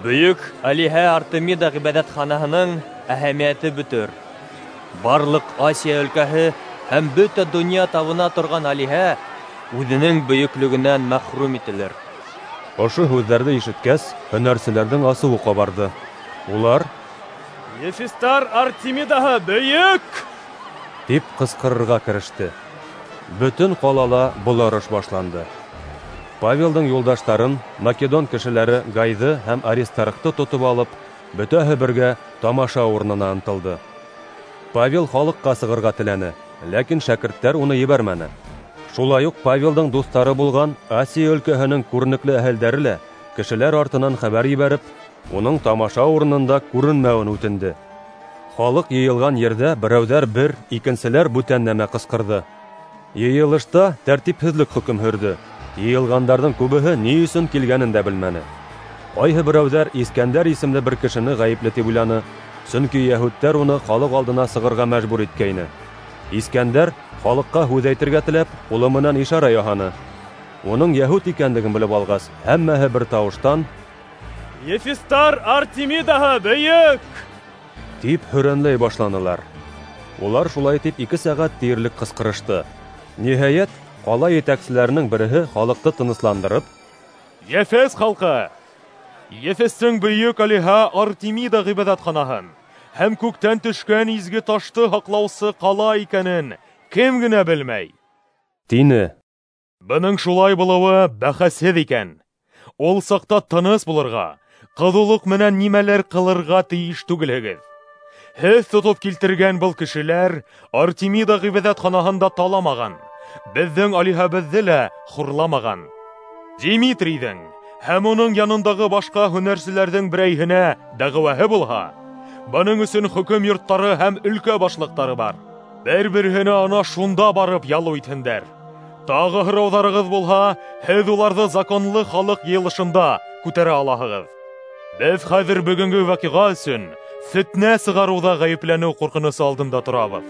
Бөйөк Алиһә Артемида ғибәҙәтханаһының әһәмиәте бөтөр. Барлыҡ Асия өлкәһе һәм бөтә донъя табына торған алиһә үҙенең бөйөклөгөнән мәхрүм ителер». Ошо һүҙҙәрҙе ишеткәс, һөнәрселәрҙең асыуы ҡабарҙы. Улар: «Ефестар Артемидаһы бөйөк!» тип ҡысҡырырға кереште. Бөтөн ҡалала боларыш башланды. Павелдың юлдаштарын, македон кешеләре Гайҙы һәм Аристархты тотоп алып, бөтәһе бергә тамаша урынына ынтылды. Павел халыҡҡа сығырға теләне, ләкин шәкерттәр уны ебәрмәне. Шулай уҡ Павелдың дуҫтары булған Асия өлкәһенең күренекле әһелдәре лә кешеләр артынан хәбәр ебәреп, уның тамаша урынында күренмәүен үтенде. Халыҡ йыйылған ерҙә берәүҙәр бер, икенселәр бүтән нәмә ҡысҡырҙы. Йыйылышта тәртипһеҙлек хөкөм һөрҙө. Йыйылғандарҙың күбеһе ни өсөн килгәнен дә белмәне. Ҡайһы берәүҙәр Искәндәр исемле бер кешене ғәйепле тип уйланы, сөнки йәһүдтәр уны халыҡ алдына сығырға мәжбүр иткәйне. Искәндәр халыҡҡа һүҙ әйтергә теләп, ҡулы менән ишара яһаны. Уның йәһүд икәнлеген белеп алғас, һәммәһе бер тауыштан: «Ефестар Артемидаһы бөйөк!» тип һөрәнләй башланылар. Улар шулай тип ике сәғәт тиерлек ҡысҡырышты. Ниһайәт, ҡала етәкселәренең береһе халыҡты тынысландырып: «Ефес халҡы, Ефестең бөйөк алиһә Артемида ғибәҙәтханаһын һәм күктән төшкән изге ташты һаҡлаусы ҡала икәнен кем генә белмәй», тине. «Бының шулай булыуы бәхәсһеҙ икән. Ул саҡта тыныс булырға, ҡыҙыулыҡ менән нимәлер ҡылырға тейеш түгелһегеҙ. Һеҙ тотоп килтергән был кешеләр Артемида ғибәҙәтханаһын да таламаған, беҙҙең алиһәбеҙҙе лә хурламаған. Димитрийҙең һәм уның янындағы башҡа һөнәрселәрҙең берәйһенә дәғүәһе булһа, Бының өсөн хөкөм йорттары һәм өлкә башлыҡтары бар. Бер-береһенә ана шунда барып ялыу итһендәр. Тағы һорауҙарығыҙ булһа, һеҙ уларҙы законлы халыҡ йыйылышында күтәрә алаһығыҙ. Беҙ хәҙер бөгөнгө ваҡиға өсөн фетнә сығарыуҙа ғәйепләнеү ҡурҡынысы алдында торабыҙ.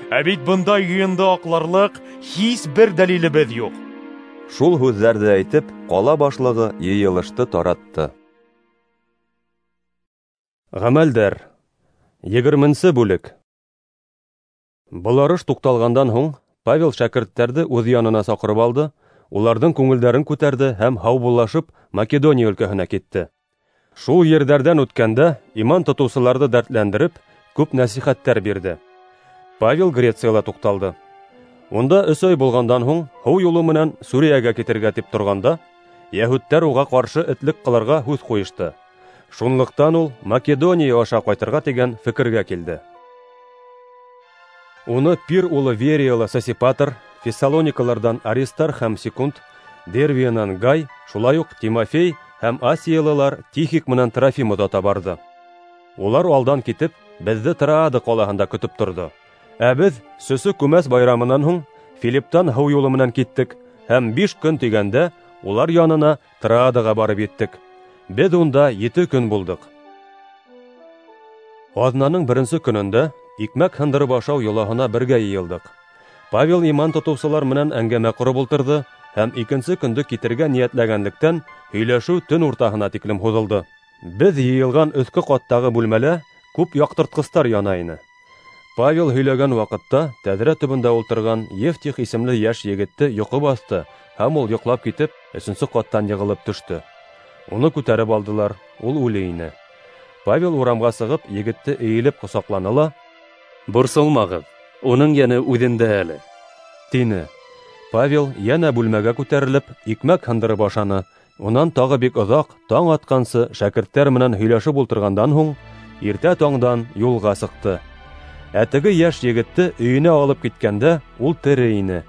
Ә бит бындай йыйынды аҡларлыҡ һис бер дәлилебеҙ юҡ. Шул һүҙҙәрҙе әйтеп, ҡала башлығы йыйылышты таратты. Ғәмәлдәр. Егерменсе бүлек. Быларыш туҡталғандан һуң, Павел шәкерттәрҙе үҙ янына саҡырып алды, уларҙың күңелдәрен күтәрҙе һәм һаубуллашып Македония өлкәһенә китте. Шул ерҙәрҙән үткәндә иман тотоусыларҙы дәртләндереп, күп нәсихәттәр бирҙе. Павел Грецияла туҡталды. Унда өс ай булғандан һуң һыу юлы менән Сүриәгә китергә тип торғанда, йәһүдтәр уға ҡаршы этлек ҡылырға һүҙ ҡуйышты. Шунлыҡтан ул Македония аша ҡайтырға тигән фекергә килде. Уны Пир улы Верияла Сосипатр, Фессалоникаларҙан Аристарх һәм Секунд, Дервиянан Гай, шулай уҡ Тимофей һәм Асиялылар Тихик менән Трофим оҙата барҙы. Улар алдан китеп, беҙҙе Троада ҡалаһында көтөп торҙо. Ә беҙ Сөсө күмәс байрамынан һуң Филипптан һыу юлы менән киттек һәм биш көн тигәндә улар янына Троадаға барып еттек. Беҙ унда ете көн булдыҡ. Аҙнаның беренсе көнөндә икмәк һындырып ашау йолаһына бергә йыйылдыҡ. Павел иман тотоусылар менән әңгәмә ҡороп ултырҙы һәм икенсе көндө китергә ниәтләгәнлектән һөйләшеү төн уртаһына тиклем һуҙылды. Беҙ йыйылған өҫкө ҡаттағы бүлмәлә күп яҡтыртҡыстар яна ине. Павел һөйләгән ваҡытта тәҙрә төбөндә ултырған Евтих исемле йәш егетте йоҡо баҫты һәм ул йоҡлап китеп өсөнсө ҡаттан йығылып төштө. Уны күтәреп алдылар, ул үле ине. Павел урамға сығып егетте эйелеп ҡосаҡланы ла: "Борсолмағыҙ, уның йәне үҙендә әле", тине. Павел йәнә бүлмәгә күтәрелеп икмәк һындырып ашаны. Унан тағы бик оҙаҡ таң атҡансы шәкерттәр менән һөйләшеп ултырғандан һуң иртә таңдан юлға сыҡты. Ә теге йәш егетте өйөнә алып киткәндә ул тере ине.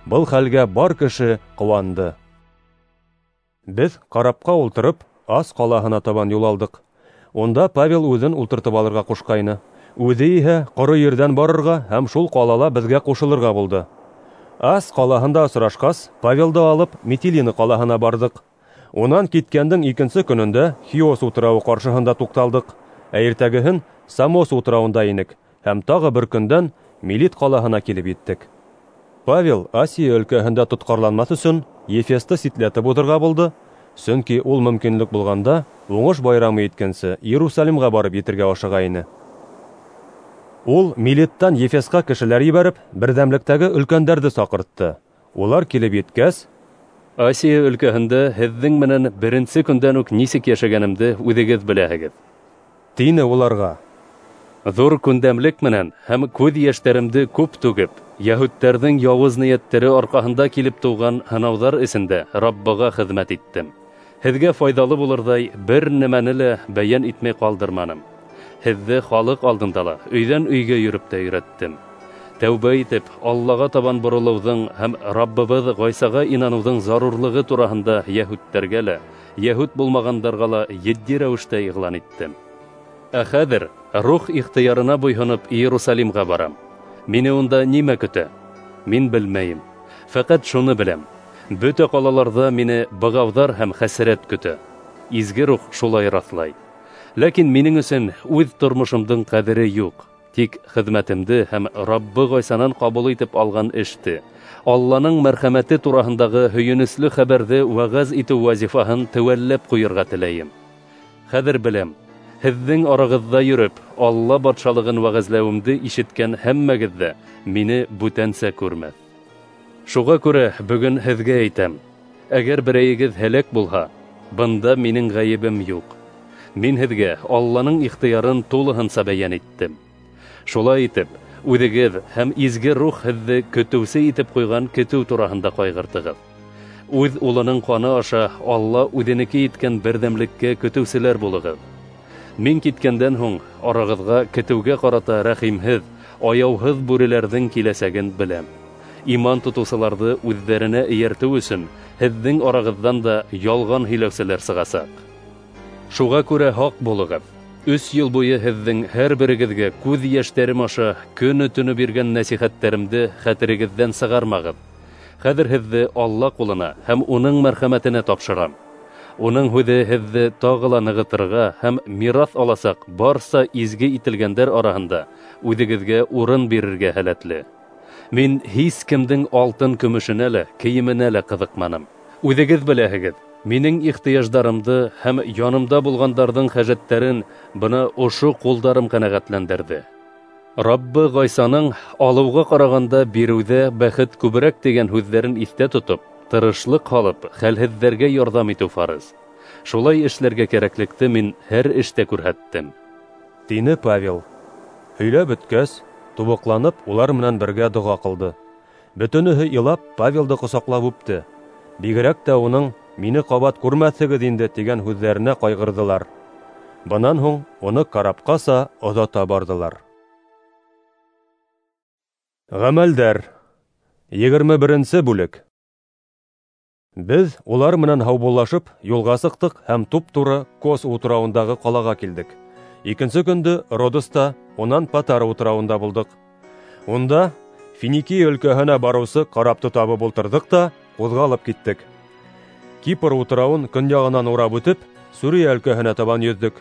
Был хәлгә бар кеше ҡыуанды. Беҙ карапҡа ултырып Ас ҡалаһына табан юл алдыҡ. Унда Павел үҙен ултыртып алырға ҡушҡайны. Үҙе иһә ҡоро ерҙән барырға һәм шул ҡалала беҙгә ҡушылырға булды. Ас ҡалаһында осрашҡас, Павелды алып Митилина ҡалаһына барҙыҡ. Унан киткәндең икенсе көнөндә Хиос утрауы ҡаршыһында туҡталдыҡ. Ә иртәгеһен Самос утрауында инек һәм тағы бер көндән Милит ҡалаһына килеп еттек. Павел Асия өлкәһендә тотҡарланмаҫ өсөн Ефесты ситләтеп уҙырға булды, сөнки ул мөмкинлек булғанда уңыш байрамы еткәнсе Иерусалимға барып етергә ашыға ине. Ул Милиттан Ефесҡа кешеләр ебәреп, берҙәмлектәге өлкәндәрҙе саҡыртты. Улар килеп еткәс: "Асия өлкәһендә һеҙҙең менән беренсе көндән үк нисек йәшәгәнемде үҙегеҙ беләһегеҙ", тине уларға. "Ҙур күндәмлек менән һәм күҙ йәштәремде күп түгеп, йәһүдтәрҙең яуыз ниәттәре арҡаһында килеп тыуған һынауҙар эсендә Раббыға хеҙмәт иттем. Һеҙгә файҙалы булырҙай бер нәмәне лә бәйән итмәй ҡалдырманым. Һеҙҙе халыҡ алдында ла өйҙән өйгә йөрөп тә өйрәттем. Тәүбә итеп, Аллаға табан боролоуҙың һәм Раббыбыҙ Ғайсаға инаныуҙың зарурлығы тураһында йәһүдтәргә лә, йәһүд булмағандарға ла етди рәүештә иғлан иттем. Ә хәҙер рух ихтыярына буйһоноп Иерусалимға барам. Мине унда нимә көтә? Мин белмәйем. Фәҡәт шуны беләм: бөтә ҡалаларҙа мине бығауҙар һәм хәсрәт көтә. Изге рух шулай раҫлай. Ләкин минең өсөн үҙ тормошомдоң ҡәҙере юҡ. Тик хеҙмәтемде һәм Раббы Ғайсанан ҡабул итеп алған эште, Алланың мәрхәмәте тураһындағы һөйөнөслө хәбәрҙе вәғәз итеү вазифаһын теүәлләп ҡуйырға теләйем. Хәҙер беләм, һеҙҙең арағыҙҙа йөрөп, Алла батшалығын вәғәзләүемде ишеткән һәммәгеҙ ҙә мине бүтәнсә күрмәҫ. Шуға күрә бөгөн һеҙгә әйтәм: әгәр берәйегеҙ һәләк булһа, бында минең ғәйебем юҡ. Мин һеҙгә Алланың ихтыярын тулыһынса бәйән иттем. Шулай итеп, үҙегеҙ һәм изге рух һеҙҙе көтөүсе итеп ҡуйған көтөү тураһында ҡайғыртығыҙ. Үҙ улының ҡаны аша Алла үҙенеке иткән берҙәмлеккә көтөүселәр булығыҙ. Мин киткәндән һуң арағыҙға көтөүгә ҡарата рәхимһеҙ, аяуһыҙ бүреләрҙең киләсәген беләм. Иман тотоусыларҙы үҙҙәренә эйәртеү өсөн һеҙҙең арағыҙҙан да ялған һөйләүселәр сығасаҡ. Шуға күрә һаҡ булығыҙ, Өс йыл буйы һеҙҙең һәр берегеҙгә күҙ йәштәрем аша көнө-төнө биргән нәсихәттәремде хәтерегеҙҙән сығармағыҙ. Хәҙер һеҙҙе Алла ҡулына һәм уның мәрхәмәтенә тапшырам. Уның һүҙе һеҙҙе тағы ла нығытырға һәм мираҫ аласаҡ барса изге ителгәндәр араһында үҙегеҙгә урын бирергә һәләтле. Мин һис кемдең алтын көмөшөнә лә, кейеменә лә ҡыҙыҡманым. Үҙегеҙ беләһегеҙ, минең ихтыяждарымды һәм янымда булғандарҙың хәжәттәрен бына ошо ҡулдарым ҡәнәғәтләндерҙе. Раббы Ғайсаның алыуға ҡарағанда биреүҙә бәхет күберәк тигән һүҙҙәрен иҫтә тотоп, тырышлыҡ һалып, хәлһеҙҙәргә ярҙам итеү фарыз. Шулай эшләргә кәрәклекте мин һәр эштә күрһәттем, тине Павел. Һөйләп бөткәс, тубыҡланып, улар менән бергә доға ҡылды. Бөтөнөһө илап, Павелды ҡосаҡлап үпте. Бигерәк тә уның «Мине ҡабат күрмәҫһегеҙ инде» тигән һүҙҙәренә ҡайғырҙылар. Бынан һуң уны карапҡаса оҙата барҙылар. Ғәмәлдәр. Егерме беренсе бүлек. Беҙ улар менән һаубуллашып юлға сыҡтыҡ һәм туп-тура Кос утрауындағы ҡалаға килдек. Икенсе көндө Родоста, унан Патара утрауында булдыҡ. Унда Финикия өлкәһенә барыусы карапты табып ултырҙыҡ та ҡуҙғалып киттек. Кипр утрауын көньяғынан урап үтеп, Сүрия өлкәһенә табан йөҙҙөк.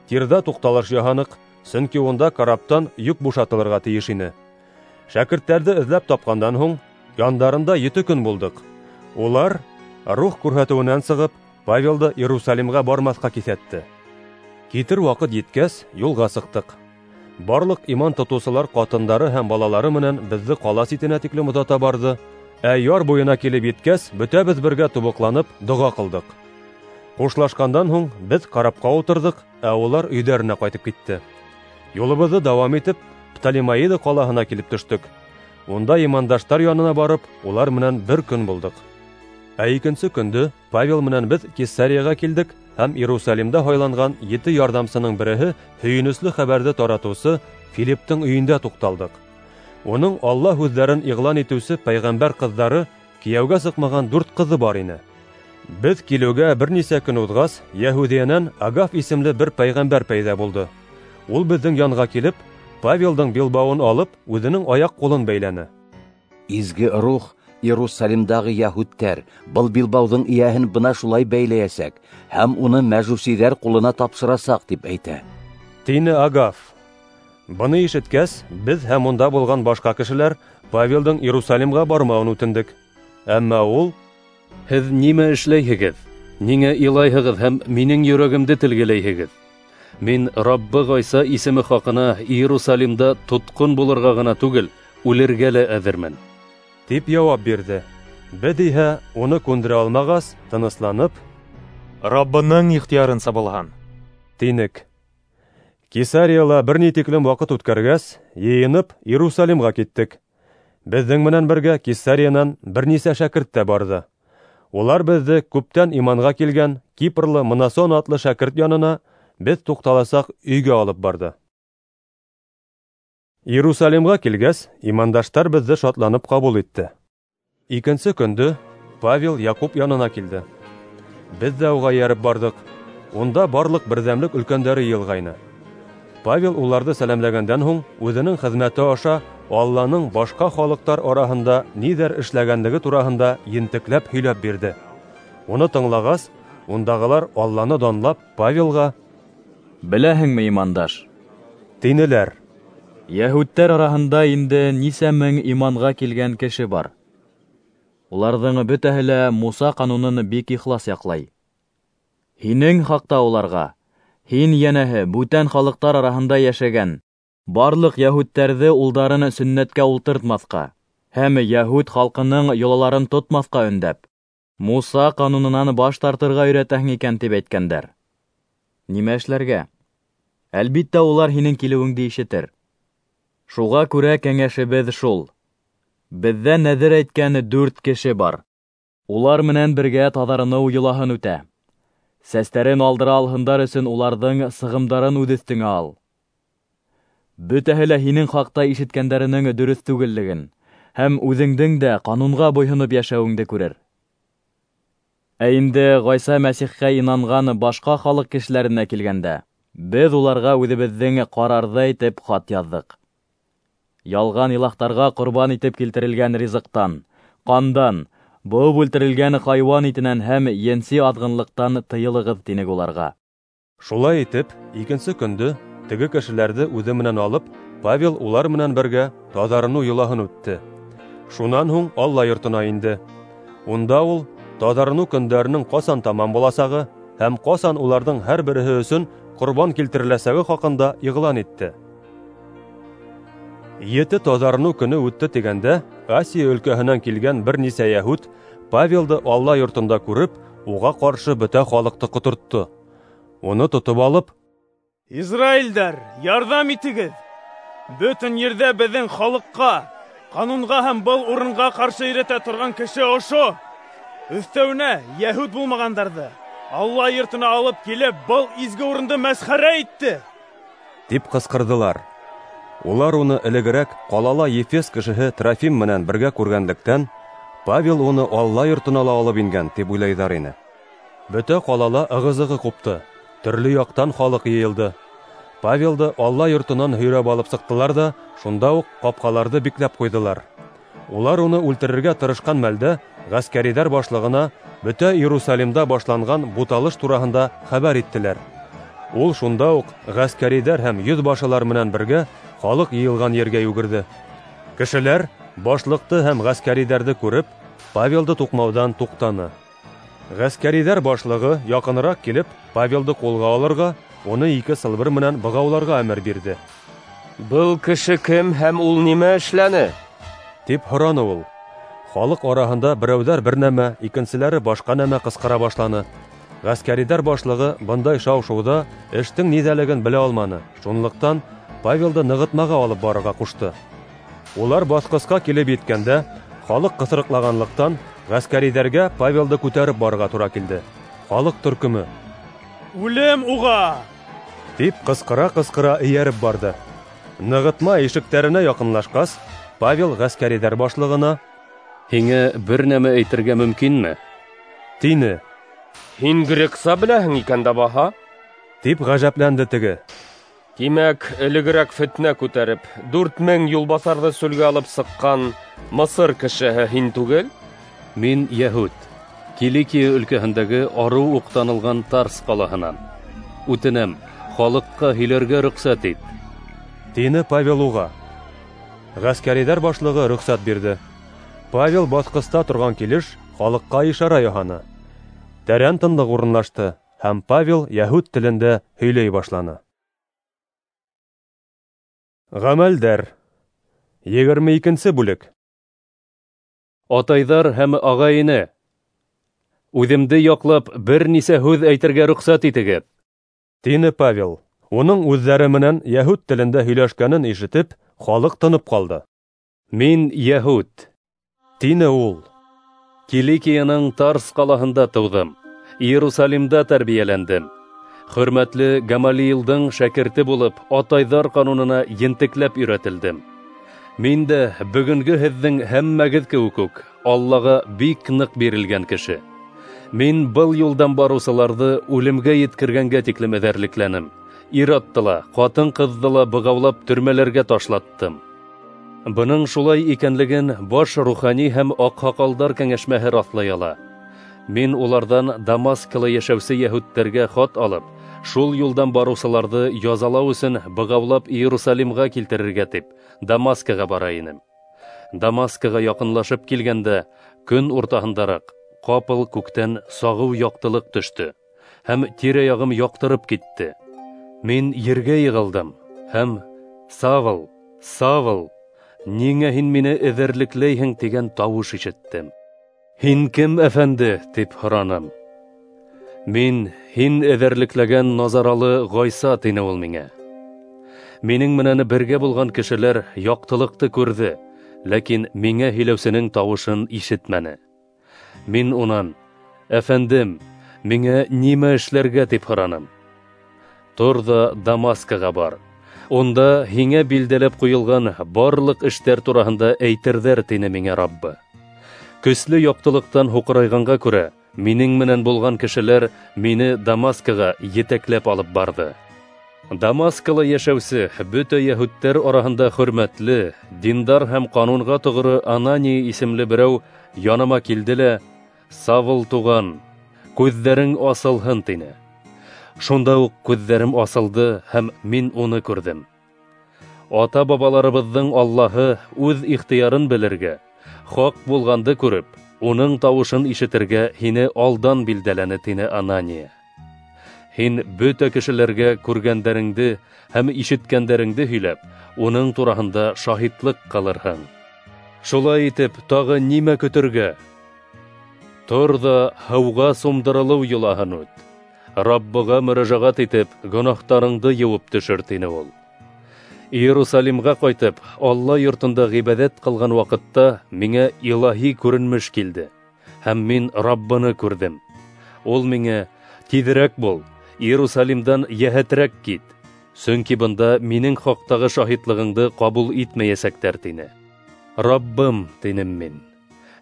Тирҙа туҡталыш яһаныҡ, сөнки унда караптан йөк бушатылырға тейеш ине. Шәкерттәрҙе эҙләп тапҡандан һуң, яндарында ете көн булдыҡ. Улар рух күрһәтеүенән сығып, Павелды Иерусалимға бармаҫҡа киҫәтте. Китер ваҡыт еткәс, юлға сыҡтыҡ. Барлыҡ иман тотоусылар ҡатындары һәм балалары менән беҙҙе ҡала ситенә тиклем оҙата барҙы. Ә яр буйына килеп еткәс, бөтәбеҙ бергә тубыҡланып доға ҡылдыҡ. Хушлашҡандан һуң беҙ карапҡа ултырҙыҡ, ә улар өйҙәренә ҡайтып китте. Юлыбыҙҙы дауам итеп, Птолемаида ҡалаһына килеп төштөк. Унда имандаштар янына барып, улар менән бер көн булдыҡ. Ә икенсе көндө Павел менән беҙ Кесарияға килдек һәм Иерусалимда һайланған ете ярҙамсының береһе һөйөнөслө хәбәрҙе таратыусы Филипптың өйөндә туҡталдыҡ. Уның Алла һүҙҙәрен иғлан итеүсе пәйғәмбәр ҡыҙҙары кейәүгә сыҡмаған дүрт ҡыҙы бар ине. Беҙ килеүгә бер нисә көн уҙғас, Йәһүҙиәнән Агаф исемле бер пәйғәмбәр пәйҙә булды. Ул беҙҙең янға килеп, Павелдың билбауын алып, үҙенең аяҡ ҡулын бәйләне. Изге рух Иерусалимдағы йәһүдтәр был билбауҙың эйәһен бына шулай бәйләйәсәк һәм уны мәжүсиҙәр ҡулына тапшырасаҡ, тип әйтә, тине Агаф. Быны ишеткәс, беҙ һәм унда булған башҡа кешеләр Павелдың Иерусалимға бармауын үтендек. Әммә ул: «Һеҙ нимә эшләйһегеҙ? Ниңә илайһығыҙ һәм минең йөрәгемде телгеләйһегеҙ? Мин Раббы Ғайса исеме хаҡына Иерусалимда тотҡон булырға ғына түгел, үлергә лә әҙермен», тип яуап бирҙе. Беҙ иһә уны күндерә алмағас, тынысланып, «Раббының ихтыярынса булһын», тинек. Кесарияла бер ни тиклем ваҡыт үткәргәс, йыйынып Иерусалимға киттек. Беҙҙең менән бергә Кесариянан бер нисә шәкерт тә барҙы. Улар беҙҙе күптән иманға килгән Кипрлы Мнасон атлы шәкерт янына беҙ туҡталасаҡ өйгә алып барҙы. Иерусалимға килгәс, имандаштар беҙҙе шатланып ҡабул итте. Икенсе көндө Павел Яҡуп янына килде. Беҙ ҙә уға эйәреп барҙыҡ. Унда барлыҡ берҙәмлек өлкәндәре йыйылғайны. Павел уларҙы сәләмләгәндән һуң үҙенең хеҙмәте аша Алланың башҡа халыҡтар араһында ниҙәр эшләгәнлеге тураһында ентекләп һөйләп бирҙе. Уны тыңлағас, ундағылар Алланы данлап Павелға: «Беләһеңме, имандаш, — тинеләр, — йәһүдтәр араһында инде нисә мең иманға килгән кеше бар. Уларҙың бөтәһе лә Муса ҡанунын бик ихлас яҡлай. Һинең хаҡта уларға: һин, йәнәһе, бүтән халыҡтар араһында йәшәгән барлыҡ йәһүдтәрҙе улдарын сөннәткә ултыртмаҫҡа һәм йәһүд халҡының йолаларын тотмаҫҡа өндәп, Муса ҡанунынан баш тартырға өйрәтәһең икән, тип әйткәндәр. Нимә эшләргә? Әлбиттә, улар һинең килеүеңде ишетер. Шуға күрә кәңәшебеҙ шул: беҙҙә нәҙер әйткән дүрт кеше бар. Улар менән бергә таҙарыныу йолаһын үтә. Сәстәрен алдыра алһындар өсөн уларҙың сығымдарын үҙ өҫтөңә ал. Бөтәһе лә һинең хаҡта ишеткәндәренең дөрөҫ түгеллеген һәм үҙеңдең дә ҡанунға буйһоноп йәшәүеңде күрер. Ә инде Ғайса Мәсихкә инанған башҡа халыҡ кешеләренә килгәндә, Беҙ уларға үҙебеҙҙең ҡарарҙы әйтеп хат яҙҙыҡ. Ялған илаһтарға ҡорбан итеп килтерелгән ризыҡтан, ҡандан, быуып үлтерелгән хайуан итенән һәм енси аҙғынлыҡтан тыйылығыҙ, тинек уларға. Шулай итеп, икенсе көндө теге кешеләрҙе үҙе менән алып, Павел улар менән бергә таҙарыныу йолаһын үтте. Шунан һуң Алла йортона инде. Унда ул таҙарыныу көндәренең ҡасан тамам буласағы һәм ҡасан уларҙың һәр береһе өсөн ҡорбан килтереләсәге хаҡында иғлан итте. Ете таҙарыныу көнө үтте тигәндә, Асия өлкәһенән килгән бер нисә йәһүд Павелды Алла йортонда күреп, уға ҡаршы бөтә халыҡты ҡотортто. Уны тотоп алып: "Израилдәр, ярҙам итегеҙ! Бөтөн ерҙә беҙҙең халыҡҡа, ҡанунға һәм был урынға ҡаршы өйрәтә торған кеше ошо. Өҫтәүенә йәһүд булмағандарҙы Алла йортона алып килеп, был изге урынды мәсхәрә итте!" тип ҡысҡырҙылар. Улар уны элегерәк ҡалала Ефес кешеһе Трофим менән бергә күргәнлектән, Павел уны Алла йортона ла алып ингән тип уйлайҙар ине. Бөтә ҡалала ығы-зығы ҡупты, төрлө яҡтан халыҡ йыйылды. Павелды Алла йортонан һөйрәп алып сыҡтылар ҙа, шунда уҡ ҡапҡаларҙы бикләп ҡуйҙылар. Улар уны үлтерергә тырышҡан мәлдә ғәскәриҙәр башлығына бөтә Иерусалимда башланған буталыш тураһында хәбәр иттеләр. Ул шунда уҡ ғәскәриҙәр һәм йөҙбашылар менән бергә халыҡ йыйылған ергә йүгерҙе. Кешеләр башлыҡты һәм ғәскәриҙәрҙе күреп, Павелды туҡмауҙан туҡтаны. Ғәскәриҙәр башлығы яҡыныраҡ килеп, Павелды ҡулға алырға, уны ике сылбыр менән бығауларға әмер бирҙе. "Был кеше кем һәм ул нимә эшләне?" тип һораны ул. Халыҡ араһында берәүҙәр бер нәмә, икенселәре башҡа нәмә ҡысҡыра башланы. Ғәскәриҙәр башлығы бындай шау-шыуҙа эштең ниҙәлеген белә алманы. Шунлыҡтан Павелды нығытмаға алып барырға ҡушты. Улар баҫҡысҡа килеп еткәндә, халыҡ ҡыҫырыҡлағанлыҡтан ғәскәриҙәргә Павелды күтәреп барырға тура килде. Халыҡ төркөмө: "Үлем уға!" тип ҡысҡыра-ҡысҡыра эйәреп барҙы. Нығытма ишектәренә яҡынлашҡас, Павел ғәскәриҙәр башлығына: "Һиңә бер нәмә әйтергә мөмкинме?" тине. "Һин грекса беләһең икән дә баһа?" тип ғәжәпләнде теге. "Тимәк, элегерәк фетнә күтәреп, дүрт мең юлбаҫарҙы сүлгә алып сыҡҡан Мысыр кешеһе һин түгел?" "Мин йәһүд, Киликия өлкәһендәге арыу уҡ танылған Тарс ҡалаһынан. Үтенәм, халыҡҡа һөйләргә рөхсәт ит", тине Павел уға. Ғәскәриҙәр башлығы рөхсәт бирҙе. Павел баҫҡыста торған килеш халыҡҡа ишара яһаны. Тәрән тынлыҡ урынлашты, һәм Павел йәһүд телендә һөйләй башланы. Ғәмәлдәр. Егерме икенсе бүлек. Атайҙар һәм ағай-эне, үҙемде яҡлап бер нисә һүҙ әйтергә рөхсәт итегеҙ, тине Павел. Уның үҙҙәре менән йәһүд телендә һөйләшкәнен ишетеп, халыҡ тынып ҡалды. Мин йәһүд, тине ул. Киликияның Тарс ҡалаһында тыуҙым, Иерусалимда тәрбиәләндем. Хөрмәтле Гамалиилдың шәкерте булып, атайҙар ҡанунына ентекләп өйрәтелдем. Мин дә бөгөнгө һеҙҙең һәммәгеҙ кеүек үк Аллаға бик ныҡ бирелгән кеше. Мин был юлдан барыусыларҙы үлемгә еткергәнгә тиклем эҙәрлекләнем. Ир-атты ла, ҡатын-ҡыҙҙы ла бығаулап төрмәләргә ташлаттым. Бының шулай икәнлеген баш рухани һәм аҡһаҡалдар кәңәшмәһе раҫлай ала. Мин уларҙан Дамаскала йәшәүсе йәһүдтәргә хат алып, шул юлдан барыусыларҙы язалау өсөн бығаулап Иерусалимға килтерергә тип Дамаскаға бара инем. Дамаскаға яҡынлашып килгәндә, көн уртаһындараҡ ҡапыл күктән сағыу яҡтылыҡ төштө һәм тирә-яғым яҡтырып китте. Мин ергә йығылдым һәм: "Савл, Савл, ниңә һин мине эҙәрлекләйһең?" тигән тауыш ишеттем. "Һин кем, әфәнде?" тип һораным. "Мин һин эҙәрлекләгән Назаралы Ғайса", тине ул миңә. Минең менән бергә булған кешеләр яҡтылыҡты күрҙе, ләкин миңә һөйләүсенең тауышын ишетмәне. Мин унан: "Әфәндем, миңә нимә эшләргә?" тип һораным. "Тор ҙа Дамаскаға бар. Унда һиңә билдәләп ҡуйылған барлыҡ эштәр тураһында әйтерҙәр", тине миңә Раббы. Көслө яҡтылыҡтан һуҡырайғанға күрә, минең менән булған кешеләр мине Дамаскаға етәкләп алып барҙы. Дамаскала йәшәүсе бөтә йәһүдтәр араһында хөрмәтле, диндар һәм ҡанунға тоғро Анания исемле берәү яныма килде лә, Савл туған, күҙҙәрең асылһын, тине. Шунда уҡ күҙҙәрем асылды һәм мин уны күрҙем. Ата-бабаларыбыҙҙың Аллаһы үҙ ихтыярын белергә, хаҡ булғанды күреп, уның тауышын ишетергә һине алдан билдәләне, тине Анания. Һин бөтә кешеләргә күргәндәреңде һәм ишеткәндәреңде һөйләп, уның тураһында шаһитлыҡ ҡылырһың. Шулай итеп, тағы нимә көтөргә? Тор ҙа һыуға сумдырылыу йолаһын үт. Раббыға мөрәжәғәт итеп, гонаһтарыңды йыуып төшөр, тине ул. Иерусалимға ҡайтып, Алла йортонда ғибәҙәт ҡылған ваҡытта миңә илаһи күренмеш килде, һәм мин Раббыны күрҙем. Ул миңә: "Тиҙерәк бул, Иерусалимдан йәһәтерәк кит, сөнки бында минең хаҡтағы шаһитлығыңды ҡабул итмәйәсәктәр", тине. "Раббым", тинем мин,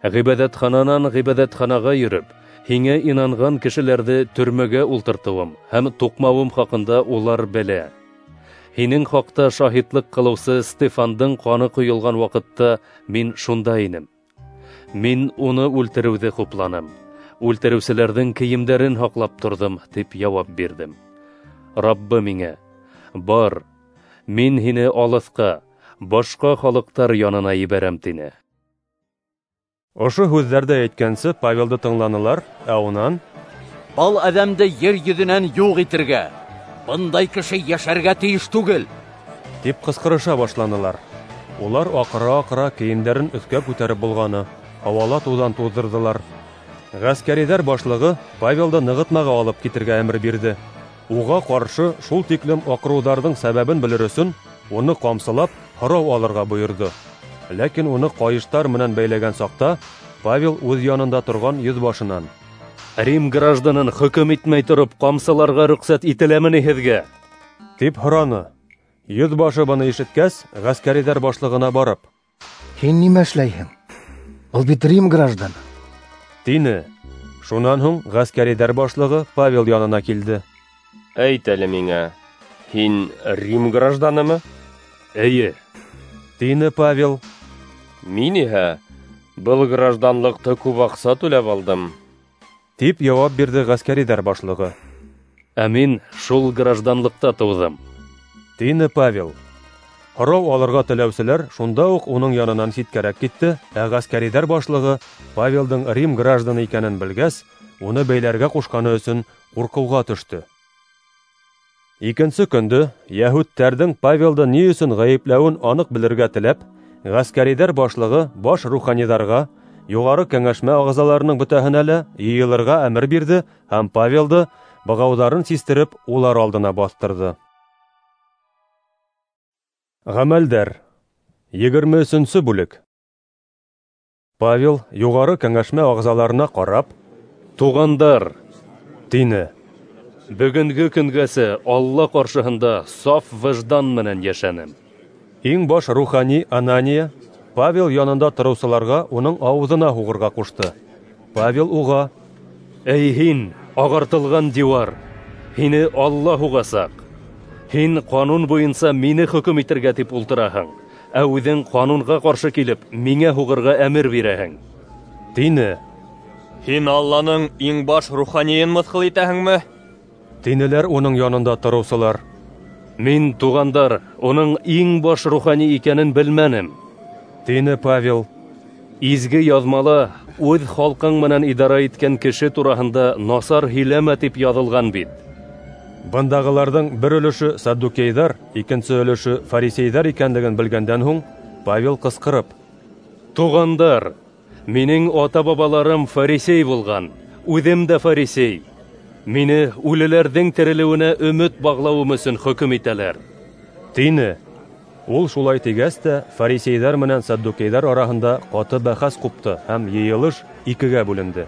"ғибәҙәтхананан ғибәҙәтханаға йөрөп, һиңә инанған кешеләрҙе төрмәгә ултыртыуым һәм туҡмауым хаҡында улар белә. Һинең хаҡта шаһитлыҡ ҡылыусы Стефандың ҡаны ҡойолған ваҡытта мин шунда инем. Мин уны үлтереүҙе хупланым, үлтереүселәрҙең кейемдәрен һаҡлап торҙом", тип яуап бирҙем. Раббы миңә: "Бар, мин һине алыҫҡа, башҡа халыҡтар янына ебәрәм", тине. Ошо һүҙҙәрҙе әйткәнсе Павелды тыңланылар, ә унан: "Был әҙәмде ер йөҙөнән юҡ итергә, бындай кеше йәшәргә тейеш түгел", тип ҡысҡырыша башланылар. Улар аҡыра-аҡыра кейемдәрен өҫкә күтәреп болғаны, һауала туҙан туҙҙырҙылар. Ғәскәриҙәр башлығы Павелды нығытмаға алып китергә әмер бирҙе. Уға ҡаршы шул тиклем аҡырыуҙарҙың сәбәбен белер өсөн уны ҡамсылап һорау алырға бойорҙо. Ләкин уны ҡайыштар менән бәйләгән саҡта Павел үҙ янында торған йөҙбашынан: "Рим гражданын хөкөм итмәй тороп ҡамсыларға рөхсәт ителәме ни һеҙгә?" тип һораны. Йөҙбашы быны ишеткәс, ғәскәриҙәр башлығына барып: "Һин нимә эшләйһең? Был бит Рим гражданы", тине. Шунан һуң ғәскәриҙәр башлығы Павел янына килде. "Әйт әле миңә, һин Рим гражданымы?" "Эйе", тине Павел. "Мин иһә был гражданлыҡты күп аҡса түләп алдым", тип яуап бирҙе ғәскәриҙәр башлығы. "Ә мин шул гражданлыҡта тыуҙым", тине Павел. Һорау алырға теләүселәр шунда уҡ уның янынан ситкәрәк китте, ә ғәскәриҙәр башлығы Павелдың Рим гражданы икәнен белгәс, уны бәйләргә ҡушҡаны өсөн ҡурҡыуға төштө. Икенсе көндө йәһүдтәрҙең Павелды ни өсөн ғәйепләүен аныҡ белергә теләп, ғәскәриҙәр башлығы баш руханиҙарға, юғары кәңәшмә ағзаларының бөтәһенә лә йыйылырға әмер бирҙе һәм Павелды бығауҙарын систереп улар алдына баҫтырҙы. Ғәмәлдәр, егерме өсөнсө бүлек. Павел юғары кәңәшмә ағзаларына ҡарап: "Туғандар", тине, "бөгөнгө көнгәсә Алла ҡаршыһында саф выждан менән йәшәнем". Иң баш рухани Анания Павел янында тороусыларға уның ауыҙына һуғырға ҡушты. Павел уға: "Эй һин, ағартылған диуар, һине Алла һуғасаҡ. Һин ҡанун буйынса мине хөкөм итергә тип ултыраһың, ә үҙең ҡанунға ҡаршы килеп, миңә һуғырға әмер бирәһең", тине. "Һин Алланың иң баш руханийын мыҫҡыл итәһеңме?" тинеләр уның янында тороусылар. "Мин, туғандар, уның иң баш рухани икәнен белмәнем", тине Павел. "Изге яҙмала үҙ халҡың менән идара иткән кеше тураһында насар һөйләмә тип яҙылған бит". Бындағыларҙың бер өлөшө саддукейҙар, икенсе өлөшө фарисейҙар икәнлеген белгәндән һуң Павел ҡысҡырып: "Туғандар, минең ата-бабаларым фарисей булған, үҙем дә фарисей. Мине үлеләрҙең терелеүенә өмөт бағлауым өсөн хөкөм итәләр", тине. Ул шулай тигәс тә фарисейҙәр менән саддукейҙәр араһында ҡаты бәхәс ҡупты һәм йыйылыш икегә бүленде.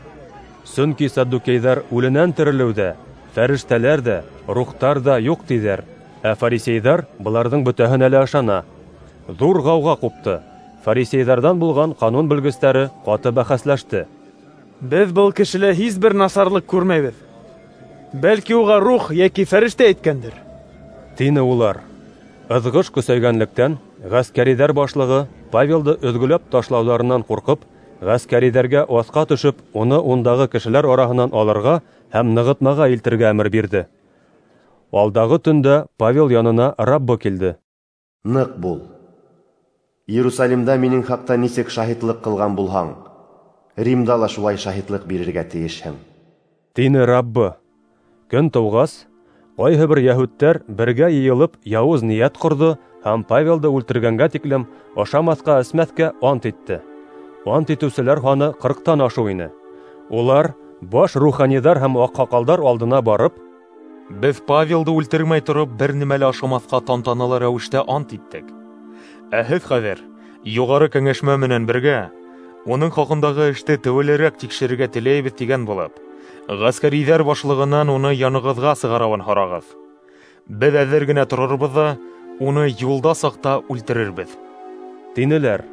Сөнки саддукейҙәр үленән терелеүҙә фәрештәләр ҙә, рухтар ҙа юҡ тиҙәр, ә фарисейҙәр быларҙың бөтәһенә лә ышана. Ҙур ғауға ҡупты. Фарисейҙәрҙән булған ҡанун белгестәре ҡаты бәхәсләште. "Беҙ был кешелә һис бер насарлыҡ күрмәйбеҙ. Бәлки уға рух йәки фәрештә әйткәндер". Тине улар. Ыҙғыш көсәйгәнлектән, ғәскәриҙәр башлығы Павелды өҙгөләп ташлауҙарынан ҡурҡып, ғәскәриҙәргә аҫҡа төшөп, уны ундағы кешеләр араһынан алырға һәм нығытмаға илтергә әмер бирҙе. Алдағы төндә Павел янына Раббы килде. Ныҡ бул. Иерусалимда минең хаҡта нисек шаһитлыҡ ҡылған булһаң, Римда ла шулай шаһитлыҡ бирергә тейешһең, тине Раббы. Көн тыуғас, ҡайһы бер йәһүдтәр бергә йыйылып яуыз ниәт ҡорҙо һәм Павелды үлтергәнгә тиклем ашамаҫҡа-эсмәҫкә ант итте. Ант итеүселәр һаны ҡырҡтан ашыу ине. Улар баш руханиҙар һәм аҡһаҡалдар алдына барып, Беҙ Павелды үлтермәй тороп бер нимә лә ашамаҫҡа тантаналы рәүештә ант иттек. Ә һеҙ хәҙер юғары кәңәшмә менән бергә уның хаҡындағы эште теүәлерәк тикшерергә теләйбеҙ тигән булып, ғәскәриҙәр башлығынан уны янығыҙға сығарыуын һорағыҙ. Беҙ әҙер генә торорбоҙ ҙа, уны юлда саҡта үлтерербеҙ, тинеләр.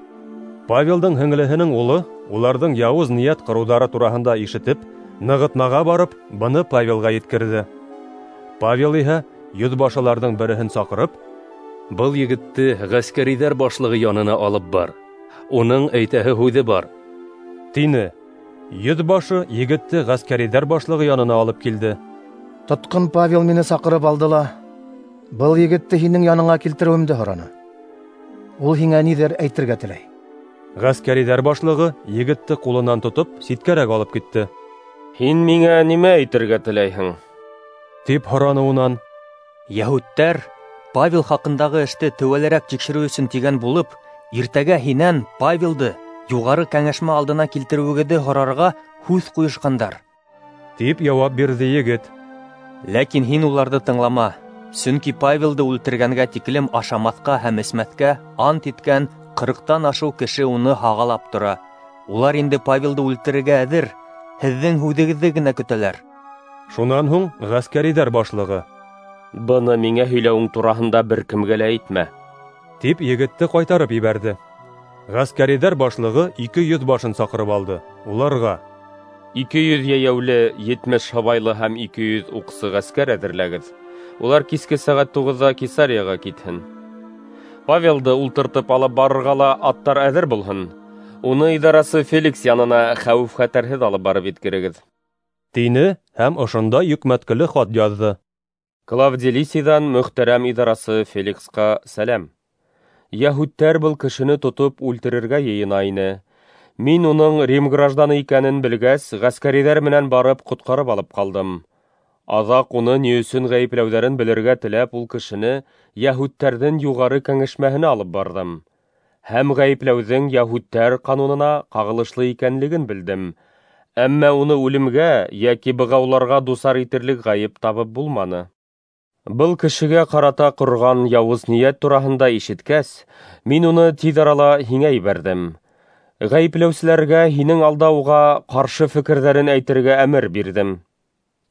Павелдың һеңлеһенең улы уларҙың яуыз ниәт ҡороуҙары тураһында ишетеп, нығытмаға барып, быны Павелға еткерҙе. Павел иһә йөҙбашыларҙың береһен саҡырып, Был егетте ғәскәриҙәр башлығы янына алып бар. Уның әйтәһе һүҙе бар, тине. Йөҙбашы егетте ғәскәриҙәр башлығы янына алып килде. Тотҡон Павел мине саҡырып алды ла, был егетте һинең яныңа килтереүемде һораны. Ул һиңә ниҙер әйтергә теләй. Ғәскәриҙәр башлығы егетте ҡулынан тотоп ситкәрәк алып китте. Һин миңә нимә әйтергә теләйһең? Тип һораны унан. Йәһүдтәр Павел хаҡындағы эште теүәлерәк тикшереү өсөн тигән булып, иртәгә һинән Павелды юғары кәңәшмә алдына килтереүегеҙҙе һорарға һүҙ ҡуйышҡандар, тип яуап бирҙе егет. Ләкин һин уларҙы тыңлама, сөнки Павелды үлтергәнгә тиклем ашамаҫҡа һәм эсмәҫкә ант иткән ҡырҡтан ашыу кеше уны һағалап тора. Улар инде Павелды үлтерергә әҙер, һеҙҙең һүҙегеҙҙе генә көтәләр. Шунан һуң ғәскәриҙәр башлығы: Быны миңә һөйләүең тураһында бер кемгә лә әйтмә, тип егетте ҡайтарып ебәрҙе. Ғәскәриҙәр башлығы ике йөҙ башын саҡырып алды. Уларға: Ике йөҙ йәйәүле, етмеш һыбайлы һәм ике йөҙ уҡсы ғәскәр әҙерләгеҙ. Улар киске сәғәт туғыҙҙа Кесарияға китһен. Павелды ултыртып алып барырға ла аттар әҙер булһын. Уны идарасы Феликс янына хәүеф-хәтәрһеҙ алып барып еткерегеҙ, тине һәм ошонда йөкмәткеле хат яҙҙы. Клавдий Лисийҙан мөхтәрәм идарасы Феликсҡа сәләм. Йәһүдтәр был кешене тотоп үлтерергә йыйына ине. Мин уның Рим гражданы икәнен белгәс, ғәскәриҙәр менән барып ҡотҡарып алып ҡалдым. Аҙаҡ уны ни өсөн ғәйепләүҙәрен белергә теләп, ул кешене йәһүдтәрҙең юғары кәңәшмәһенә алып барҙым. Һәм ғәйепләүҙең йәһүдтәр ҡанунына ҡағылышлы икәнлеген белдем. Әммә уны үлемгә йәки бығауларға дусар итерлек ғәйеп табып булманы. Был кешегә ҡарата ҡорған яуыз ниәт тураһында ишеткәс, мин уны тиҙ арала һиңә ебәрҙем. Ғәйепләүселәргә һинең алда уға ҡаршы фекерҙәрен әйтергә әмер бирҙем.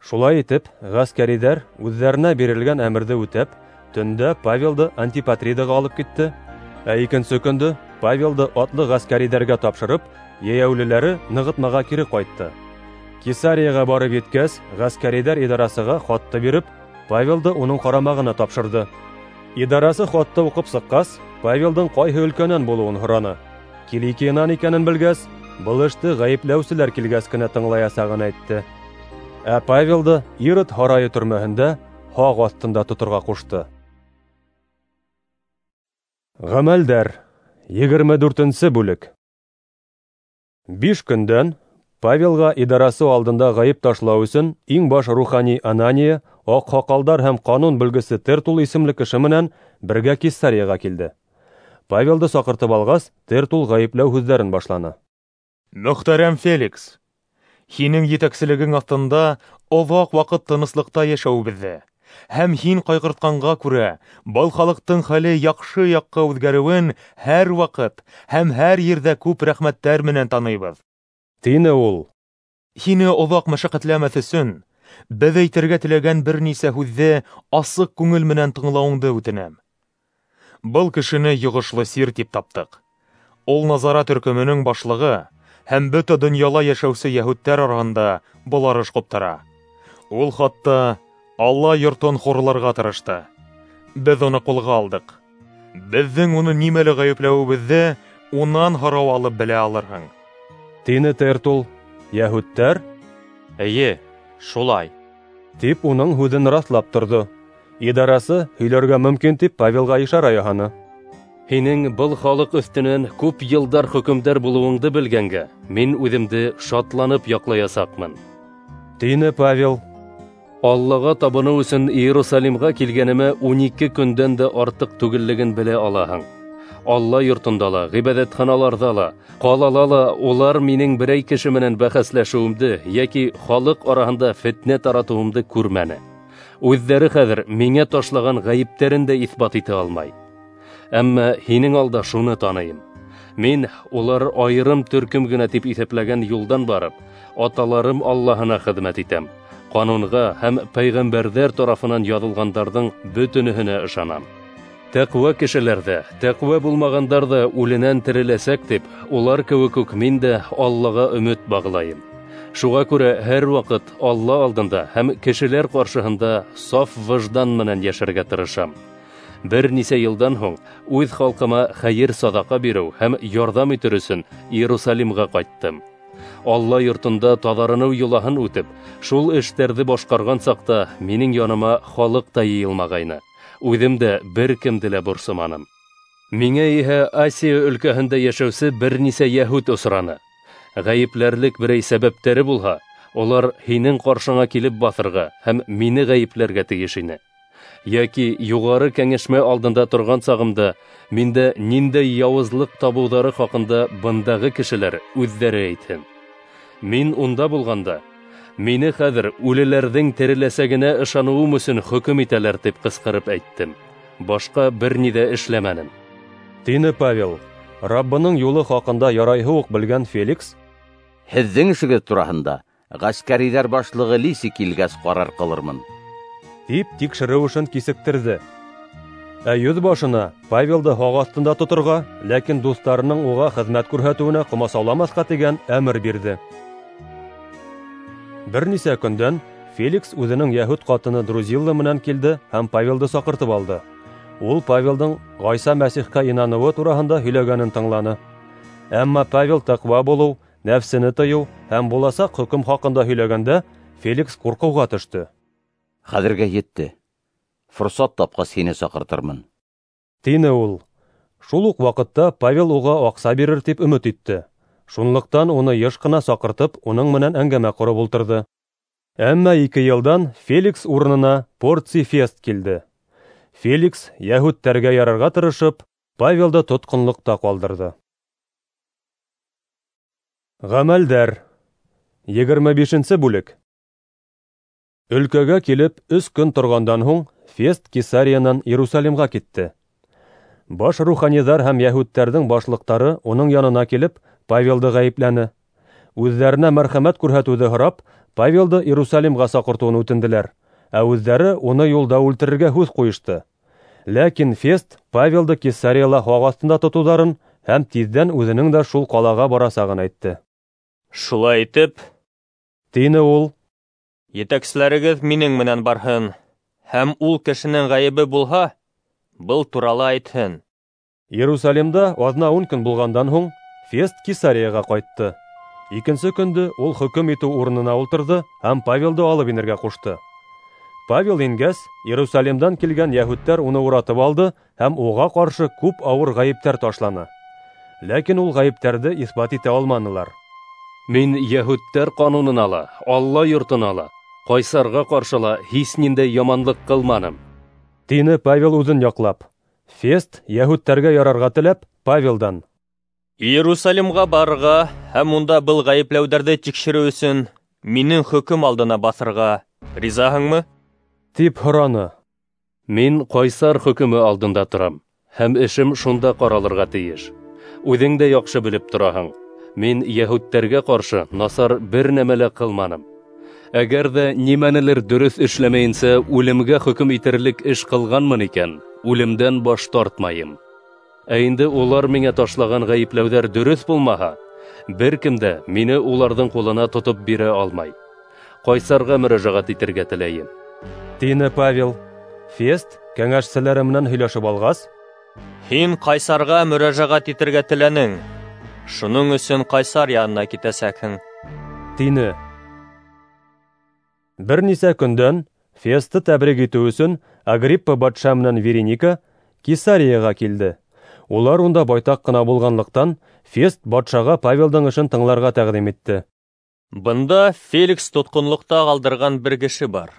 Шулай итеп, ғәскәриҙәр үҙҙәренә бирелгән әмерҙе үтәп, төндә Павелды Антипатридаға алып китте, ә икенсе көндө Павелды атлы ғәскәриҙәргә тапшырып, йәйәүлеләре нығытмаға кире ҡайтты. Кесарияға барып еткәс, ғәскәриҙәр идарасыға хатты биреп, Павелды уның ҡарамағына тапшырҙы. Идарасы хатты уҡып сыҡҡас, Павелдың ҡайһы өлкәнән булыуын һораны. Киликиянан икәнен белгәс, был эште ғәйепләүселәр килгәс кенә тыңлаясағын әйтте. Ә Павелды Ирод һарайы төрмәһендә һаҡ аҫтында тоторға ҡушты. Ғәмәлдәр, егерме дүртенсе бүлек. Биш көндән Павелға идарасы алдында ғәйеп ташлау өсөн иң баш рухани Анания, аҡһаҡалдар һәм ҡанун белгесе Тертул исемле кеше менән бергә Кесарияға килде. Павелды саҡыртып алғас, Тертул ғәйепләү һүҙҙәрен башланы. Мөхтәрәм Феликс, һинең етәкселегең аҫтында оҙаҡ ваҡыт тыныслыҡта йәшәүебеҙҙе һәм һин ҡайғыртҡанға күрә был халыҡтың хәле яҡшы яҡҡа үҙгәреүен һәр ваҡыт һәм һәр ерҙә күп рәхмәттәр менән таныйбыҙ, тине ул. Һине оҙаҡ мәшәҡәтләмәҫ өсөн беҙ әйтергә теләгән бер нисә һүҙҙе асыҡ күңел менән тыңлауыңды үтенәм. Был кешене йоғошло сир тип таптыҡ. Ул Назара төркөмөнөң башлығы һәм бөтә донъяла йәшәүсе йәһүдтәр араһында боларыш ҡуптара. Ул хатта Алла йортон хурларға тырышты. Беҙ уны ҡулға алдыҡ. Беҙҙең уны нимәлә ғәйепләүебеҙҙе унан һорау алып белә алырһың. Тине Тертул. Йәһүдтәр: Эйе, шулай, тип уның һүҙен раҫлап торҙо. Идарасы һөйләргә мөмкин тип Павелға ишара яһаны. Һинең был халыҡ өҫтөнән күп йылдар хөкөмдар булыуыңды белгәнгә, мин үҙемде шатланып яҡлаясаҡмын. Тине Павел. Аллаға табыныу өсөн Иерусалимға килгәнемә ун ике көндән дә артыҡ түгеллеген белә алаһың. Алла йортонда ла, ғибәҙәтханаларҙа ла, ҡалала ла улар минең берәй кеше менән бәхәсләшеүемде йәки халыҡ араһында фетнә таратыуымды күрмәне. Үҙҙәре хәҙер миңә ташлаған ғәйептәрен дә иҫбат итә алмай. Әммә һинең алда шуны таныйым: мин улар айырым төркөм генә тип иҫәпләгән юлдан барып, аталарым Аллаһына хеҙмәт итәм. Ҡанунға һәм пәйғәмбәрҙәр тарафынан яҙылғандарҙың бөтөнөһөнә ышанам. Тәҡүә кешеләр ҙә, тәҡүә булмағандар ҙа үленән тереләсәк тип, улар кеүек үк мин дә Аллаға өмөт бағлайым. Шуға күрә һәр ваҡыт Алла алдында һәм кешеләр ҡаршыһында саф выждан менән йәшәргә тырышам. Бер нисә йылдан һуң үҙ халҡыма хәйер саҙаҡа биреү һәм ярҙам итер өсөн Иерусалимға ҡайттым. Алла йортонда таҙарыныу йолаһын үтеп, шул эштәрҙе башҡарған саҡта минең яныма халыҡ та йыйылмағайны. Үҙем дә бер кемде лә борсоманым. Миңә иһә Асия өлкәһендә йәшәүсе бер нисә йәһүд осраны. Ғәйепләрлек берәй сәбәптәре булһа, улар һинең ҡаршыңа килеп баҫырға һәм мине ғәйепләргә тейеш ине. Йәки юғары кәңәшмә алдында торған сағымда миндә ниндәй яуызлыҡ табыуҙары хаҡында бындағы кешеләр үҙҙәре әйтһен. Мин унда булғанда, мине хәҙер үлеләрҙең тереләсәгенә ышаныуым өсөн хөкөм итәләр тип ҡысҡырып әйттем. Башҡа бер ни ҙә эшләмәнем. Тине Павел. Раббының юлы хаҡында ярайһы уҡ белгән Феликс: Һеҙҙең эшегеҙ тураһында ғәскәриҙәр башлығы Лиси килгәс ҡарар ҡылырмын, тип тикшереү эшен кисектерҙе. Ә йөҙ башына Павелды һаҡ аҫтында тоторға, ләкин дуҫтарының уға хеҙмәт күрһәтеүенә ҡомасауламаҫҡа тигән әмер бирҙе. Бер нисә көндән Феликс үҙенең йәһүд ҡатыны Друзилла менән килде һәм Павелды саҡыртып алды. Ул Павелдың Ғайса Мәсихкә инаныуы тураһында һөйләгәнен тыңланы. Әммә Павел тәҡүә булыу, нәфсене тыйыу һәм буласаҡ хөкөм хаҡында һөйләгәндә Феликс ҡурҡыуға төштө. Хәҙергә етте. Форсат тапҡас һине саҡыртырмын, тине ул. Шул уҡ ваҡытта Павел уға аҡса бирер тип өмөт итте. Шунлыҡтан уны йыш ҡына саҡыртып, уның менән әңгәмә ҡороп ултырҙы. Әммә ике йылдан Феликс урынына Порций Фест килде. Феликс йәһүдтәргә ярарға тырышып, Павелды тотҡонлоҡта ҡалдырҙы. Ғәмәлдәр. Егерме бишенсе бүлек. Өлкәгә килеп өс көн торғандан һуң Фест Кесариянан Иерусалимға китте. Баш руханиҙар һәм йәһүдтәрҙең башлыҡтары уның янына килеп, Павелды ғәйепләне. Үҙҙәренә мәрхәмәт күрһәтеүҙе һорап, Павелды Иерусалимға саҡыртыуын үтенделәр, ә үҙҙәре уны юлда үлтерергә һүҙ ҡуйышты. Ләкин Фест Павелды Кесарияла һаҡ аҫтында тотоуҙарын һәм тиҙҙән үҙенең дә шул ҡалаға барасағын әйтте. Шулай итеп, тине ул, етәкселәрегеҙ минең менән барһын, һәм ул кешенең ғәйебе булһа, был турала әйтһен. Иерусалимда аҙна ун көн булғандан һуң Фест Кесарияға ҡайтты. Икенсе көндө ул хөкөм итеү урынына ултырҙы һәм Павелды алып инергә ҡушты. Павел ингәс, Иерусалимдан килгән йәһүдтәр уны уратып алды һәм уға ҡаршы күп ауыр ғәйептәр ташланы. Ләкин ул ғәйептәрҙе иҫбат итә алманылар. Мин йәһүдтәр ҡанунына ла, Алла йортона ла, ҡайсарға ҡаршы ла һис ниндәй яманлыҡ ҡылманым, тине Павел үҙен яҡлап. Фест йәһүдтәргә ярарға теләп, Павелдан: Иерусалимға барырға һәм унда был ғәйепләүҙәрҙе тикшереү өсөн минең хөкөм алдына баҫырға ризаһыңмы? Тип һораны. Мин ҡайсар хөкөмө алдында торам, һәм эшем шунда ҡаралырға тейеш. Үҙең дә яҡшы белеп тораһың, мин йәһүдтәргә ҡаршы насар бер нәмә лә ҡылманым. Әгәр ҙә нимәнелер дөрөҫ эшләмәйенсә үлемгә хөкөм итерлек эш ҡылғанмын икән, үлемдән баш тартмайым. Ә инде улар миңә ташлаған ғәйепләүҙәр дөрөҫ булмаһа, бер кем дә мине уларҙың ҡулына тотоп бирә алмай. Ҡайсарға мөрәжәғәт итергә теләйем, тине Павел. Фест кәңәшселәре менән һөйләшеп алғас: "Һин ҡайсарға мөрәжәғәт итергә теләнең, шуның өсөн ҡайсар янына китәсәкһең", тине. Бер нисә көндән Фестты тәбрик итеү өсөн Агриппа батша менән Вереника Кесарияға килде. Улар унда байтаҡ ҡына булғанлыҡтан, Фест батшаға Павелдың эшен тыңларға тәҡдим итте. Бында Феликс тотҡонлоҡта ҡалдырған бер кеше бар.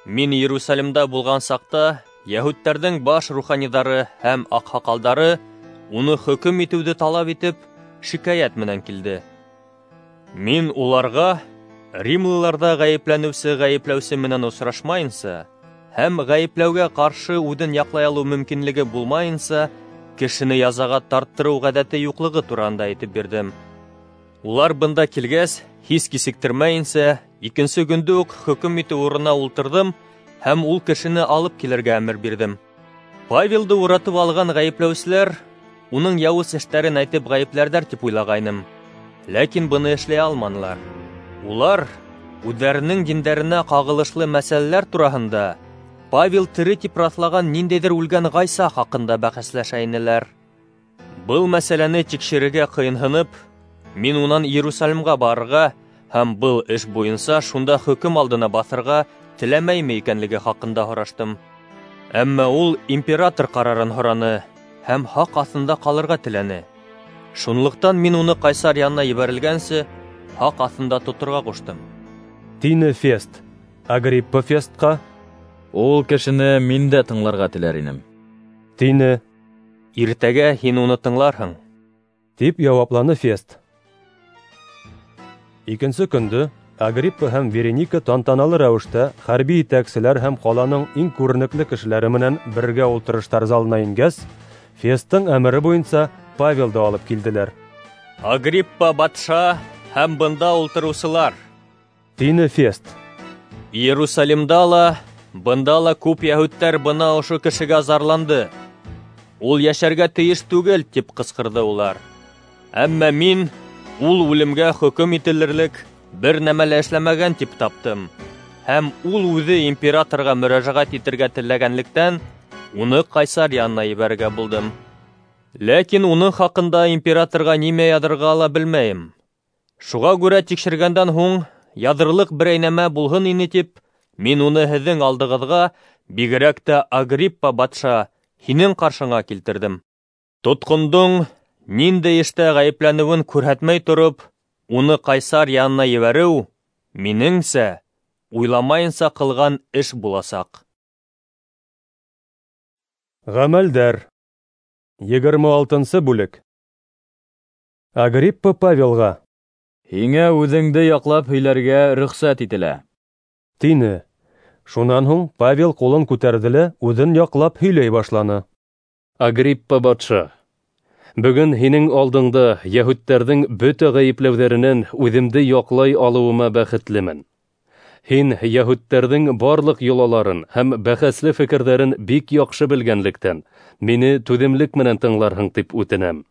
Мин Иерусалимда булған саҡта йәһүдтәрҙең баш руханиҙары һәм аҡһаҡалдары уны хөкөм итеүҙе талап итеп, шикәйәт менән килде. Мин уларға римлыларҙа ғәйепләнеүсе ғәйепләүсе менән осрашмайынса һәм ғәйепләүгә ҡаршы үҙен яҡлай алыу мөмкинлеге булмайынса кешене язаға тарттырыу ғәҙәте юҡлығы тураһында әйтеп бирҙем. Улар бында килгәс, һис кисектермәйенсә, икенсе көндө үк хөкөм итеү урынына ултырҙым һәм ул кешене алып килергә әмер бирҙем. Павелды уратып алған ғәйепләүселәр уның яуыз эштәрен әйтеп ғәйепләрҙәр тип уйлағайным. Ләкин быны эшләй алманылар. Улар үҙҙәренең диндәренә ҡағылышлы мәсьәләләр тураһында Павел тере тип раҫлаған ниндәйҙер үлгән Ғайса хаҡында бәхәсләшә инеләр. Был мәсьәләне тикшерергә ҡыйынһынып, мин унан Иерусалимға барырға һәм был эш буйынса шунда хөкөм алдына баҫырға теләмәйме икәнлеге хаҡында һораштым. Әммә ул император ҡарарын һораны һәм һаҡ аҫтында ҡалырға теләне. Шунлыҡтан мин уны ҡайсар янына ебәрелгәнсе һаҡ аҫтында тоторға ҡуштым, тине Фест. Агриппа Фестҡа: "Ул кешене мин дә тыңларға теләр инем", тине. "Иртәгә һин уны тыңларһың", тип яуапланы Фест. Икенсе көндө Агриппа һәм Вереника тантаналы рәүештә хәрби етәкселәр һәм ҡаланың иң күренекле кешеләре менән бергә ултырыштар залына ингәс, Фесттың әмере буйынса Павелды алып килделәр. "Агриппа батша һәм бында ултырыусылар", тине Фест. "Иерусалимда ла, бында ла күп йәһүдтәр бына ошо кешегә зарланды. Ул йәшәргә тейеш түгел, тип ҡысҡырҙы улар. Әммә мин ул үлемгә хөкөм ителерлек бер нәмә лә эшләмәгән тип таптым. Һәм ул үҙе императорға мөрәжәғәт итергә теләгәнлектән, уны ҡайсар янына ебәрергә булдым. Ләкин уның хаҡында императорға нимә яҙырға ла белмәйем. Шуға күрә тикшергәндән һуң яҙырлыҡ берәй нәмә булһын ине тип, мин уны һеҙҙең алдығыҙға, бигерәк тә Агриппа батша, һинең ҡаршыңа килтерҙем. Тотҡондоң ниндәй эштә ғәйепләнеүен күрһәтмәй тороп, уны ҡайсар янына ебәреү, минеңсә, уйламайынса ҡылған эш буласаҡ." Ғәмәлдәр. Егерме алтынсы бүлек. Агриппа Павелға: "Һиңә үҙеңде яҡлап һөйләргә рөхсәт ителә", тине. Шунан һуң Павел ҡулын күтәрҙе лә үҙен яҡлап һөйләй башланы. Агриппа батша, бөгөн һинең алдыңда йәһүдтәрҙең бөтә ғәйепләүҙәренән үҙемде яҡлай алыуыма бәхетлемен. Һин йәһүдтәрҙең барлыҡ йолаларын һәм бәхәсле фекерҙәрен бик яҡшы белгәнлектән, мине түҙемлек менән тыңларһың тип үтенәм.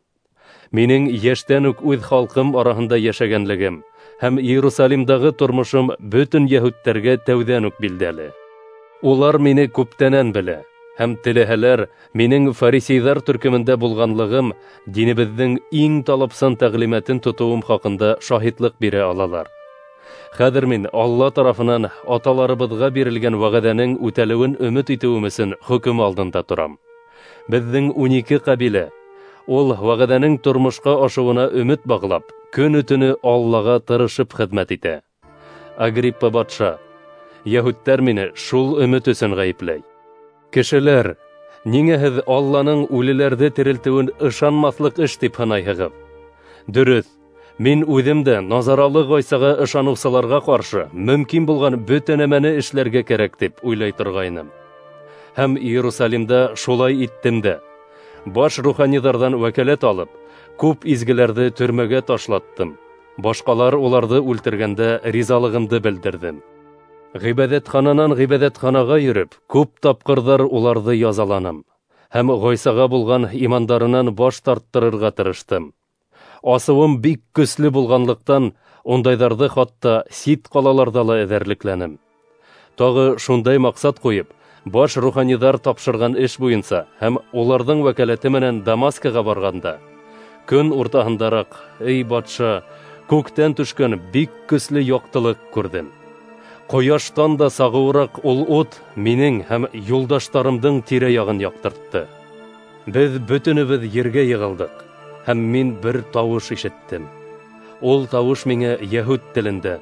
Минең йәштән үк үҙ халҡым араһында йәшәгәнлегем һәм Иерусалимдағы тормошом бөтөн йәһүдтәргә тәүҙән үк билдәле. Улар мине күптәнән белә, һәм теләһәләр, минең фарисейҙар төркөмөндә булғанлығым динебеҙҙең иң талапсан тәғлимәтен тотоуым хаҡында шаһитлыҡ бирә алалар. Хәҙер мин Алла тарафынан аталарыбыҙға бирелгән вәғәҙәнең үтәлеүен өмөт итеүем өсөн хөкөм алдында торам. Беҙҙең ун ике ҡәбилә ул вәғәҙәнең тормошҡа ашыуына өмөт бағлап, көнө-төнө Аллаға тырышып хеҙмәт итә. Агриппа батша, йәһүдтәр мине шул өмөт өсөн ғәйепләй. Кешеләр, ниңә һеҙ Алланың үлеләрҙе терелтеүен ышанмаҫлыҡ эш тип һанайһығыҙ? Дөрөҫ, мин үҙем дә Назаралы Ғайсаға ышаныусыларға ҡаршы мөмкин булған бөтә нәмәне эшләргә кәрәк тип уйлай торғайным. Һәм Иерусалимда шулай иттем дә. Баш руханиҙарҙан вәкәләт алып, күп изгеләрҙе төрмәгә ташлаттым. Башҡалар уларҙы үлтергәндә ризалығымды белдерҙем. Ғибәҙәтхананан ғибәҙәтханаға йөрөп, күп тапҡырҙар уларҙы язаланым һәм Ғайсаға булған имандарынан баш тарттырырға тырыштым. Асыуым бик көслө булғанлыҡтан, ундайҙарҙы хатта сит ҡалаларҙа ла эҙәрлекләнем. Тағы шундай маҡсат ҡуйып, Баш руханиҙар тапшырған эш буйынса һәм уларҙың вәкәләте менән Дамаскаға барғанда, көн уртаһындараҡ, эй батша, күктән төшкән бик көслө яҡтылыҡ күрҙем. Ҡояштан да сағыуыраҡ ул ут минең һәм юлдаштарымдың тирә-яғын яҡтыртты. Беҙ бөтөнөбөҙ ергә йығылдыҡ, һәм мин бер тауыш ишеттем. Ул тауыш миңә йәһүд телендә: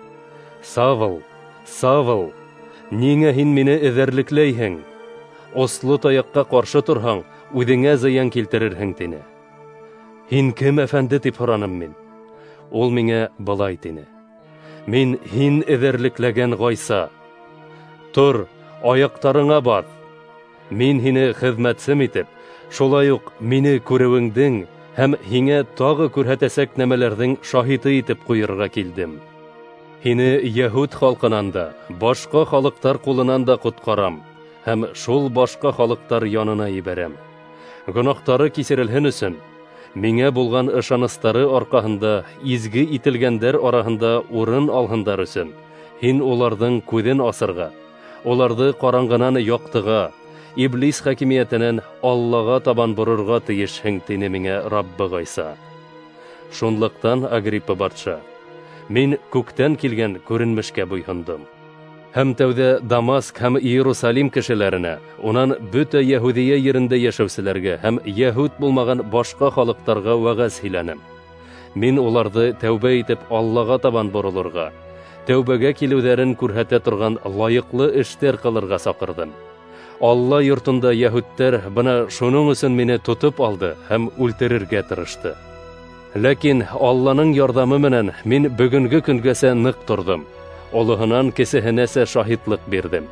«Савл, Савл, ниңә һин мине эҙәрлекләйһең? Осло таяҡҡа ҡаршы торһаң, үҙеңә зыян килтерерһең», — тине. «Һин кем, әфәнде?» — тип һораным мин. Ул миңә былай тине: «Мин һин эҙәрлекләгән Ғайса. Тор, аяҡтарыңа баҫ. Мин һине хеҙмәтсем итеп, шулай уҡ мине күреүеңдең һәм һиңә тағы күрһәтәсәк нәмәләрҙең шаһиты итеп ҡуйырға килдем. Һине йәһүд халҡынан да, башҡа халыҡтар ҡулынан да ҡотҡарам һәм шул башҡа халыҡтар янына ебәрәм. Гонаһтары кисерелһен өсөн, миңә булған ышаныстары арҡаһында изге ителгәндәр араһында урын алһындар өсөн, һин уларҙың күҙен асырға, уларҙы ҡараңғынан яҡтыға, иблис хакимиәтенән Аллаға табан борорға тейешһең», тине миңә Раббы Ғайса. Шунлыҡтан, Агриппа батша, мин күктән килгән күренмешкә буйһондом. Һәм тәүҙә Дамаск һәм Иерусалим кешеләренә, унан бөтә Йәһүҙиә ерендә йәшәүселәргә һәм йәһүд булмаған башҡа халыҡтарға вәғәз һөйләнем. Мин уларҙы тәүбә итеп Аллаға табан боролорға, тәүбәгә килеүҙәрен күрһәтә торған лайыҡлы эштәр ҡылырға саҡырҙым. Алла йортонда йәһүдтәр бына шуның өсөн мине тотоп алды һәм үлтерергә тырышты. Ләкин Алланың ярҙамы менән мин бөгөнгө көнгәсә ныҡ торҙом. Олоһонан кесеһенәсә шаһитлыҡ бирҙем.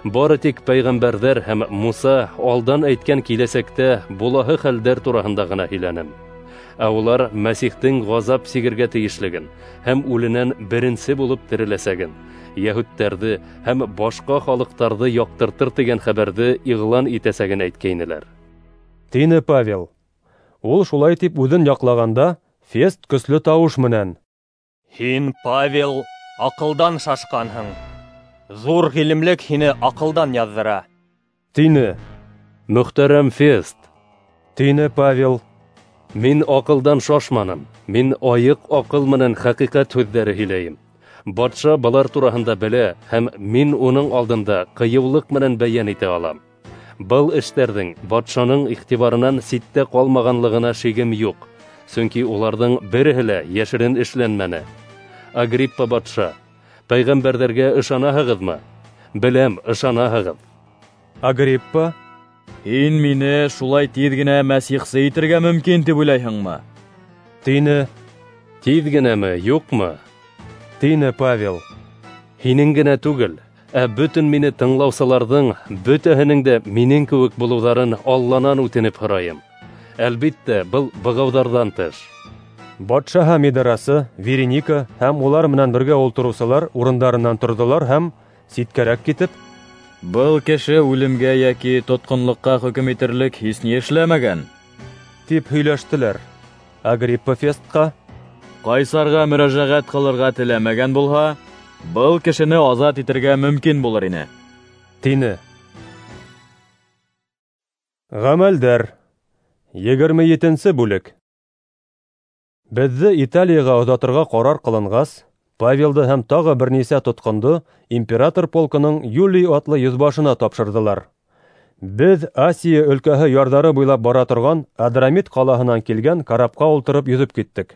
Бары тик пәйғәмбәрҙәр һәм Муса алдан әйткән киләсәктә булаһы хәлдәр тураһында ғына һөйләнем. Ә улар Мәсихтең ғазап сигергә тейешлеген һәм үленән беренсе булып тереләсәген, йәһүдтәрҙе һәм башҡа халыҡтарҙы яҡтыртыр тигән хәбәрҙе иғлан итәсәген әйткәйнеләр», тине Павел. Ул шулай тип үҙен яҡлағанда, Фест көслө тауыш менән: «Һин, Павел, аҡылдан шашҡанһың. Ҙур ғилемлек һине аҡылдан яҙҙыра», тине. «Мөхтәрәм Фест, тине Павел, мин аҡылдан шашманым. Мин айыҡ аҡыл менән хәҡиҡәт һүҙҙәре һөйләйем. Батша былар тураһында белә һәм мин уның алдында ҡыйыулыҡ менән бәйән итә алам. Был эштәрҙең батшаның иғтибарынан ситтә ҡалмағанлығына шигем юҡ, сөнки уларҙың береһе лә йәшерен эшләнмәне. Агриппа батша, пәйғәмбәрҙәргә ышанаһығыҙмы? Беләм, ышанаһығыҙ». Агриппа: «Һин мине шулай тиҙ генә мәсихсе итергә мөмкин тип уйлайһыңмы?» тине. «Тиҙ генәме, юҡмы?» тине Павел. «Һинең генә түгел, ә бөтөн мине тыңлаусыларҙың бөтәһенең дә минең кеүек булыуҙарын Алланан үтенеп һорайым. Әлбиттә, был бығауҙарҙан тыш». Батша һәм идарасы, Вереника һәм улар менән бергә ултырыусылар урындарынан торҙолар һәм ситкәрәк китеп: «Был кеше үлемгә йәки тотҡонлоҡҡа хөкөм итерлек һис ни эшләмәгән», тип һөйләштеләр. Агриппа Фестҡа: «Ҡайсарға мөрәжәғәт ҡылырға теләмәгән булһа, был кешене азат итергә мөмкин булыр ине», тине. Ғәмәлдәр егерме етенсе бүлек. Беҙҙе Италияға оҙатырға ҡарар ҡылынғас, Павелды һәм тағы бер нисә тотҡондо император полкының Юлий атлы йөҙбашына тапшырҙылар. Беҙ Асия өлкәһе ярҙары буйлап бара торған Адрамит ҡалаһынан килгән карапҡа ултырып йөҙөп киттек.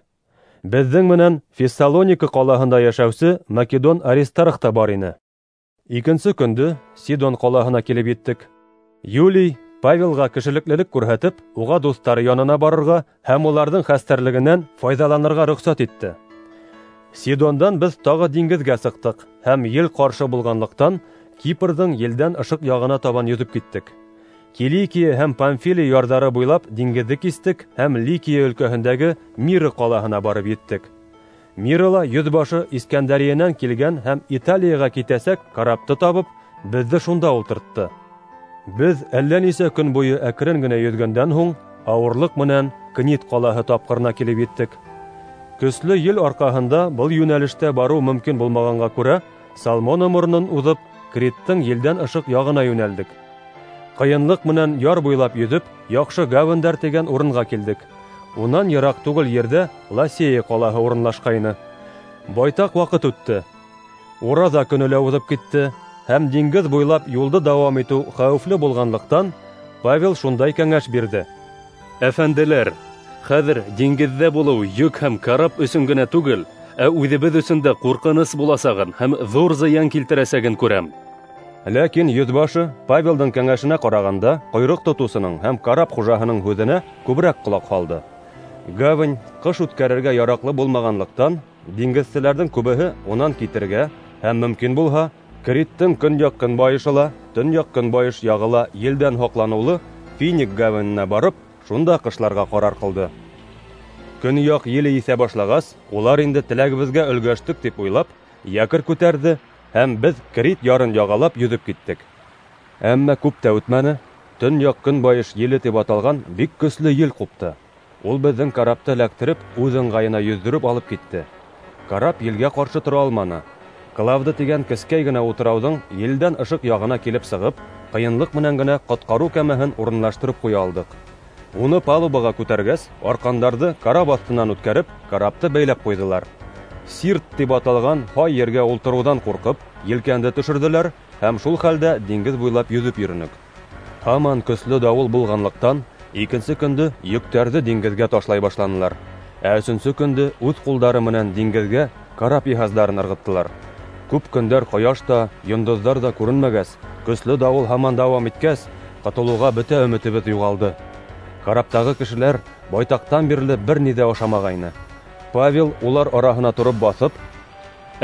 Беҙҙең менән Фессалоника ҡалаһында йәшәүсе Македон Аристарх та бар ине. Икенсе көндө Сидон ҡалаһына килеп еттек. Юлий Павелға кешелеклелек күрһәтеп, уға дуҫтары янына барырға һәм уларҙың хәстәрлегенән файҙаланырға рөхсәт итте. Сидондан беҙ тағы диңгеҙгә сыҡтыҡ һәм ел ҡаршы булғанлыҡтан Кипрҙың елдән ышыҡ яғына табан йөҙөп киттек. Киликия һәм Памфилия ярҙары буйлап диңгеҙҙе кистек һәм Ликия өлкәһендәге Мира ҡалаһына барып еттек. Мирала йөҙбашы Искәндәриенән килгән һәм Италияға китәсәк карапты табып, беҙҙе шунда ултыртты. Беҙ әллә нисә көн буйы әкрен генә йөҙгәндән һуң ауырлыҡ менән Книд ҡалаһы тапҡырына килеп еттек. Көслө ел арҡаһында был йүнәлештә барыу мөмкин булмағанға күрә, Салмона моронон уҙып, Криттың елдән ышыҡ яғына йүнәлдек. Ҡыйынлыҡ менән яр буйлап йөҙөп, яҡшы гавендәр тигән урынға килдек. Унан йыраҡ түгел ерҙә Ласея ҡалаһы урынлашҡайны. Байтаҡ ваҡыт үтте. Ураҙа көнө лә уҙып китте, һәм диңгеҙ буйлап юлды дауам итеү хәүефле булғанлыҡтан, Павел шундай кәңәш бирҙе: Әфәнделәр, хәҙер диңгеҙҙә булыу йөк һәм карап өсөн генә түгел, ә үҙебеҙ өсөн дә ҡурҡыныс буласағын һәм ҙур зыян килтерәсәген күрәм. Ләкин йөҙбашы Павелдың кәңәшенә ҡарағанда ҡойроҡ тотоусының һәм карап хужаһының һүҙенә күберәк ҡолаҡ һалды. Гавань ҡыш үткәрергә яраҡлы булмағанлыҡтан, диңгеҙселәрҙең күбеһе унан китергә һәм мөмкин булһа, Криттең көньяҡ-көнбайышы ла, төньяҡ-көнбайыш яғы ла елдән һаҡланыулы Финик гаваненә барып, шунда ҡышларға ҡарар ҡылды. Көньяҡ еле иҫә башлағас, улар инде теләгебеҙгә өлгәштек тип уйлап, якорь күтәрҙе һәм беҙ Крит ярын яғалап йөҙөп киттек. Әммә күп тә үтмәне, төньяҡ-көнбайыш еле тип аталған бик көслө ел ҡупты. Ул беҙҙең карапты эләктереп, үҙ ыңғайына йөҙҙөрөп алып китте. Карап елгә ҡаршы тора алманы. Клавда тигән кескәй генә утрауҙың елдән ышыҡ яғына килеп сығып, ҡыйынлыҡ менән генә ҡотҡарыу кәмәһен урынлаштырып ҡуя алдыҡ. Уны палубаға күтәргәс, арҡандарҙы карап аҫтынан үткәреп, карапты бәйләп ҡуйҙылар. Сирт тип аталған һай ергә ултырыуҙан ҡурҡып, елкәнде төшөрҙөләр һәм шул хәлдә диңгеҙ буйлап йөҙөп йөрөнөк. Һаман көслө дауыл булғанлыҡтан, икенсе көндө йөктәрҙе диңгеҙгә ташлай башланылар. Ә өсөнсө көндө үҙ ҡулдары менән диңгеҙгә карап йыһаздарын ырғыттылар. Күп көндәр ҡояш та, йондоҙҙар ҙа күренмәгәс, көслө дауыл һаман дауам иткәс, ҡотолоуға бөтә өмөтөбөҙ юғалды. Караптағы кешеләр байтаҡтан бирле бер ни ҙә ашамағайны. Павел улар араһына тороп баҫып: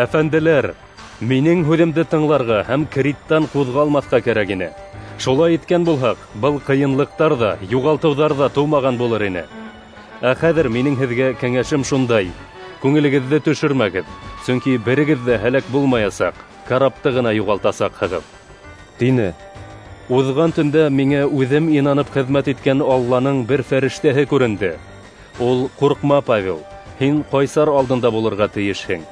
Әфәнделәр, минең һүҙемде тыңларға һәм Криттан ҡуҙғалмаҫҡа кәрәк ине. Шулай иткән булһаҡ, был ҡыйынлыҡтар ҙа, юғалтыуҙар ҙа тыумаған булыр ине. Ә хәҙер минең һеҙгә кәңәшем шундай: күңелегеҙҙе төшөрмәгеҙ, сөнки берегеҙ ҙә һәләк булмаясаҡ, карапты ғына юғалтасаҡһығыҙ, тине. Уҙған төндә миңә үҙем инанып хеҙмәт иткән Алланың бер фәрештәһе күренде. Ул: "Ҡурҡма, Павел, һин ҡайсар алдында булырға тейешһең.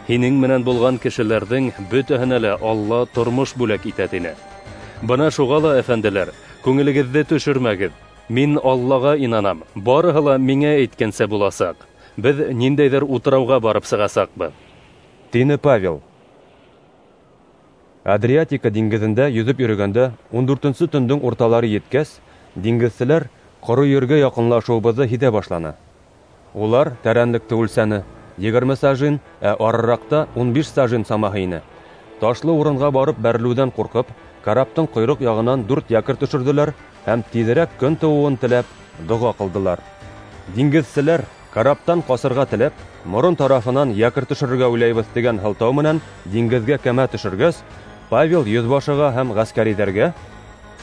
Һинең менән булған кешеләрҙең бөтәһенә лә Алла тормош бүләк итә", тине. Бына шуға ла, әфәнделәр, күңелегеҙҙе төшөрмәгеҙ. Мин Аллаға инанам, барыһы ла миңә әйткәнсә буласаҡ. Беҙ ниндәйҙер утрауға барып сығасаҡбыҙ, тине Павел. Адриатика диңгеҙендә йөҙөп йөрөгәндә ун дүртенсе төндөң урталары еткәс, диңгеҙселәр ҡоро ергә яҡынлашыуыбыҙҙы һиҙә башланы. Улар тәрәнлекте үлсәне: егерме сажин, ә арыраҡта ун биш сажин самаһы ине. Ташлы урынға барып бәрелеүҙән ҡурҡып, караптың ҡойроҡ яғынан дүрт якорь төшөрҙөләр һәм тиҙерәк көн тыуыуын теләп доға ҡылдылар. Диңгеҙселәр караптан ҡасырға теләп, морон тарафынан якорь төшөрөргә уйлайбыҙ тигән һылтау менән диңгеҙгә кәмә төшөргәс, Павел йөҙбашыға һәм ғәскәриҙәргә: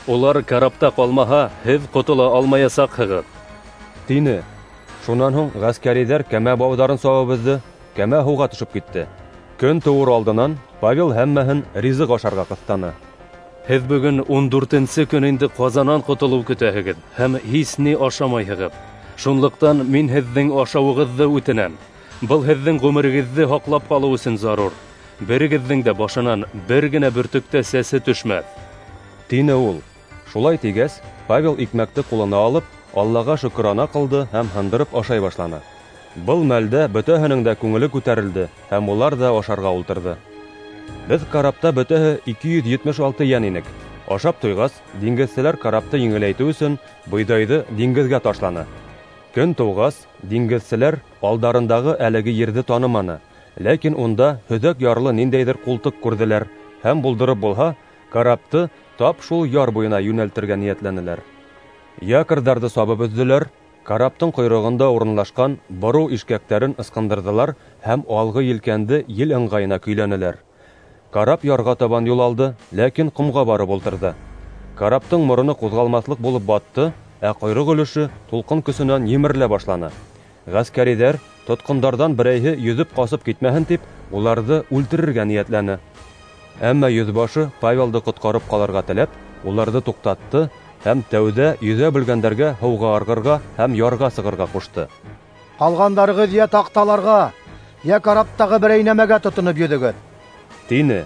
"Улар карапта ҡалмаһа, һеҙ ҡотола алмаясаҡһығыҙ", тине. Шунан һуң ғәскәриҙәр кәмә бауҙарын сабып өҙҙө, кәмә һыуға төшөп китте. Көн тыуыр алдынан Павел һәммәһен ризыҡ ашарға ҡыҫтаны. Һеҙ бөгөн ун дүртенсе көн инде ҡазанан ҡотолоу көтәһегеҙ һәм һис ни ашамайһығыҙ. Шунлыҡтан мин һеҙҙең ашауығыҙҙы үтенәм. Был һеҙҙең ғүмерегеҙҙе һаҡлап ҡалыу өсөн зарур. Берегеҙҙең дә башынан бер генә бөртөк тә сәсе төшмәҫ, тине ул. Шулай тигәс, Павел икмәкте ҡулына алып, Аллаға шөкөрана ҡылды һәм һындырып ашай башланы. Был мәлдә бөтәһенең дә күңеле күтәрелде һәм улар ҙа ашарға ултырҙы. Беҙ карапта бөтәһе ике йөҙ етмеш алты йән инек. Ашап туйғас, диңгеҙселәр карапты еңеләйтеү өсөн бойҙайҙы диңгеҙгә ташланы. Көн тыуғас, диңгеҙселәр алдарындағы әлеге ерҙе таныманы. Ләкин унда һөҙәк ярлы ниндәйҙер ҡултыҡ күрҙеләр һәм булдырып булһа, карапты тап шул яр буйына йүнәлтергә ниәтләнеләр. Якорҙарҙы сабып өҙҙөләр, караптың ҡойроғонда урынлашҡан бороу ишкәктәрен ысҡындырҙылар һәм алғы елкәнде ел ыңғайына көйләнеләр. Карап ярға табан юл алды, ләкин ҡомға барып ултырҙы. Караптың мороно ҡуҙғалмаҫлыҡ булып батты, ә ҡойроҡ өлөшө тулҡын көсөнән емерелә башланы. Ғәскәриҙәр тотҡондарҙан берәйһе йөҙөп ҡасып китмәһен тип, уларҙы үлтерергә ниәтләне. Әммә йөҙбашы Павелды ҡотҡарып ҡалырға теләп, уларҙы туҡтатты һәм тәүҙә йөҙә белгәндәргә һыуға ырғырға һәм ярға сығырға ҡушты. Ҡалғандарығыҙ йә таҡталарға, йә караптағы берәй нәмәгә тотоноп йөҙөгөҙ, тине.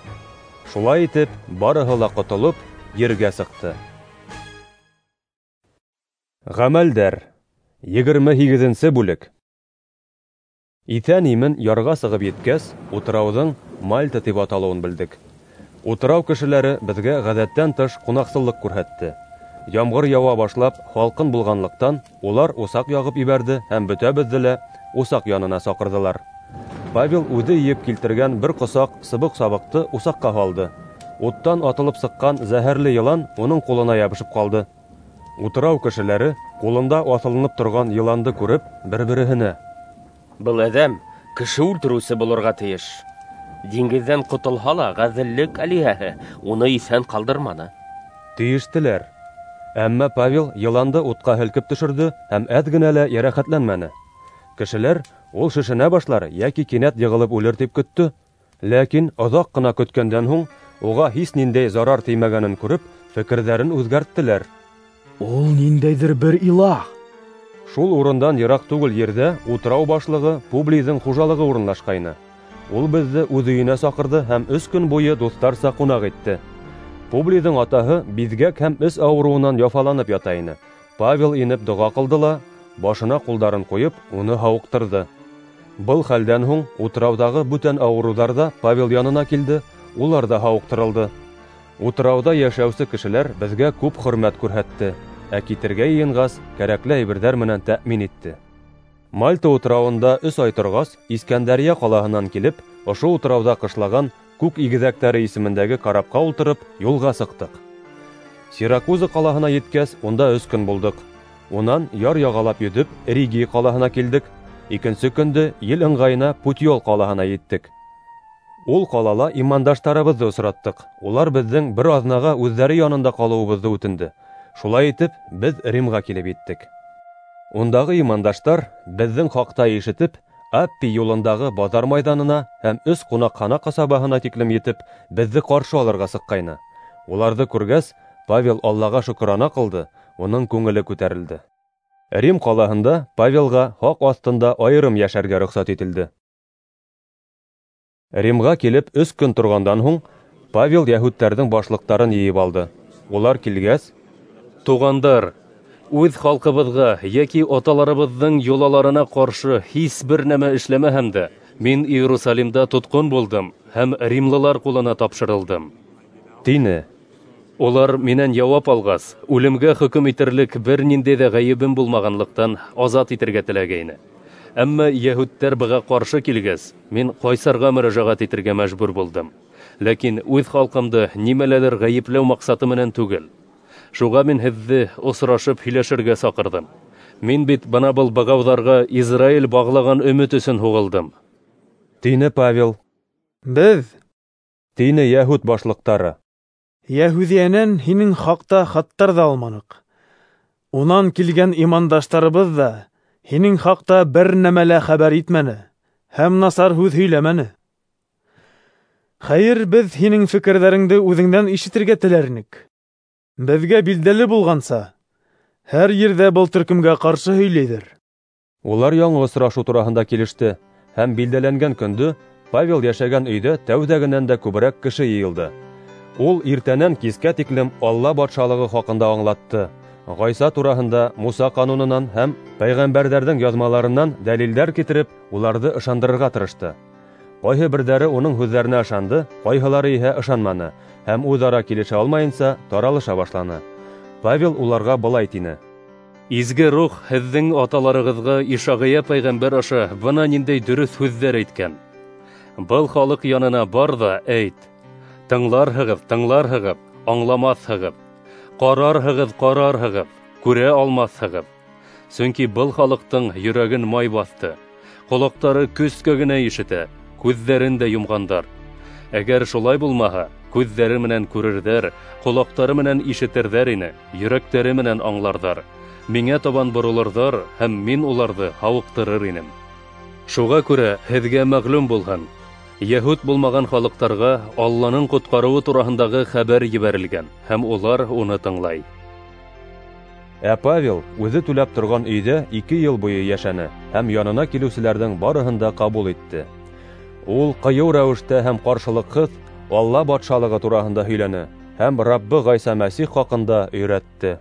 Шулай итеп, барыһы ла ҡотолоп, ергә сыҡты. Ғәмәлдәр. Егерме һигеҙенсе бүлек. Иҫән-имен ярға сығып еткәс, утрауҙың Мальта тип аталыуын белдек. Утрау кешеләре беҙгә ғәҙәттән тыш ҡунаҡсыллыҡ күрһәтте. Ямғыр яуа башлап, һалҡын булғанлыҡтан, улар усаҡ яғып ебәрҙе һәм бөтәбеҙҙе лә усаҡ янына саҡырҙылар. Павел үҙе йыйып килтергән бер ҡосаҡ сыбыҡ-сабыҡты усаҡҡа һалды. Уттан атылып сыҡҡан зәһәрле йылан уның ҡулына ябышып ҡалды. Утрау кешеләре ҡулында аҫылынып торған йыланды күреп, бер-береһенә: "Был әҙәм кеше үлтереүсе булырға тейеш. Диңгеҙҙән ҡотолһа ла, ғәҙеллек әлиһәһе уны иҫән ҡалдырманы", тейештеләр. Әммә Павел йыланды утҡа һелкеп төшөрҙө һәм әҙ генә лә йәрәхәтләнмәне. Кешеләр ул шешенә башлар йәки кинәт йығылып үлер тип көттө. Ләкин оҙаҡ ҡына көткәндән һуң уға һис ниндәй зарар теймәгәнен күреп, фекерҙәрен үҙгәрттеләр. Ул ниндәйҙер бер илаһ. Шул урындан йыраҡ түгел ерҙә утрау башлығы Публийҙың хужалығы урынлашҡайны. Ул беҙҙе үҙ өйөнә саҡырҙы һәм өс көн буйы дуҫтарса ҡунаҡ итте. Публийҙың атаһы биҙгәк һәм эс ауырыуынан яфаланып ята ине. Павел инеп доға ҡылды ла, башына ҡулдарын ҡуйып, уны һауыҡтырҙы. Был хәлдән һуң утрауҙағы бүтән ауырыуҙар ҙа Павел янына килде, улар ҙа һауыҡтырылды. Утрауҙа йәшәүсе кешеләр беҙгә күп хөрмәт күрһәтте, ә китергә йыйынғас, кәрәкле әйберҙәр менән тәьмин итте. Мальта утрауында өс ай торғас, Искәндәрйә ҡалаһынан килеп, ошо утрауҙа ҡышлаған Күк игеҙәктәре исемендәге карапҡа ултырып, юлға сыҡтыҡ. Сиракуза ҡалаһына еткәс, унда өс көн булдыҡ. Унан яр яғалап йөҙөп, Ригий ҡалаһына килдек. Икенсе көндө ел ыңғайына Путиол ҡалаһына еттек. Ул ҡалала имандаштарыбыҙҙы осраттыҡ. Улар беҙҙең бер аҙнаға үҙҙәре янында ҡалыуыбыҙҙы үтенде. Шулай итеп, беҙ Римға килеп еттек. Ундағы имандаштар беҙҙең хаҡта ишетеп, Аппий юлындағы баҙар майҙанына һәм өс ҡунаҡхана ҡасабаһына тиклем етеп, беҙҙе ҡаршы алырға сыҡҡайны. Уларҙы күргәс, Павел Аллаға шөкрана ҡылды, уның күңеле күтәрелде. Рим ҡалаһында Павелға һаҡ аҫтында айырым йәшәргә рөхсәт ителде. Римға килеп өс көн торғандан һуң, Павел йәһүдтәрҙең башлыҡтарын йыйып алды. Улар килгәс: "Туғандар, үҙ халҡыбыҙға йәки аталарыбыҙҙың йолаларына ҡаршы һис бер нәмә эшләмәһәм дә, мин Иерусалимда тотҡон булдым һәм римлылар ҡулына тапшырылдым", тине. Улар минән яуап алғас, үлемгә хөкөм итерлек бер ниндәй ҙә ғәйебем булмағанлыҡтан азат итергә теләгәйне. Әммә йәһүдтәр быға ҡаршы килгәс, мин ҡайсарға мөрәжәғәт итергә мәжбүр булдым. Ләкин үҙ халҡымды нимәләлер ғәйепләү маҡсаты менән түгел. Шуға мин һеҙҙе осрашып һөйләшергә саҡырҙым. Мин бит бына был бығауҙарға Израиль бағлаған өмөт өсөн һуғылдым, тине Павел. Беҙ, тине йәһүд башлыҡтары, Йәһүҙиәнән һинең хаҡта хаттар ҙа алманыҡ. Унан килгән имандаштарыбыҙ ҙа һинең хаҡта бер нәмә лә хәбәр итмәне һәм насар һүҙ һөйләмәне. Хәйер, беҙ һинең фекерҙәреңде үҙеңдән ишетергә теләр инек. Беҙгә билдәле булғанса, һәр ерҙә был төркөмгә ҡаршы һөйләйҙәр. Улар яңы осрашыу тураһында килеште, һәм билдәләнгән көндө Павел йәшәгән өйҙә тәүҙәгенән дә күберәк кеше йыйылды. Ул иртәнән кискә тиклем Алла батшалығы хаҡында аңлатты. Ғайса тураһында Муса ҡанунынан һәм пәйғәмбәрҙәрҙең яҙмаларынан дәлилдәр китереп, уларҙы ышандырырға тырышты. Ҡайһы берҙәре уның һүҙҙәренә ышанды, ҡайһылары иһә ышанманы һәм үҙ-ара килешә алмайынса таралыша башланы. Павел уларға былай тине: "Изге Рух һеҙҙең аталарығыҙға Ишағия пәйғәмбәр аша бына ниндәй дөрөҫ һүҙҙәр әйткән. Был халыҡ янына бар ҙа әйт: тыңларһығыҙ, тыңларһығыҙ, аңламаҫһығыҙ. Ҡарарһығыҙ, ҡарарһығыҙ, күрә алмаҫһығыҙ. Сөнки был халыҡтың йөрәген май баҫты, ҡолаҡтары көскә генә ишетә, күҙҙәрен дә йомғандар. Әгәр шулай булмаһа, күҙҙәре менән күрерҙәр, ҡолаҡтары менән ишетерҙәр ине, йөрәктәре менән аңларҙар. Миңә табан боролорҙар, һәм мин уларҙы һауыҡтырыр инем. Шуға күрә һеҙгә мәғлүм булһын: йәһүд булмаған халыҡтарға Алланың ҡотҡарыуы тураһындағы хәбәр ебәрелгән, һәм улар уны тыңлай." Ә Павел үҙе түләп торған өйҙә ике йыл буйы йәшәне һәм янына килеүселәрҙең барыһын да ҡабул итте. Ул ҡыйыу рәүештә һәм ҡаршылыҡһыҙ Алла батшалығы тураһында һөйләне һәм Раббы Ғайса Мәсих хаҡында өйрәтте.